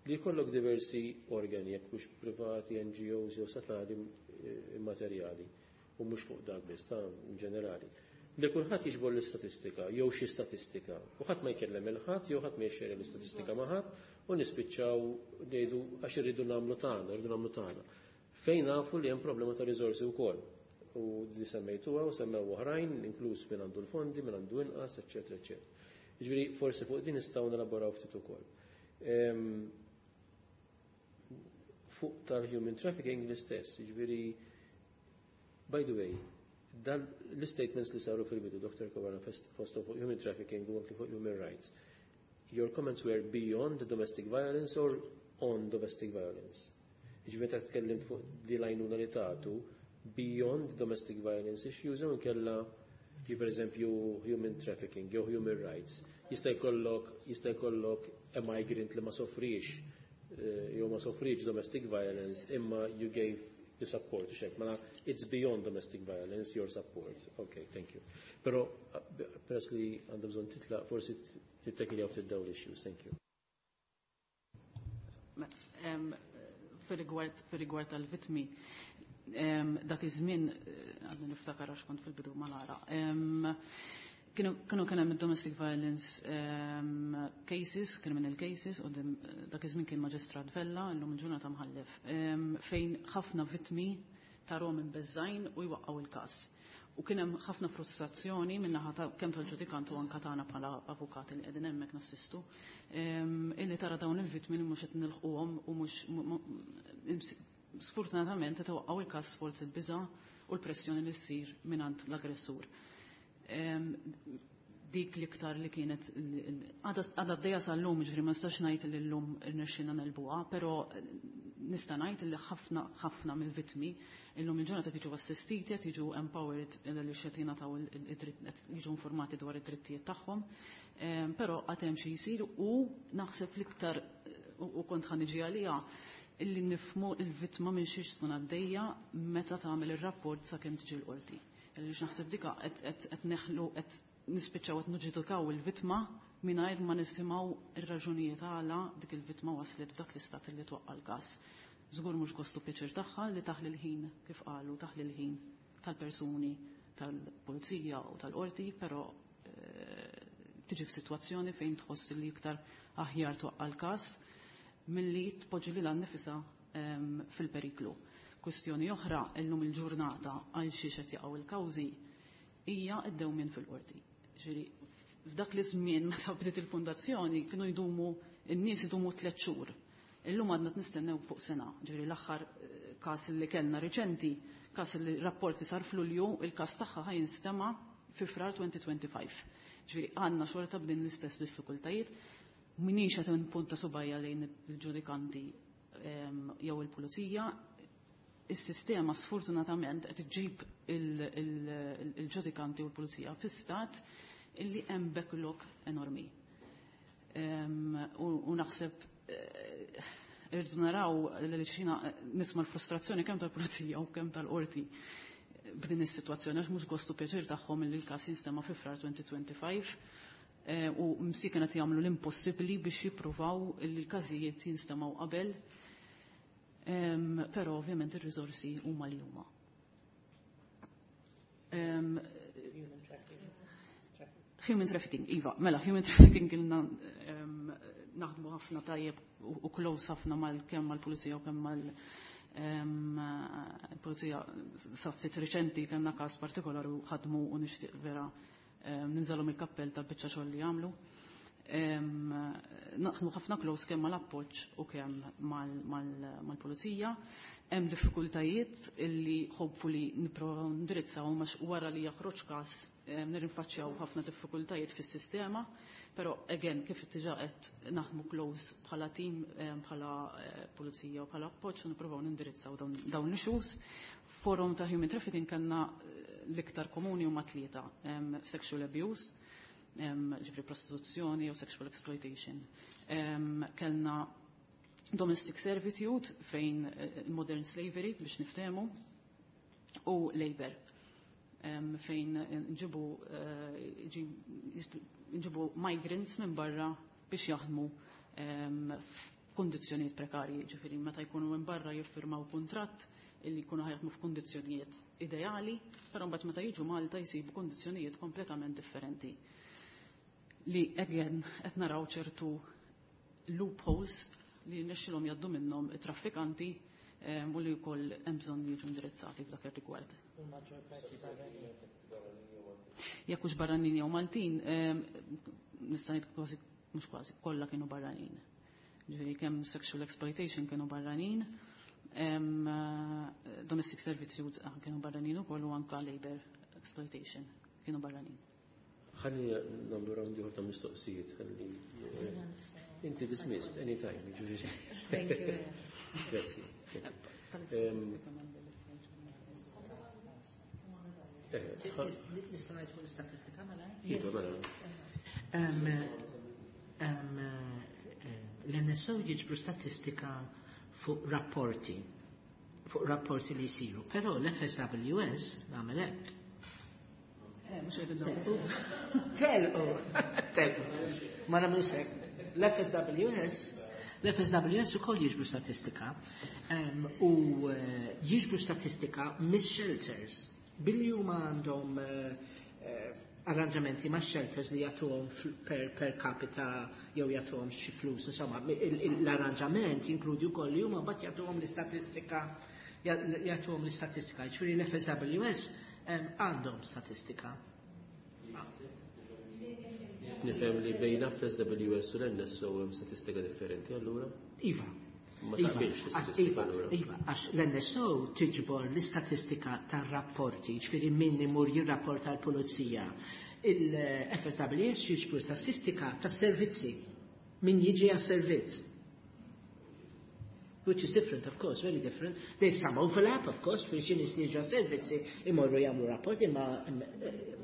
li jkollok diversi organi, jekk mhux privati, NGOs jew statali immaterjali, u mhux fuq dak biss, ta' in ġenerali. Li kulħadd jiġbor l-istatistika jew xi statistika, u ħadd ma jkellem il-ħadd jew ħadd ma jixxerja l-istatistika ma' ħadd, u nispiċċaw ngħidu għax irridu nagħmlu tagħna, irridu nagħmlu tagħna. Fejn nafu li hemm problema ta' riżorsi wkoll. U di semmejtuha u semmew oħrajn, inkluż min għandu l-fondi, min għandu inqas, eċċetera, eċċetera. Jiġifieri forsi fuq din nistgħu nelaboraw ftit ukoll. Fuq tal-human trafficking l-istess, jiġifieri by the way, dan l-statements li saru fil-bidu, Dr. Caruana, fosto fuq human trafficking u anki fuq human rights. Your comments were beyond the domestic violence or on domestic violence? Jiġifieri meta tkellimt fuq di l-għajnuna li tagħtu beyond domestic violence issues jew inkella kif per eżempju human trafficking jew human rights. Jista' jkollok a migrant li ma soffrix jew ma soffrix domestic violence imma you gave the support, xek, mela it's beyond domestic violence, your support. Okay, thank you. Pero peress li għandha bżonn titlaq, forsi tittekiljaw ftit dawn l-issues, thank you. Fir-rigward tal-vitmi, dak iż-żmien għadni niftakar għax kont fil-bidu mal-ara. Kienu kien hemm domestic violence cases, criminal cases, u dak iż-żmien kien Maġistrat Vella, illum il-ġurnata mħallef, fejn ħafna vittmi tarhom imbeżżajn u jwaqqgħu il-każ. U kien hemm ħafna frustrazzjoni min-naħa ta' kemm tal-ġudikant u anke tagħna bħala avukati li qegħdin hemmhekk nassistu, illi tara dawn il-vittmi li mhux qed nilħquhom u mhux sfortunatament qed iwaqqgħu il-każ sforz il-biża' u l-pressjoni li ssir mingħand l-aggressur. Dik l-iktar li kienet għadha għaddejja sal-lum, ġifieri ma nistax ngħid li llum irnexxilna nelbuha, però nista' ngħid li ħafna ħafna mill-vittmi illum il-ġurnata qed jiġu assistiti, qed jiġu empowered li qed jingħataw id-dritt, qed jiġu informati dwar id-drittijiet tagħhom, però għad hemm xi jsir u naħseb l-iktar u kont ħa niġi għaliha illi nifhmu l-vittma minn xiex tkun għaddejja meta tagħmel ir-rapport sakemm tiġi l-qorti. Għaliex naħseb dika qed neħlu qed nispiċċaw qed niġġudikaw il-vittma mingħajr ma nisimgħu ir-raġunijiet għala dik il-vittma waslet f'dak l-istat li twaqqa' l-każ. Żgur mhux gostu pjaċir tagħha li taħli l-ħin kif qalu taħli l-ħin tal-persuni tal-pulizija u tal-qorti, però tiġi f'sitwazzjoni fejn tħoss li iktar aħjar twaqqa' l-każ milli tpoġġi lilha nnifisha fil-periklu. Kwestjoni oħra illum il-ġurnata għal xiex qed jaqgħu il-kawżi hija d-dewmien fil-qorti. Ġifieri f'dak li żmien meta bdiet il-fundazzjoni kienu jdumu n-nies idumu 3 xhur. Illum għadna nistennew fuq sena. Ġifieri l-aħħar każ li kellna riċenti, każ li rapport li sar f'Lulju, il-każ tagħha ħa jinstema' fi Frar 2025. Ġifieri għandna xorta b'din l-istess diffikultajiet. Minix qed npunta subajja lejn il-ġudikanti jew il-pulizija. Is-sistema sfortunatament qed iġġib il-ġudikanti u l-pulizija fi stat illi hemm backlog enormi. U naħseb irridu naraw li xina nisma' l-frustrazzjoni kemm tal-pulizija u kemm tal-qorti b'din is-sitwazzjoni għax mhux gostu pjaċir tagħhom li l-każ jinstema' fi Frar 2025 u msiken qed jagħmlu l-impossibbli biex jippruvaw li l-każijiet jinstemgħu qabel. Però ovvjament ir-riżorsi huma li huma. Human trafficking, iva, mela human trafficking ilna naħdmu ħafna tajjeb u close ħafna mal kemm mal-pulizija u kemm mal pulizija sa ftit riċenti kellna każ partikolari u ħadmu u nixtieq vera ninżalhom il-kappell ta' biċċa xogħol li jagħmlu. Naħdmu ħafna close kemm mal-appoġġ u kemm mal-pulizija. Hemm diffikultajiet illi hopefully nipprovaw nindirizzaw għax wara li jaħroġ każ nirrinfaċċjaw ħafna diffikultajiet fis-sistema, però again kif diġà qed naħdmu close bħala team, bħala pulizija u bħala appoġġ u nippruvaw nindirizzaw dawn l-issues. Forum ta' human trafficking kellna l-iktar komuni huma tlieta: sexual abuse, ġifri prostituzzjoni u sexual exploitation. Kellna domestic servitude fejn modern slavery biex niftehmu u labor fejn nġibu migrants minn barra biex jaħdmu f'kundizzjonijiet prekarji, ġifieri meta jkunu minn barra jiffirmaw kuntratt illi jkunu ħajaħdmu f'kundizzjonijiet ideali, però mbagħad meta jiġu Malta jsibu kundizzjonijiet kompletament differenti. Li again qed naraw ċertu loopholes li nexxilhom jgħaddu minnhom it-traffikanti u li wkoll hemm bżonn jiġu indirizzati f'dak ir-rigward. Jekk hux barranin jew Maltin, nista' ngħid kważi mhux kważi kollha kienu barranin. Ġifieri kemm sexual exploitation kienu barranin, domestic servitude kienu barranin ukoll u anka labor exploitation kienu barranin. Ħalli nagħmlu round ieħor ta' mistoqsijiet, ħalli inti dismissed anytime, ġifieri. Thank you. Grazzi. Nista' ngħid fuq l-istatistika mela? Iva, mela. L-NSO jiġbru statistika fuq rapporti, fuq rapporti li jsiru, però l-FSWS nagħmel hekk. Telqu, telqu. Ma nagħmlux hekk. L-FSWS L-FSWS ukoll jiġbru statistika u jiġbru statistika mis-shelters. Billi huma għandhom arranġamenti ma' shelters li jagħtuhom per capita jew jagħtuhom xi flus, insomma, l-arranġament jinkludi wkoll li huma mbagħad jagħtuhom l-istatistika jagħtuhom l-istatistika. Ġifieri l-FSWS għandhom statistika. Nifhem li bejn FSWS u l-NSO hemm statistika differenti allura? Iva. Ma taqbilx l-istatistika allura. Iva, għax l-NSO tiġbor l-istatistika tar-rapporti, ġifieri min imur jirrapporta l-pulizija. Il-FSWS jiġbor statistika tas-servizzi, min jiġi għas-servizz. Which is different, of course, very different. There's some overlap, of course, fi xi nies jiġu għas-servizzi imorru jagħmlu rapporti, ma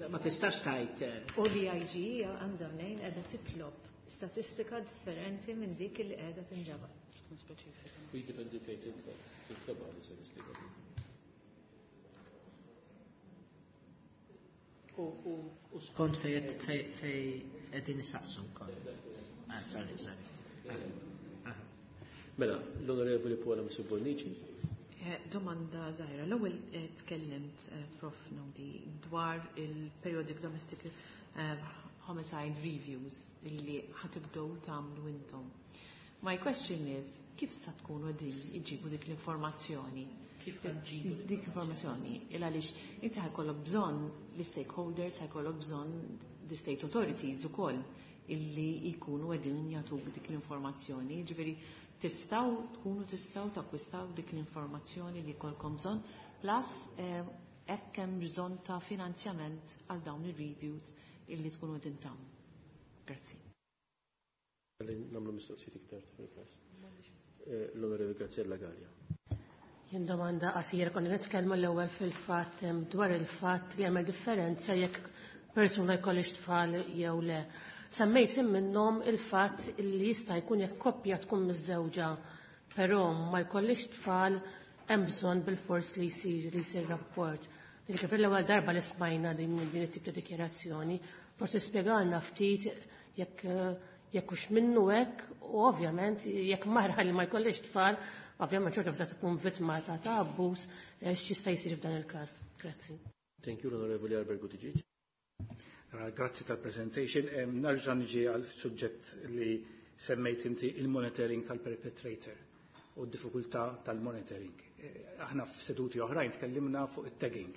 ma tistax tgħid. U l-IG għandha mnejn qiegħda titlob statistika differenti minn dik li qiegħda tinġabar. Tkun speċifika. U jiddependi fejn titlob għal statistika. U skont fej qegħdin isaqsu wkoll. Ah, sorry, sorry. Mela, l-Onorevoli Paola Mifsud Bonnici. Domanda żgħira. L-ewwel tkellimt, Prof Naudi, dwar il-periodic domestic homicide reviews illi ħatibdew tagħmlu intom. My question is, kif sa tkunu qegħdin iġibu dik l-informazzjoni? Kif ġibu dik l-informazzjoni? Il għaliex inti ħajkollok bżonn l-stakeholders, ħajkollok bżonn the state authorities ukoll illi jkunu qegħdin jagħtuk dik l-informazzjoni. Ġifieri tistgħu tkunu tistgħu takkwistaw dik l-informazzjoni li jkollkom bżonn, plus hekk hemm bżonn ta' finanzjament għal dawn ir-reviews illi tkunu qegħdin tagħmlu. Grazzi. Nagħmlu mistoqsijiet iktar fil-każ. L-Onorevoli Graziella Gallia. Jien domanda qasira konna nitkellmu l-ewwel fil-fatt dwar il-fatt li jagħmel differenza jekk persuna jkollix tfal jew le. Semmejt minnhom il-fatt li jista' jkun jekk koppja tkun miżżewġa però ma jkollix tfal hemm bżonn bil-fors li jsir li jsir rapport. Ġifieri l-ewwel darba li smajna din din it-tip ta' dikjarazzjoni, forsi spjegalna ftit jekk jekk hux minnu hekk u ovvjament jekk mara li ma jkollix tfal, ovvjament xorta bda tkun vittma ta' ta' abbuż x'jista' jsir f'dan il-każ. Grazzi. Thank you, l-Onorevoli Albert Buttigieg. Grazzi tal-presentation. Nerġa' niġi għal suġġett li semmejt inti, il-monitoring tal-perpetrator u d-diffikultà tal-monitoring. Aħna f'seduti oħrajn tkellimna fuq it-tagging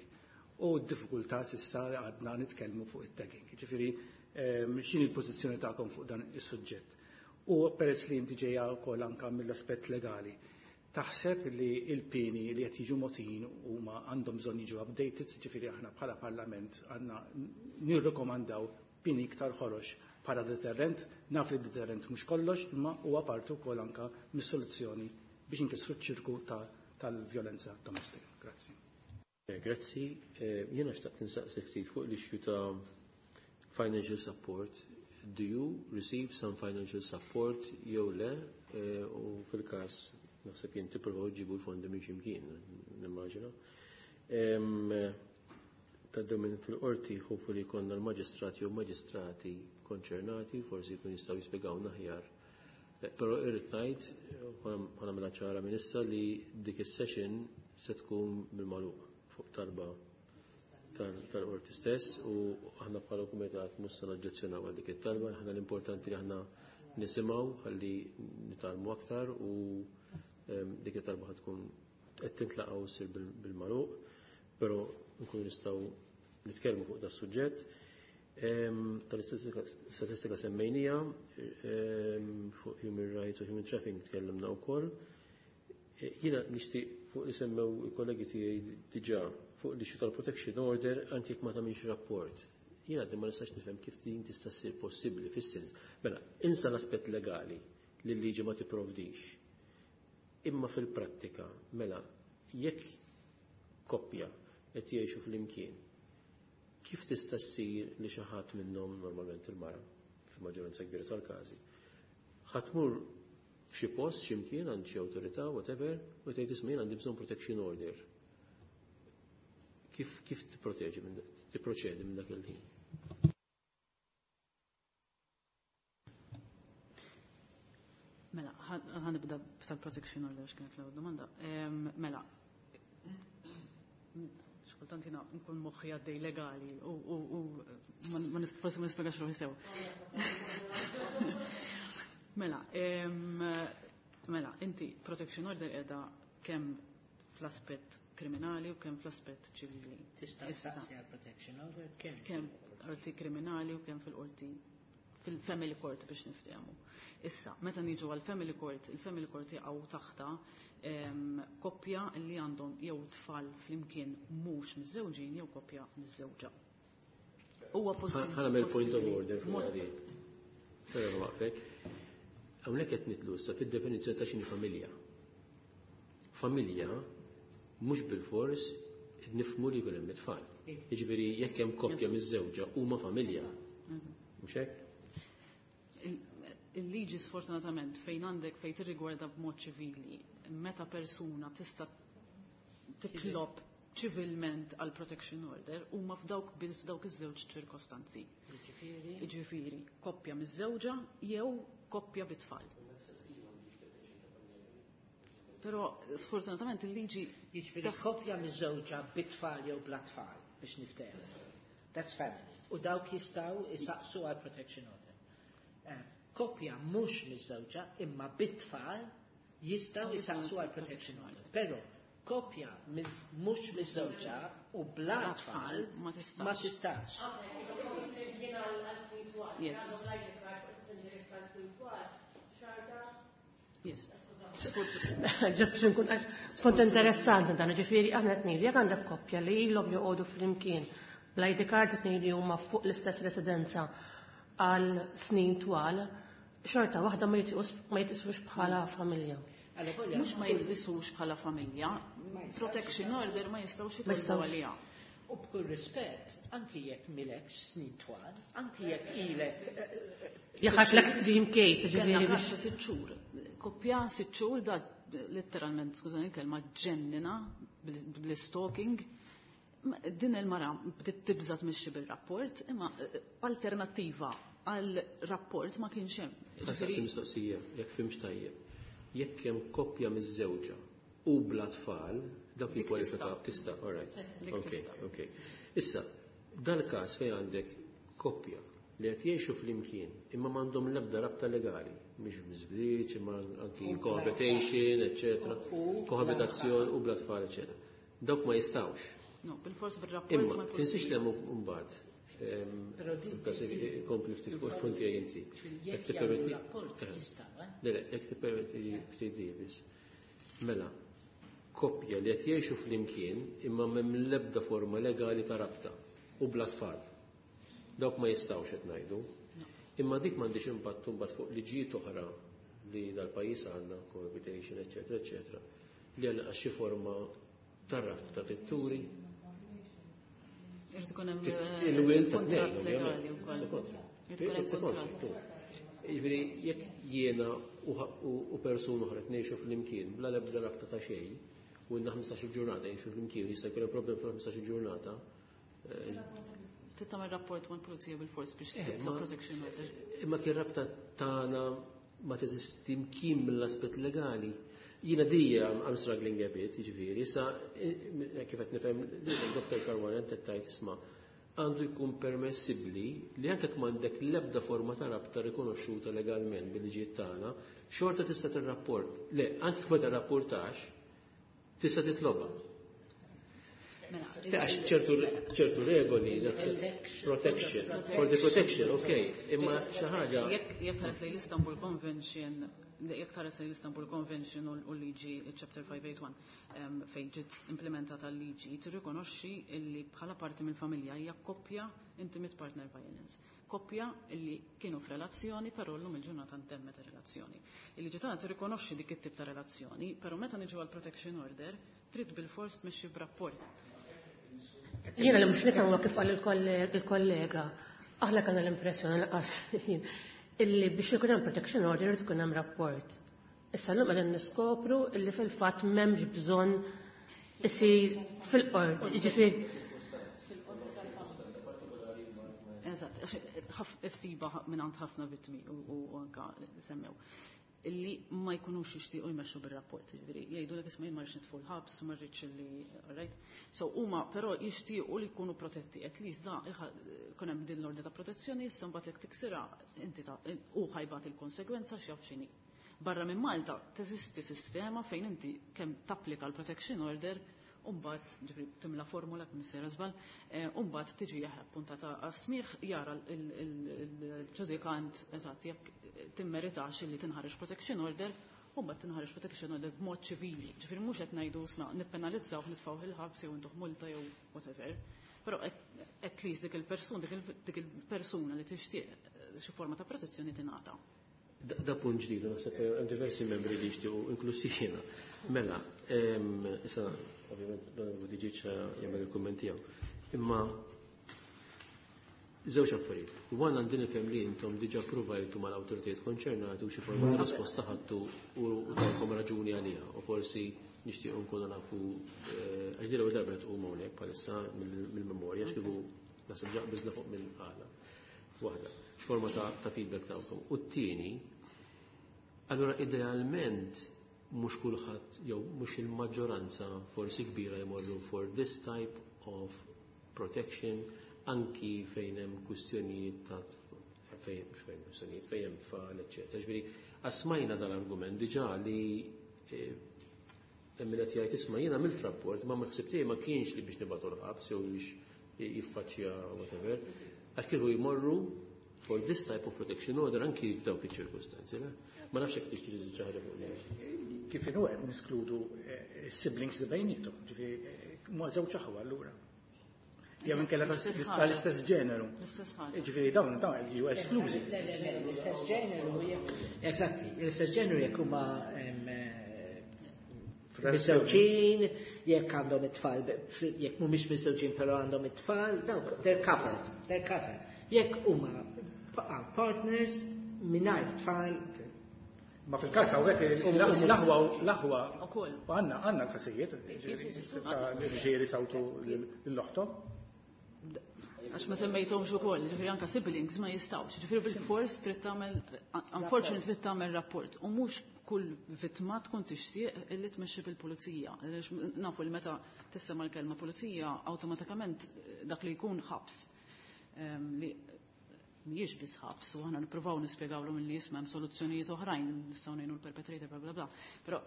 u d-diffikultà s'issa għadna nitkellmu fuq it-tagging. Ġifieri x'inhi l-pożizzjoni tagħkom fuq dan is-suġġett? U peress li inti ġejja wkoll anke mill-aspett legali, taħseb li il-pieni li qed jiġu mogħtijin huma għandhom bżonn jiġu updated, ġifieri aħna bħala Parlament għandna nirrekomandaw pieni iktar ħorox bħala deterrent, naf li deterrent mhux kollox, imma huwa parti wkoll anke mis-soluzzjoni biex inkissru ċ-ċirku tal-vjolenza domestika. Grazzi. Grazzi. Jiena xtaqt insaqsi ftit fuq l-issue ta' financial support. Do you receive some financial support jew le? U fil-każ naħseb jien tippruvaw ġibu l-fondi minn x'imkien, nimmaġina. Taddew minn fil-qorti ħofu li jkollna l-maġistrati u maġistrati konċernati, forsi jkun jistgħu jispjegawna aħjar. Però irrid ngħid, ħa nagħmilha ċara minn issa li dik is-session se tkun bil-magħluq fuq talba tal-qorti stess u aħna bħala kumitat mhux se naġġezzjonaw għal dik it-talba, aħna l-importanti li aħna nisimgħu ħalli nitgħallmu aktar u dik it-talba ħad tkun qed tintlaqgħu ssir bil-magħluq, però nkunu nistgħu nitkellmu fuq das-suġġett. Tal-istatistika semmejnija, fuq human rights u human trafficking tkellimna wkoll. Jiena nixtieq fuq li semmew il-kollegi tiegħi diġà fuq li tal-protection order anke jekk ma tagħmilx rapport. Jiena għadni ma nistax nifhem kif din tista' ssir possibbli fis-sens. Mela, insa l-aspett legali li l-liġi ma tipprovdix. Imma fil-prattika, mela, jekk koppja qed jgħixu flimkien, kif tista' ssir li xi ħadd minnhom, normalment il-mara, fil-maġġoranza kbira tal-każi, ħa tmur f'xi post x'imkien għand xi awtorità, whatever, u tgħid isma' jien għandi bżonn protection order. Kif tipproteġi minn tipproċedi minn dak il-ħin? Mela, ħa nibda tal-protection order x'kienet l-ewwel domanda. Mela, xkultant jiena nkun moħħi għaddej legali u ma forsi ma nispjegax ruħi sew. Mela, mela, inti protection order qiegħda kemm fl-aspett kriminali u kemm fl-aspett ċivili. Tista' ssaqsi għal protection order kemm? Kemm qorti kriminali u kemm fil-qorti fil-family court biex niftehmu. Issa, meta niġu għal family court, il-family court jaqgħu taħta koppja li għandhom jew tfal flimkien mhux miżżewġin jew koppja miżżewġa. Huwa possibbli. Ħa nagħmel point of order fuq għadi. Sera waqfek. Hawnhekk qed nitlu issa fid-definizzjoni ta' x'inhi familja. Familja mhux bil-fors nifhmu li jkun hemm it-tfal. Jiġifieri jekk hemm koppja miżżewġa huma familja. Mhux hekk? Il-liġi sfortunatament fejn għandek fejn tirrigwarda b'mod ċivili, meta persuna tista' titlob ċivilment għal protection order huma f'dawk biss dawk iż-żewġ ċirkostanzi. Jiġifieri? Jiġifieri koppja miż-żewġa jew koppja bit-tfal. Però sfortunatament il-liġi Jiġifieri koppja miż-żewġa bit-tfal jew bla tfal biex niftehmu. That's family. U dawk jistgħu isaqsu għal protection order. Koppja mhux miż-żewġa imma bit-tfal jistgħu jisaqsu għal protection order. Però koppja mhux miż-żewġa u bla tfal ma tistax. Ma tistax. Yes. Yes. Just biex nkun għax skont interessanti dan, ġifieri aħna qed ngħidu jekk għandek koppja li ilhom joqogħdu flimkien bl-ID cards qed ngħidu huma fuq l-istess residenza għal snin twal, xorta waħda ma jitqisux bħala familja. Mhux ma jitqisux bħala familja, protection order ma jistgħux jitolbu għaliha. U b'kull rispett, anki jekk m'ilekx snin twal, anki jekk ilek. Jekk l-extreme case, ġifieri. Kellna każ ta' 6 xhur. Koppja 6 xhur da letteralment, skużani il-kelma, ġennina bl-stalking. Din il-mara bdiet tibża tmexxi bil-rapport, imma alternattiva għal rapport ma kienx hemm. Ħa nsaqsi mistoqsija, jekk fhimtx tajjeb. Jekk hemm koppja miżżewġa u bla tfal, dak jikkwalifika tista', all right. Ok. Issa, dal-każ fejn għandek koppja li qed jgħixu flimkien imma m'għandhom l-ebda rabta legali, mhix miżbliċ, imma anki cohabitation, eccetera, kohabitazzjoni u bla tfal, eccetera. Dawk ma jistgħux. No, bil-fors bil-rapport. Imma tinsiex li hemm mbagħad. Kompli ftit fuq punti għaj inti. Jekk tippermetti. Rapport jistgħu, eh? Le, jekk tippermetti ftit biss. Mela, koppja li qed jgħixu flimkien imma m'hemm l-ebda forma legali ta' rabta u bla tfal. Dawk ma jistgħux qed ngħidu. Imma dik m'għandix impatt mbagħad fuq liġijiet oħra li dal-pajjiż għandna, cohabitation, eċetera, eċetera, li għandna xi forma ta' rabta titturi. Irid ikun hemm Il-will ta' kuntratt tnejn, legali ovvjament. wkoll. Irid ikun hemm kuntratt. Jiġifieri jekk jiena u persuna oħra ngħixu flimkien bla l-ebda rabta ta' xejn, u għandna 15 ġurnata jgħixu flimkien, jista' jkun hemm problem fil-15 ġurnata. Trid tagħmel rapport mal-pulizija bil-fors biex titlob protection order. Imma kien rabta tagħna ma teżisti mkien mill-aspett legali. Jiena dija I'm struggling a bit, jiġifieri, issa kif qed nifhem Dr. Caruana qed tgħid isma' għandu jkun permessibbli li anke jekk m'għandek l-ebda forma ta' rabta rikonoxxuta legalment bil-liġijiet tagħna, xorta tista' tirrapport. Le, anke jekk ma tirrapportax, tista' titlobha. Mela, Għax ċertu regoli, that's it. Protection. For the protection, okay. Imma xi ħaġa. Jekk tħares lejn l-Istanbul Convention, jekk tħares lejn l-Istanbul Convention u l-liġi chapter 581 fejn ġiet implementata l-liġi, tirrikonoxxi illi bħala parti mill-familja hija koppja intimate partner violence. Koppja illi kienu f'relazzjoni, però llum il-ġurnata ntemmet ir-relazzjoni. Il-liġi tagħna tirrikonoxxi dik it-tip ta' relazzjoni, però meta niġu għal protection order, trid bil-fors tmexxi b'rapport. Jiena li mhux nifhem huwa kif qal il-kollega, aħna kellna l-impressjoni lanqas illi biex ikun hemm protection order irid ikun hemm rapport. Issa llum qegħdin niskopru illi fil-fatt m'hemmx bżonn isir fil-qorti. Jiġifieri Eżatt, għax issiba minn ħafna vittmi u anka semmew illi ma jkunux jixtiequ jmexxu bir-rapport, jiġifieri jgħidu lek isma' jien ma rridx nidħol ħabs, ma rridx li, right? So huma però jixtiequ li jkunu protetti, at least da jkun hemm din l-ordni ta' protezzjoni, issa mbagħad jekk tiksirha inti ta' u ħa jbati l-konsegwenza x'jaf x'inhi. Barra minn Malta teżisti sistema fejn inti kemm tapplika l-protection order u mbagħad ġifieri timla formula kemm sejra żball, u mbagħad tiġi appuntata għas-smigħ jara il-ġudikant eżatt jekk timmeritax illi tinħareġ protection order, u mbagħad tinħareġ protection order b'mod ċivili. Ġifieri mhux qed ngħidu sna nippenalizzaw nitfgħu il-ħabs jew intuh multa jew whatever. Però at least dik il-persuna li tixtieq xi forma ta' protezzjoni tingħata. Da punt ġdid, naħseb hemm diversi membri li jixtiequ inklusi jiena. Mela, issa ovvjament l-Onorevoli Buttigieg jagħmel il-kumment tiegħu. Imma żewġ affarijiet. One għandi nifhem li intom diġà provajtu mal-awtoritajiet konċernati u xi forma ta' risposta ħadtu u tawkom raġuni għaliha u forsi nixtiequ nkunu nafu għax din l-ewwel darba tqum hawnhekk bħalissa mill-memorja għax kieku naħseb ġa qbiżna fuq minn għala. Waħda, x'forma ta' feedback tawkom. U t-tieni, allura idealment mhux kulħadd jew mhux il-maġġoranza forsi kbira jmorru for this type of protection anki fejn hemm kwistjonijiet ta' fejn mhux fejn kwistjonijiet fejn hemm tfal, eċċetera. Ġifieri asmajna dal-argument diġà li hemm min qed jgħid isma' jiena għamilt rapport ma ħsibt tiegħi ma kienx li biex nibgħatu l-ħabs jew biex jiffaċċja whatever, għax kieku jmorru for this type of protection order anki f'dawk iċ-ċirkustanzi. Ma nafx jekk tixtieq tiżid xi ħaġa fuq li. Kif inhu qed niskludu siblings li bejnietom, ġifieri ma żewġ aħwa allura. Jew inkella tal-istess ġeneru. L-istess ħaġa. Ġifieri dawn jiġu esklużi. Le, le, le, l-istess ġeneru jekk. Eżatti, l-istess ġeneru jekk huma Miżżewġin, jekk għandhom it-tfal, jekk mhumiex miżżewġin però għandhom it-tfal, dawk they're covered, they're covered. Jekk huma partners mingħajr tfal. Ma fil-każ hawnhekk l-aħwa l-aħwa għandna għandna każijiet ġifieri sawtu l-oħtom. Għax ma semmejthomx ukoll, ġifieri anke siblings ma jistgħux. Ġifieri bil-fors trid tagħmel, unfortunately trid tagħmel rapport u mhux kull vittma tkun tixtieq illi tmexxi bil-pulizija. Nafu li meta tisema' l-kelma pulizija awtomatikament dak li jkun ħabs. Li mhijiex biss ħabs u aħna nippruvaw nispjegawlhom illi jisma' hemm soluzzjonijiet oħrajn nistgħu ngħinu l-perpetrator bla bla bla. Però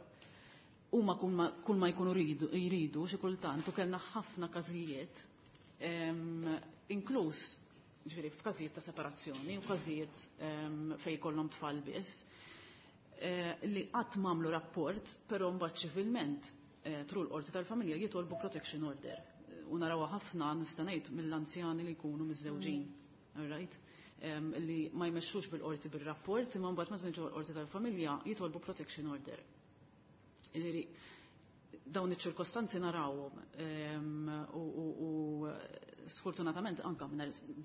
huma kull ma jkunu jridu xi kultant u kellna ħafna każijiet, inkluż ġifieri f'każijiet ta' separazzjoni u każijiet fejn jkollhom tfal biss, li qatt m'għamlu rapport, però mbagħad ċivilment through l-qorti tal-familja jitolbu protection order. U narawha ħafna, nista' ngħid, mill-anzjani li jkunu miżżewġin. All right? Li ma jmexxux bil-qorti bir-rapport, imma mbagħad meta niġu l-qorti tal-familja jitolbu protection order. Ġifieri dawn iċ-ċirkostanzi narawhom u sfortunatament anka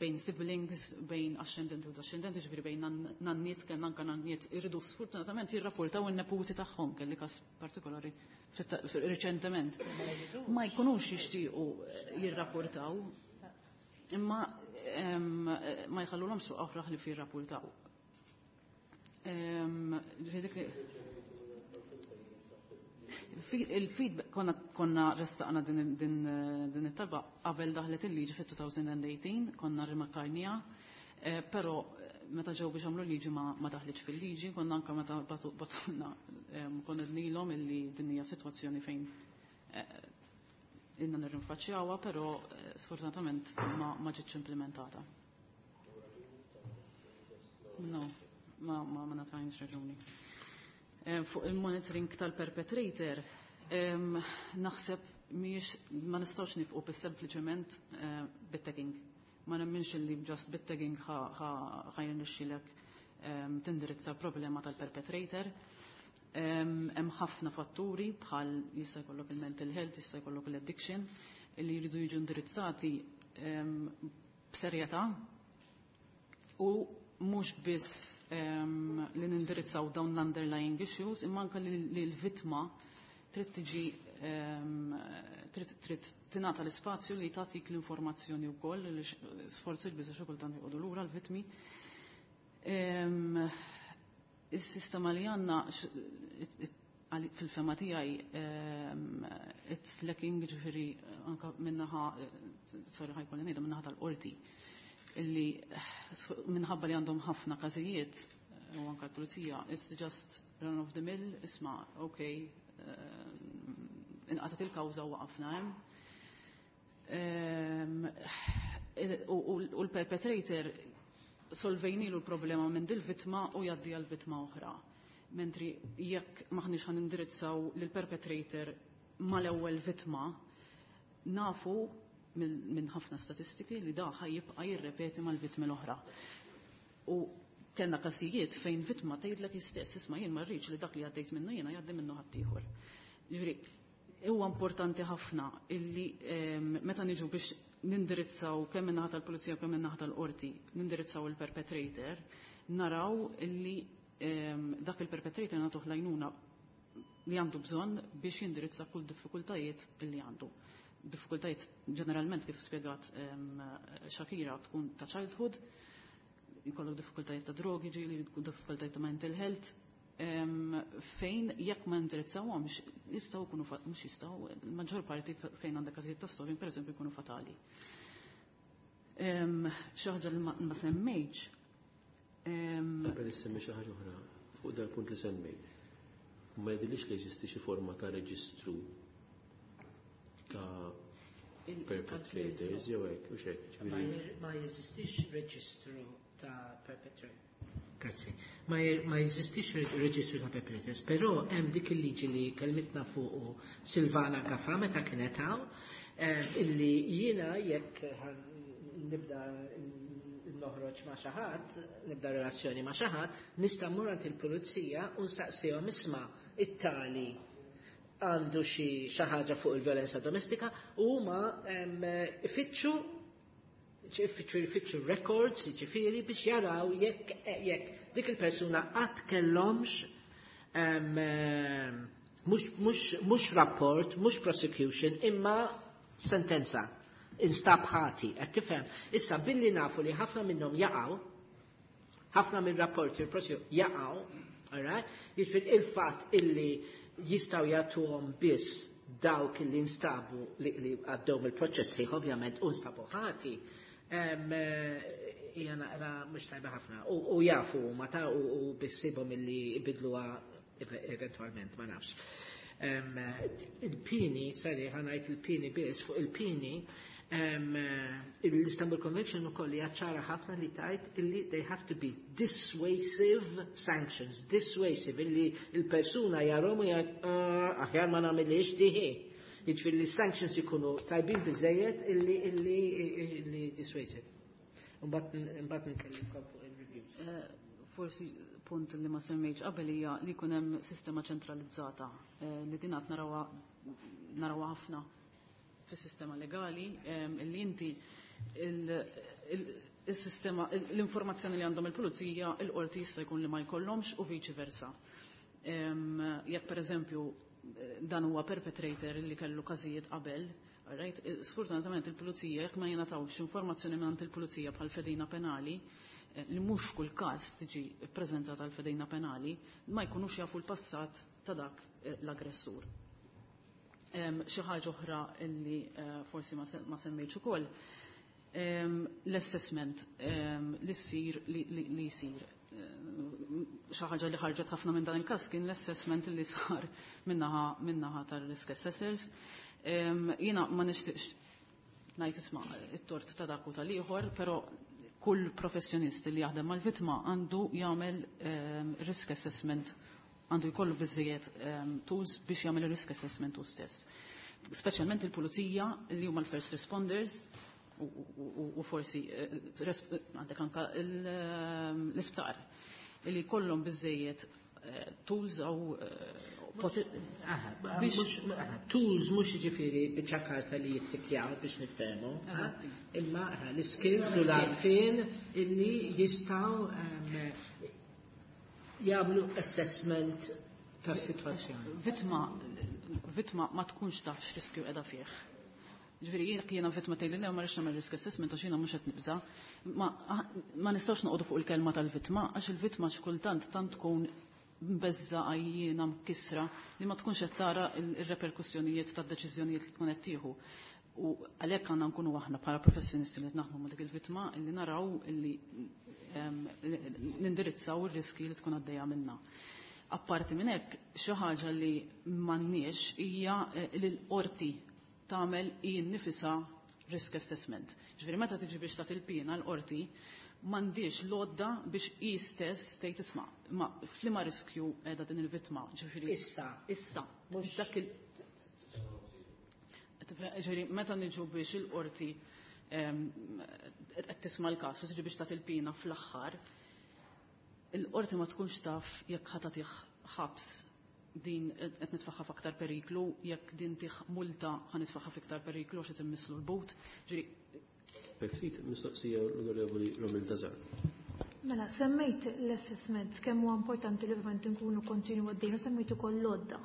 bejn siblings, bejn ascendenti u descendenti, ġifieri bejn nanniet, kellna anka nanniet irridu sfortunatament jirrapportaw in-neputi tagħhom, kelli każ partikolari riċentement. Ma jkunux jixtiequ jirrapportaw, imma ma jħallulhomx suq oħra li jirrapportaw. Il-feedback konna ressaqna din it-talba qabel daħlet il-liġi fit-2018, konna rimarkajniha, però meta ġew biex għamlu liġi ma daħlitx fil-liġi, konna anka meta batulna konna nilhom illi din hija sitwazzjoni fejn ilna nirrinfaċċjawha, però sfortunatament ma ġietx implementata. No, ma ngħatajniex raġuni. Fuq il-monitoring tal-perpetrator, naħseb miex ma nistgħux nifqu bis sempliċement bit-tagging. Ma nemminx li just bit-tagging ħa jirnexxilek tindirizza problema tal-perpetrator. Hemm ħafna fatturi bħal jista' jkollok il-mental health, jista' jkollok l-addiction, li jridu jiġu indirizzati b'serjetà u mhux biss li nindirizzaw dawn l-underlying issues, imma anke li l-vittma trid tiġi trid tingħata l-ispazju li tagħtik l-informazzjoni wkoll li sforzi l-biża' xi kultant joqogħdu lura l-vittmi. Is-sistema li għandna fil-fema tiegħi it's lacking, ġifieri anke minnaħa, sorry ħa jkolli ngħidha, minnaħa tal-qorti, illi minħabba li għandhom ħafna każijiet u anke l-pulizija, it's just run of the mill, isma', okay, inqatat il-kawża u waqafna hemm. U l-perpetrator solvejnilu l-problema minn dil-vittma u jgħaddi għal vittma oħra. Mentri jekk maħniex ħan indirizzaw lill-perpetrator mal-ewwel vittma, nafu minn ħafna statistiki li da jibqa' jirrepeti mal-vittmi l-oħra. U kellna każijiet fejn vittma tgħidlek istess, isma' jien ma rridx li dak li għaddejt minnu jiena jgħaddi minnu ħaddieħor. Ġifieri huwa importanti ħafna illi meta niġu biex nindirizzaw kemm min-naħa tal-pulizija kemm min-naħa tal-qorti, nindirizzaw il-perpetrator, naraw illi dak il-perpetrator nagħtuh l-għajnuna li għandu bżonn biex jindirizza kull diffikultajiet illi għandu. Diffikultajiet ġeneralment kif spjegat Shakira tkun ta' childhood, jkollok diffikultajiet ta' drogi, ġieli diffikultajiet ta' mental health, fejn jekk ma indirizzawhomx jistgħu jkunu, mhux jistgħu, il-maġġor parti fejn għandek każijiet ta' stalking pereżempju jkunu fatali. Xi ħaġa li ma semmejtx. Qabel issemmi xi ħaġa oħra fuq dal-punt li semmejt. Ma jidhirlix li jeżisti xi forma ta' reġistru ta' perpetrators jew hekk u x'hekk. Ma jeżistix reġistru ta' perpetrators. Grazzi. Ma jeżistix reġistru ta' perpetrators, però hemm dik il-liġi li kelmitna fuq Silvana Gafa meta kienet hawn, illi jiena jekk nibda noħroġ ma' xi ħadd, nibda relazzjoni ma' xi ħadd, nista' mmur għand il-pulizija u nsaqsihom, isma' it-tali. għandu xi ħaġa fuq il-violenza domestika u huma ifittxu ifittxu records, jiġifieri biex jaraw jekk jekk dik il-persuna qatt kellhomx mhux rapport, mhux prosecution, imma sentenza instab ħati, qed tifhem. Issa billi nafu li ħafna minnhom jaqgħu, ħafna minn rapporti il jaqgħu, alright? Jiġifieri il-fatt illi jistgħu jagħtuhom biss dawk li instabu li għaddew mill-proċess ħieħ ovvjament u nstabu ħati. Hija naqra mhux tajba ħafna. U jafu ma ta' u bissibhom illi ibidluha eventwalment, ma nafx. Il-pini, sorry, ħa ngħid il-pini biss, fuq il-pini, l-Istanbul Convention ukoll hija ċara ħafna li tgħid illi they have to be dissuasive sanctions, dissuasive, illi il-persuna jarahom u jgħid ah, aħjar ma nagħmilix diħi. Jiġifieri li sanctions ikunu tajbin biżejjed illi dissuasive. Mbagħad nkellimkom fuq il-reviews. Forsi punt li ma semmejtx qabel hija li jkun hemm sistema ċentralizzata li din qed narawha ħafna fis-sistema legali illi inti il-sistema l-informazzjoni li għandhom il-pulizija il-qorti jista' jkun li ma jkollhomx u viċi versa. Jekk pereżempju dan huwa perpetrator li kellu każijiet qabel, right? Sfortunatament il-pulizija jekk ma jingħatawx informazzjoni minn il-pulizija bħal fedina penali, li mhux f'kull każ tiġi ppreżentata l-fedina penali, ma jkunux jafu l-passat ta' dak l-aggressur. Xi ħaġa oħra illi forsi ma semmejtx ukoll, l-assessment li ssir li jsir. Xi ħaġa li ħarġet ħafna minn dan il-każ kien l-assessment li sar minnaħa tar-risk assessors. Jiena ma nixtieqx ngħid isma' it-tort ta' dak u tal-ieħor, però kull professjonist li jaħdem mal-vittma għandu jagħmel risk assessment, għandu jkollu biżejjed tools biex jagħmel risk assessment hu stess. Speċjalment il-pulizija li huma l-first responders u forsi għandek anka l-isptar li jkollhom biżejjed tools għaw tools mhux jiġifieri biċċa karta li jittikjaw biex niftehmu, imma l-skills u l-għarfien illi jistgħu jagħmlu assessment tas-sitwazzjoni. Vittma ma tkunx taf x'riskju qiegħda fih. Ġifieri jekk jiena vittma tgħidli le ma rridx nagħmel risk assessment għax jiena mhux qed nibża', ma nistgħux noqogħdu fuq il-kelma tal-vittma għax il-vittma xi kultant tant tkun mbeżza għajjiena mkissra li ma tkunx qed tara ir-reperkussjonijiet tad-deċiżjonijiet li tkun qed tieħu. U għalhekk għandna nkunu aħna bħala professjonisti li qed naħdmu ma' dik il-vittma illi naraw illi nindirizzaw ir-riski li tkun għaddejja minna. Apparti minn hekk, xi ħaġa li m'għandniex hija li l-qorti tagħmel hi nnifisha risk assessment. Ġifieri meta tiġi biex tagħti l-pina l-qorti m'għandix l-għodda biex hi stess tgħid isma' ma f'liema riskju qiegħda din il-vittma. Ġifieri issa. Issa. Mhux dak il Ġifieri meta niġu biex il-qorti qed tisma' l-każ u tiġi biex tagħti l-pina fl-aħħar, il-qorti ma tkunx taf jekk ħa tagħtih ħabs din qed nitfaħħa f'aktar periklu, jekk din tih multa ħa nitfaħħa f'iktar periklu għax qed immisslu l-but. Ġifieri Ftit mistoqsija l-Onorevoli Romil Dazar. Mela, semmejt l-assessment kemm huwa importanti li ovvjament nkunu kontinu għaddejn u semmejt ukoll l-għodda.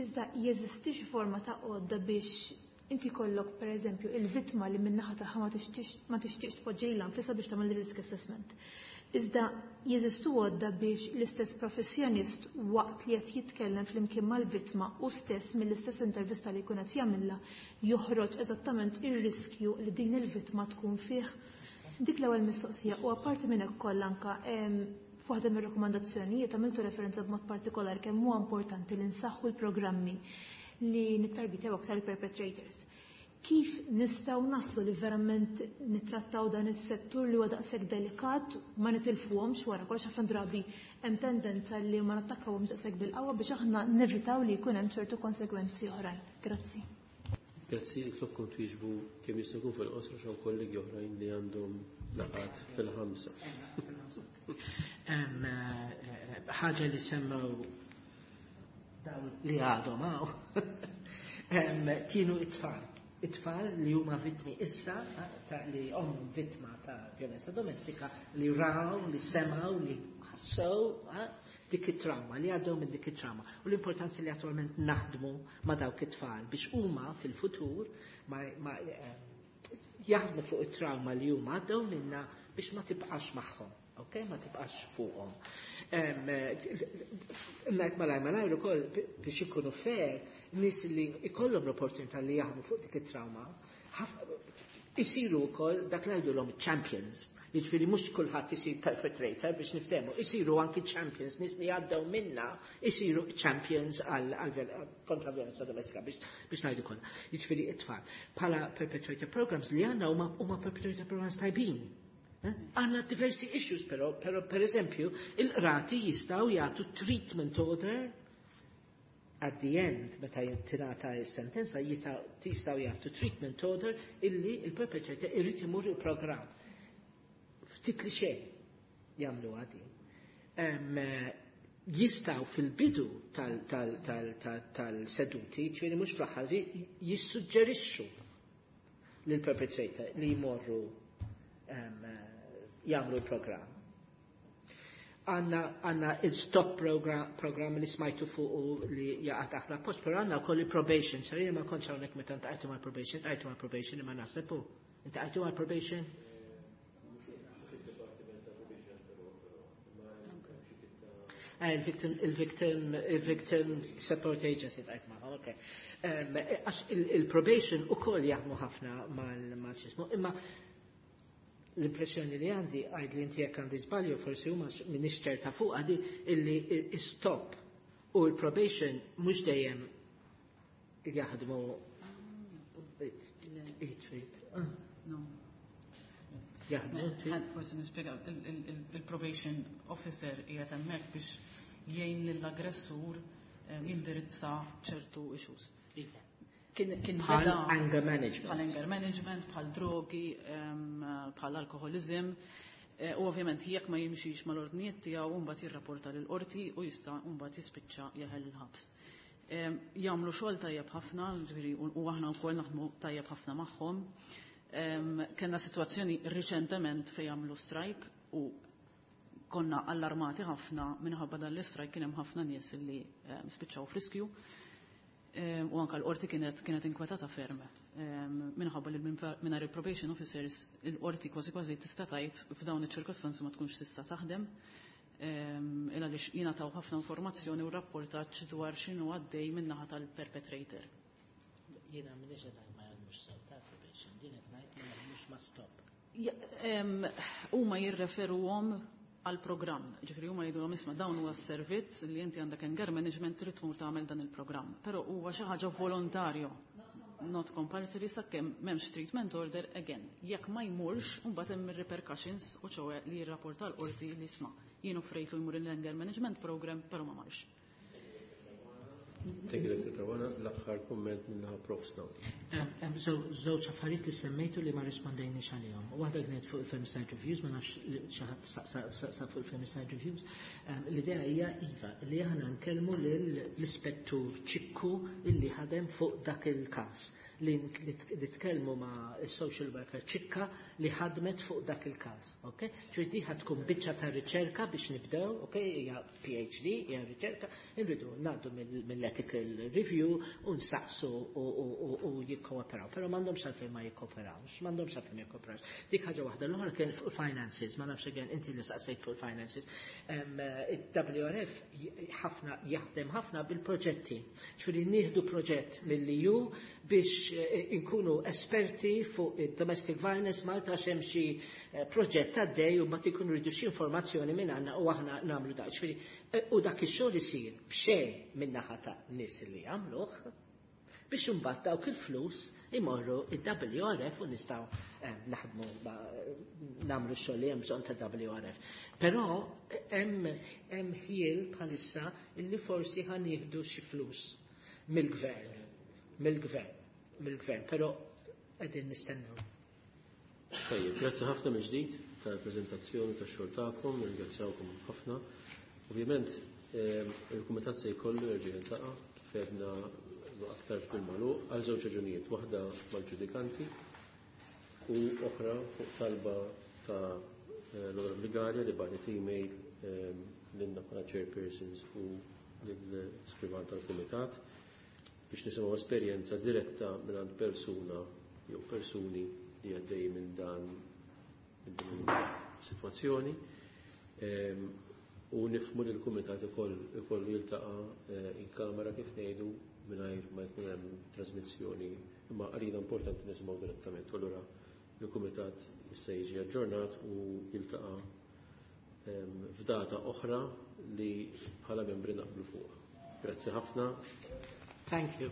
Iżda jeżisti xi forma ta' għodda biex inti kollok pereżempju il-vittma li min-naħa tagħha ma tixtieqx tpoġġi lilha nfisha biex tagħmel risk assessment. Iżda jeżistu għodda biex l-istess professjonist waqt li qed jitkellem flimkien mal-vittma u stess mill-istess intervista li jkun qed jagħmilha joħroġ eżattament ir-riskju li din il-vittma tkun fih. Dik l-ewwel mistoqsija u apparti minn hekk kollha anke f'waħda mir-rakkomandazzjonijiet għamiltu referenza b'mod partikolari kemm huwa importanti li nsaħħu l-programmi li nittargitew aktar il-perpetrators. Kif nistgħu naslu li verament nittrattaw dan is-settur li huwa daqshekk delikat ma nitilfuhomx wara kollox ħafna drabi hemm tendenza li ma nattakkawhomx daqshekk bil-qawwa biex aħna nevitaw li jkun hemm ċertu konsegwenzi oħrajn. Grazzi. Grazzi, nitlobkom twieġbu kemm jista' jkun fil-qosor x'hawn kollegi oħrajn li għandhom laqgħat fil-5. Ħaġa li semmew Dawn li għadhom hawn kienu it-tfal. It-tfal li huma vittmi issa ta' li ommhom vittma ta' vjolenza domestika li raw, li semgħu, li ħassew dik it-trauma, li għaddew minn dik it-trauma. U l-importanza li attualment naħdmu ma' dawk it-tfal biex huma fil-futur ma, ma jaħdmu fuq it-trauma li huma għaddew minna biex ma tibqax magħhom. Ok, ma tibqax fuqhom. Ngħid malaj malajr ukoll biex ikunu fair, nies li ikollhom l-opportunità li jaħdmu fuq dik it-trauma, isiru wkoll dak li ngħidulhom champions. Jiġifieri mhux kulħadd isir perpetrator biex niftehmu, isiru anki champions, nies li għaddew minna isiru champions għal kontra violenza domestika biex ngħidu kollha. Jiġifieri it-tfal. Bħala perpetrator programs li għandna huma perpetrator programs tajbin. Għandna diversi issues però, però per eżempju, il-qrati jistgħu jagħtu treatment order at the end, meta tingħata s-sentenza, jistgħu jagħtu treatment order illi il-perpetrator irid imur il-programm. Ftit li xejn jagħmlu għadi. Jistgħu fil-bidu tal-seduti, ġifieri mhux fl-aħħar, jissuġġerixxu lill-perpetrator li jmorru jagħmlu l-programm. Għandna il-stop program li smajtu fuq u li jaqa' taħt l-appoġġ, però għandna wkoll il-probation. Sarina ma kontx hawnhekk meta ntqajtu mal-probation, tqajtu mal-probation imma naħseb hu. Intqajtu mal-probation? Il-victim, il-victim support agency tajt magħhom, ok. Għax il-probation ukoll jaħdmu ħafna mal-xismu, imma l-impressjoni li għandi, għajd li inti jekk għandi żbalju, forsi huma m'iniex ċerta fuq għadi illi stop u l-probation mhux dejjem jaħdmu it. No. Jaħdmu. Forsi nispjega, il-probation officer qiegħed hemmhekk biex jgħin lill-aggressur jindirizza ċertu issues. Iva. Kien Bħal beda anger management. Bħal anger management, bħal drogi, bħal alkoholizm. U ovvjament jekk ma jimxix mal-ordnijiet tiegħu mbagħad jirrapporta lill-qorti u jista' mbagħad jispiċċa jeħel il-ħabs. Jagħmlu xogħol tajjeb ħafna, ġifieri, u aħna wkoll naħdmu tajjeb ħafna magħhom. Kellna sitwazzjoni riċentement fejn jagħmlu strike u konna allarmati ħafna minħabba dan l-istrike kien hemm ħafna nies li spiċċaw f'riskju. U anka l-qorti kienet inkwetata ferm. Minħabba li mingħajr il-probation officers il-qorti kważi kważi tista' tgħid f'dawn iċ-ċirkostanzi ma tkunx tista' taħdem. Il għaliex jingħataw ħafna informazzjoni u rapportaġġ dwar x'inhu għaddej min-naħa tal-perpetrator. Jiena m'iniex qed ngħid ma jagħmlux sew ta' probation, din qed ngħid ma jaħdmux ma' stop. Huma jirreferuhom għal programm. Ġifieri huma jgħidulhom isma' dawn huwa s-servizz li inti għandek anger management trid tmur tagħmel dan il-programm. Però huwa xi ħaġa volontarju. Not compulsory sakemm m'hemmx treatment order again. Jekk ma jmurx, imbagħad hemm ir-repercussions u ċoe li jirrapporta l-qorti li isma' jien offrejtlu jmur il-anger management program, però ma marx. Thank you, Dr. Caruana. L-aħħar kumment minna Prof. Snow. Żewġ affarijiet li semmejtu li ma rispondejniex għalihom. Waħda kienet fuq il-femicide reviews, ma nafx li xi ħadd saqsa fuq il-femicide reviews. L-idea hija iva li aħna nkellmu lill-ispettur Ċikku illi ħadem fuq dak il-każ. Li tkellmu ma' social worker Ċikka li ħadmet fuq dak il-każ, ok? Ġifieri di ħad tkun biċċa ta' riċerka biex nibdew, ok? Hija PhD, hija riċerka, irridu ngħaddu mill-ethical review u nsaqsu u jikkooperaw. Però m'għandhomx għalfejn ma jikkooperawx, m'għandhomx għalfejn ma jikkooperawx. Dik ħaġa waħda, l-oħra kien fuq finances, ma nafx again inti li saqsejt fuq finances. Il-WRF ħafna jaħdem ħafna bil-proġetti. Ġifieri nieħdu proġett mill-EU biex inkunu esperti fuq il-domestic violence Malta x'hemm xi proġett għaddej u ma tikunu rridu xi informazzjoni minn għandna u aħna nagħmlu dak. Ġifieri u dak ix-xogħol isir b'xejn minn naħa ta' nies li jagħmluh biex imbagħad dawk il-flus imorru il-WRF u nistgħu naħdmu nagħmlu x-xogħol li hemm bżonn ta' WRF. Però hemm ħiel bħalissa illi forsi ħa nieħdu xi flus mill-gvern, però qegħdin nistennew. Tajjeb, grazzi ħafna mill-ġdid tal-preżentazzjoni tax-xogħol tagħkom, nirringrazzjawkom ħafna. Ovvjament, il-Kumitat se jkollu jerġa' jiltaqa' kif għedna aktar fil-magħluq għal żewġ raġunijiet, waħda mal-ġudikanti u oħra fuq talba ta' l-Onorevoli Galea li bagħtet email lilna bħala chairpersons u lill-iskrivan tal-Kumitat biex nisimgħu esperjenza diretta mingħand persuna jew persuni li għaddej minn dan minn din is-sitwazzjoni. U nifhmu li l-Kumitat ikollu jiltaqa' in kamera kif ngħidu mingħajr ma jkun hemm trasmissjoni, imma għalina importanti nisimgħu direttament. U allura l-Kumitat jista' jiġi aġġornat u jiltaqa' f'data oħra li bħala membri naqblu fuq. Grazzi ħafna. Thank you.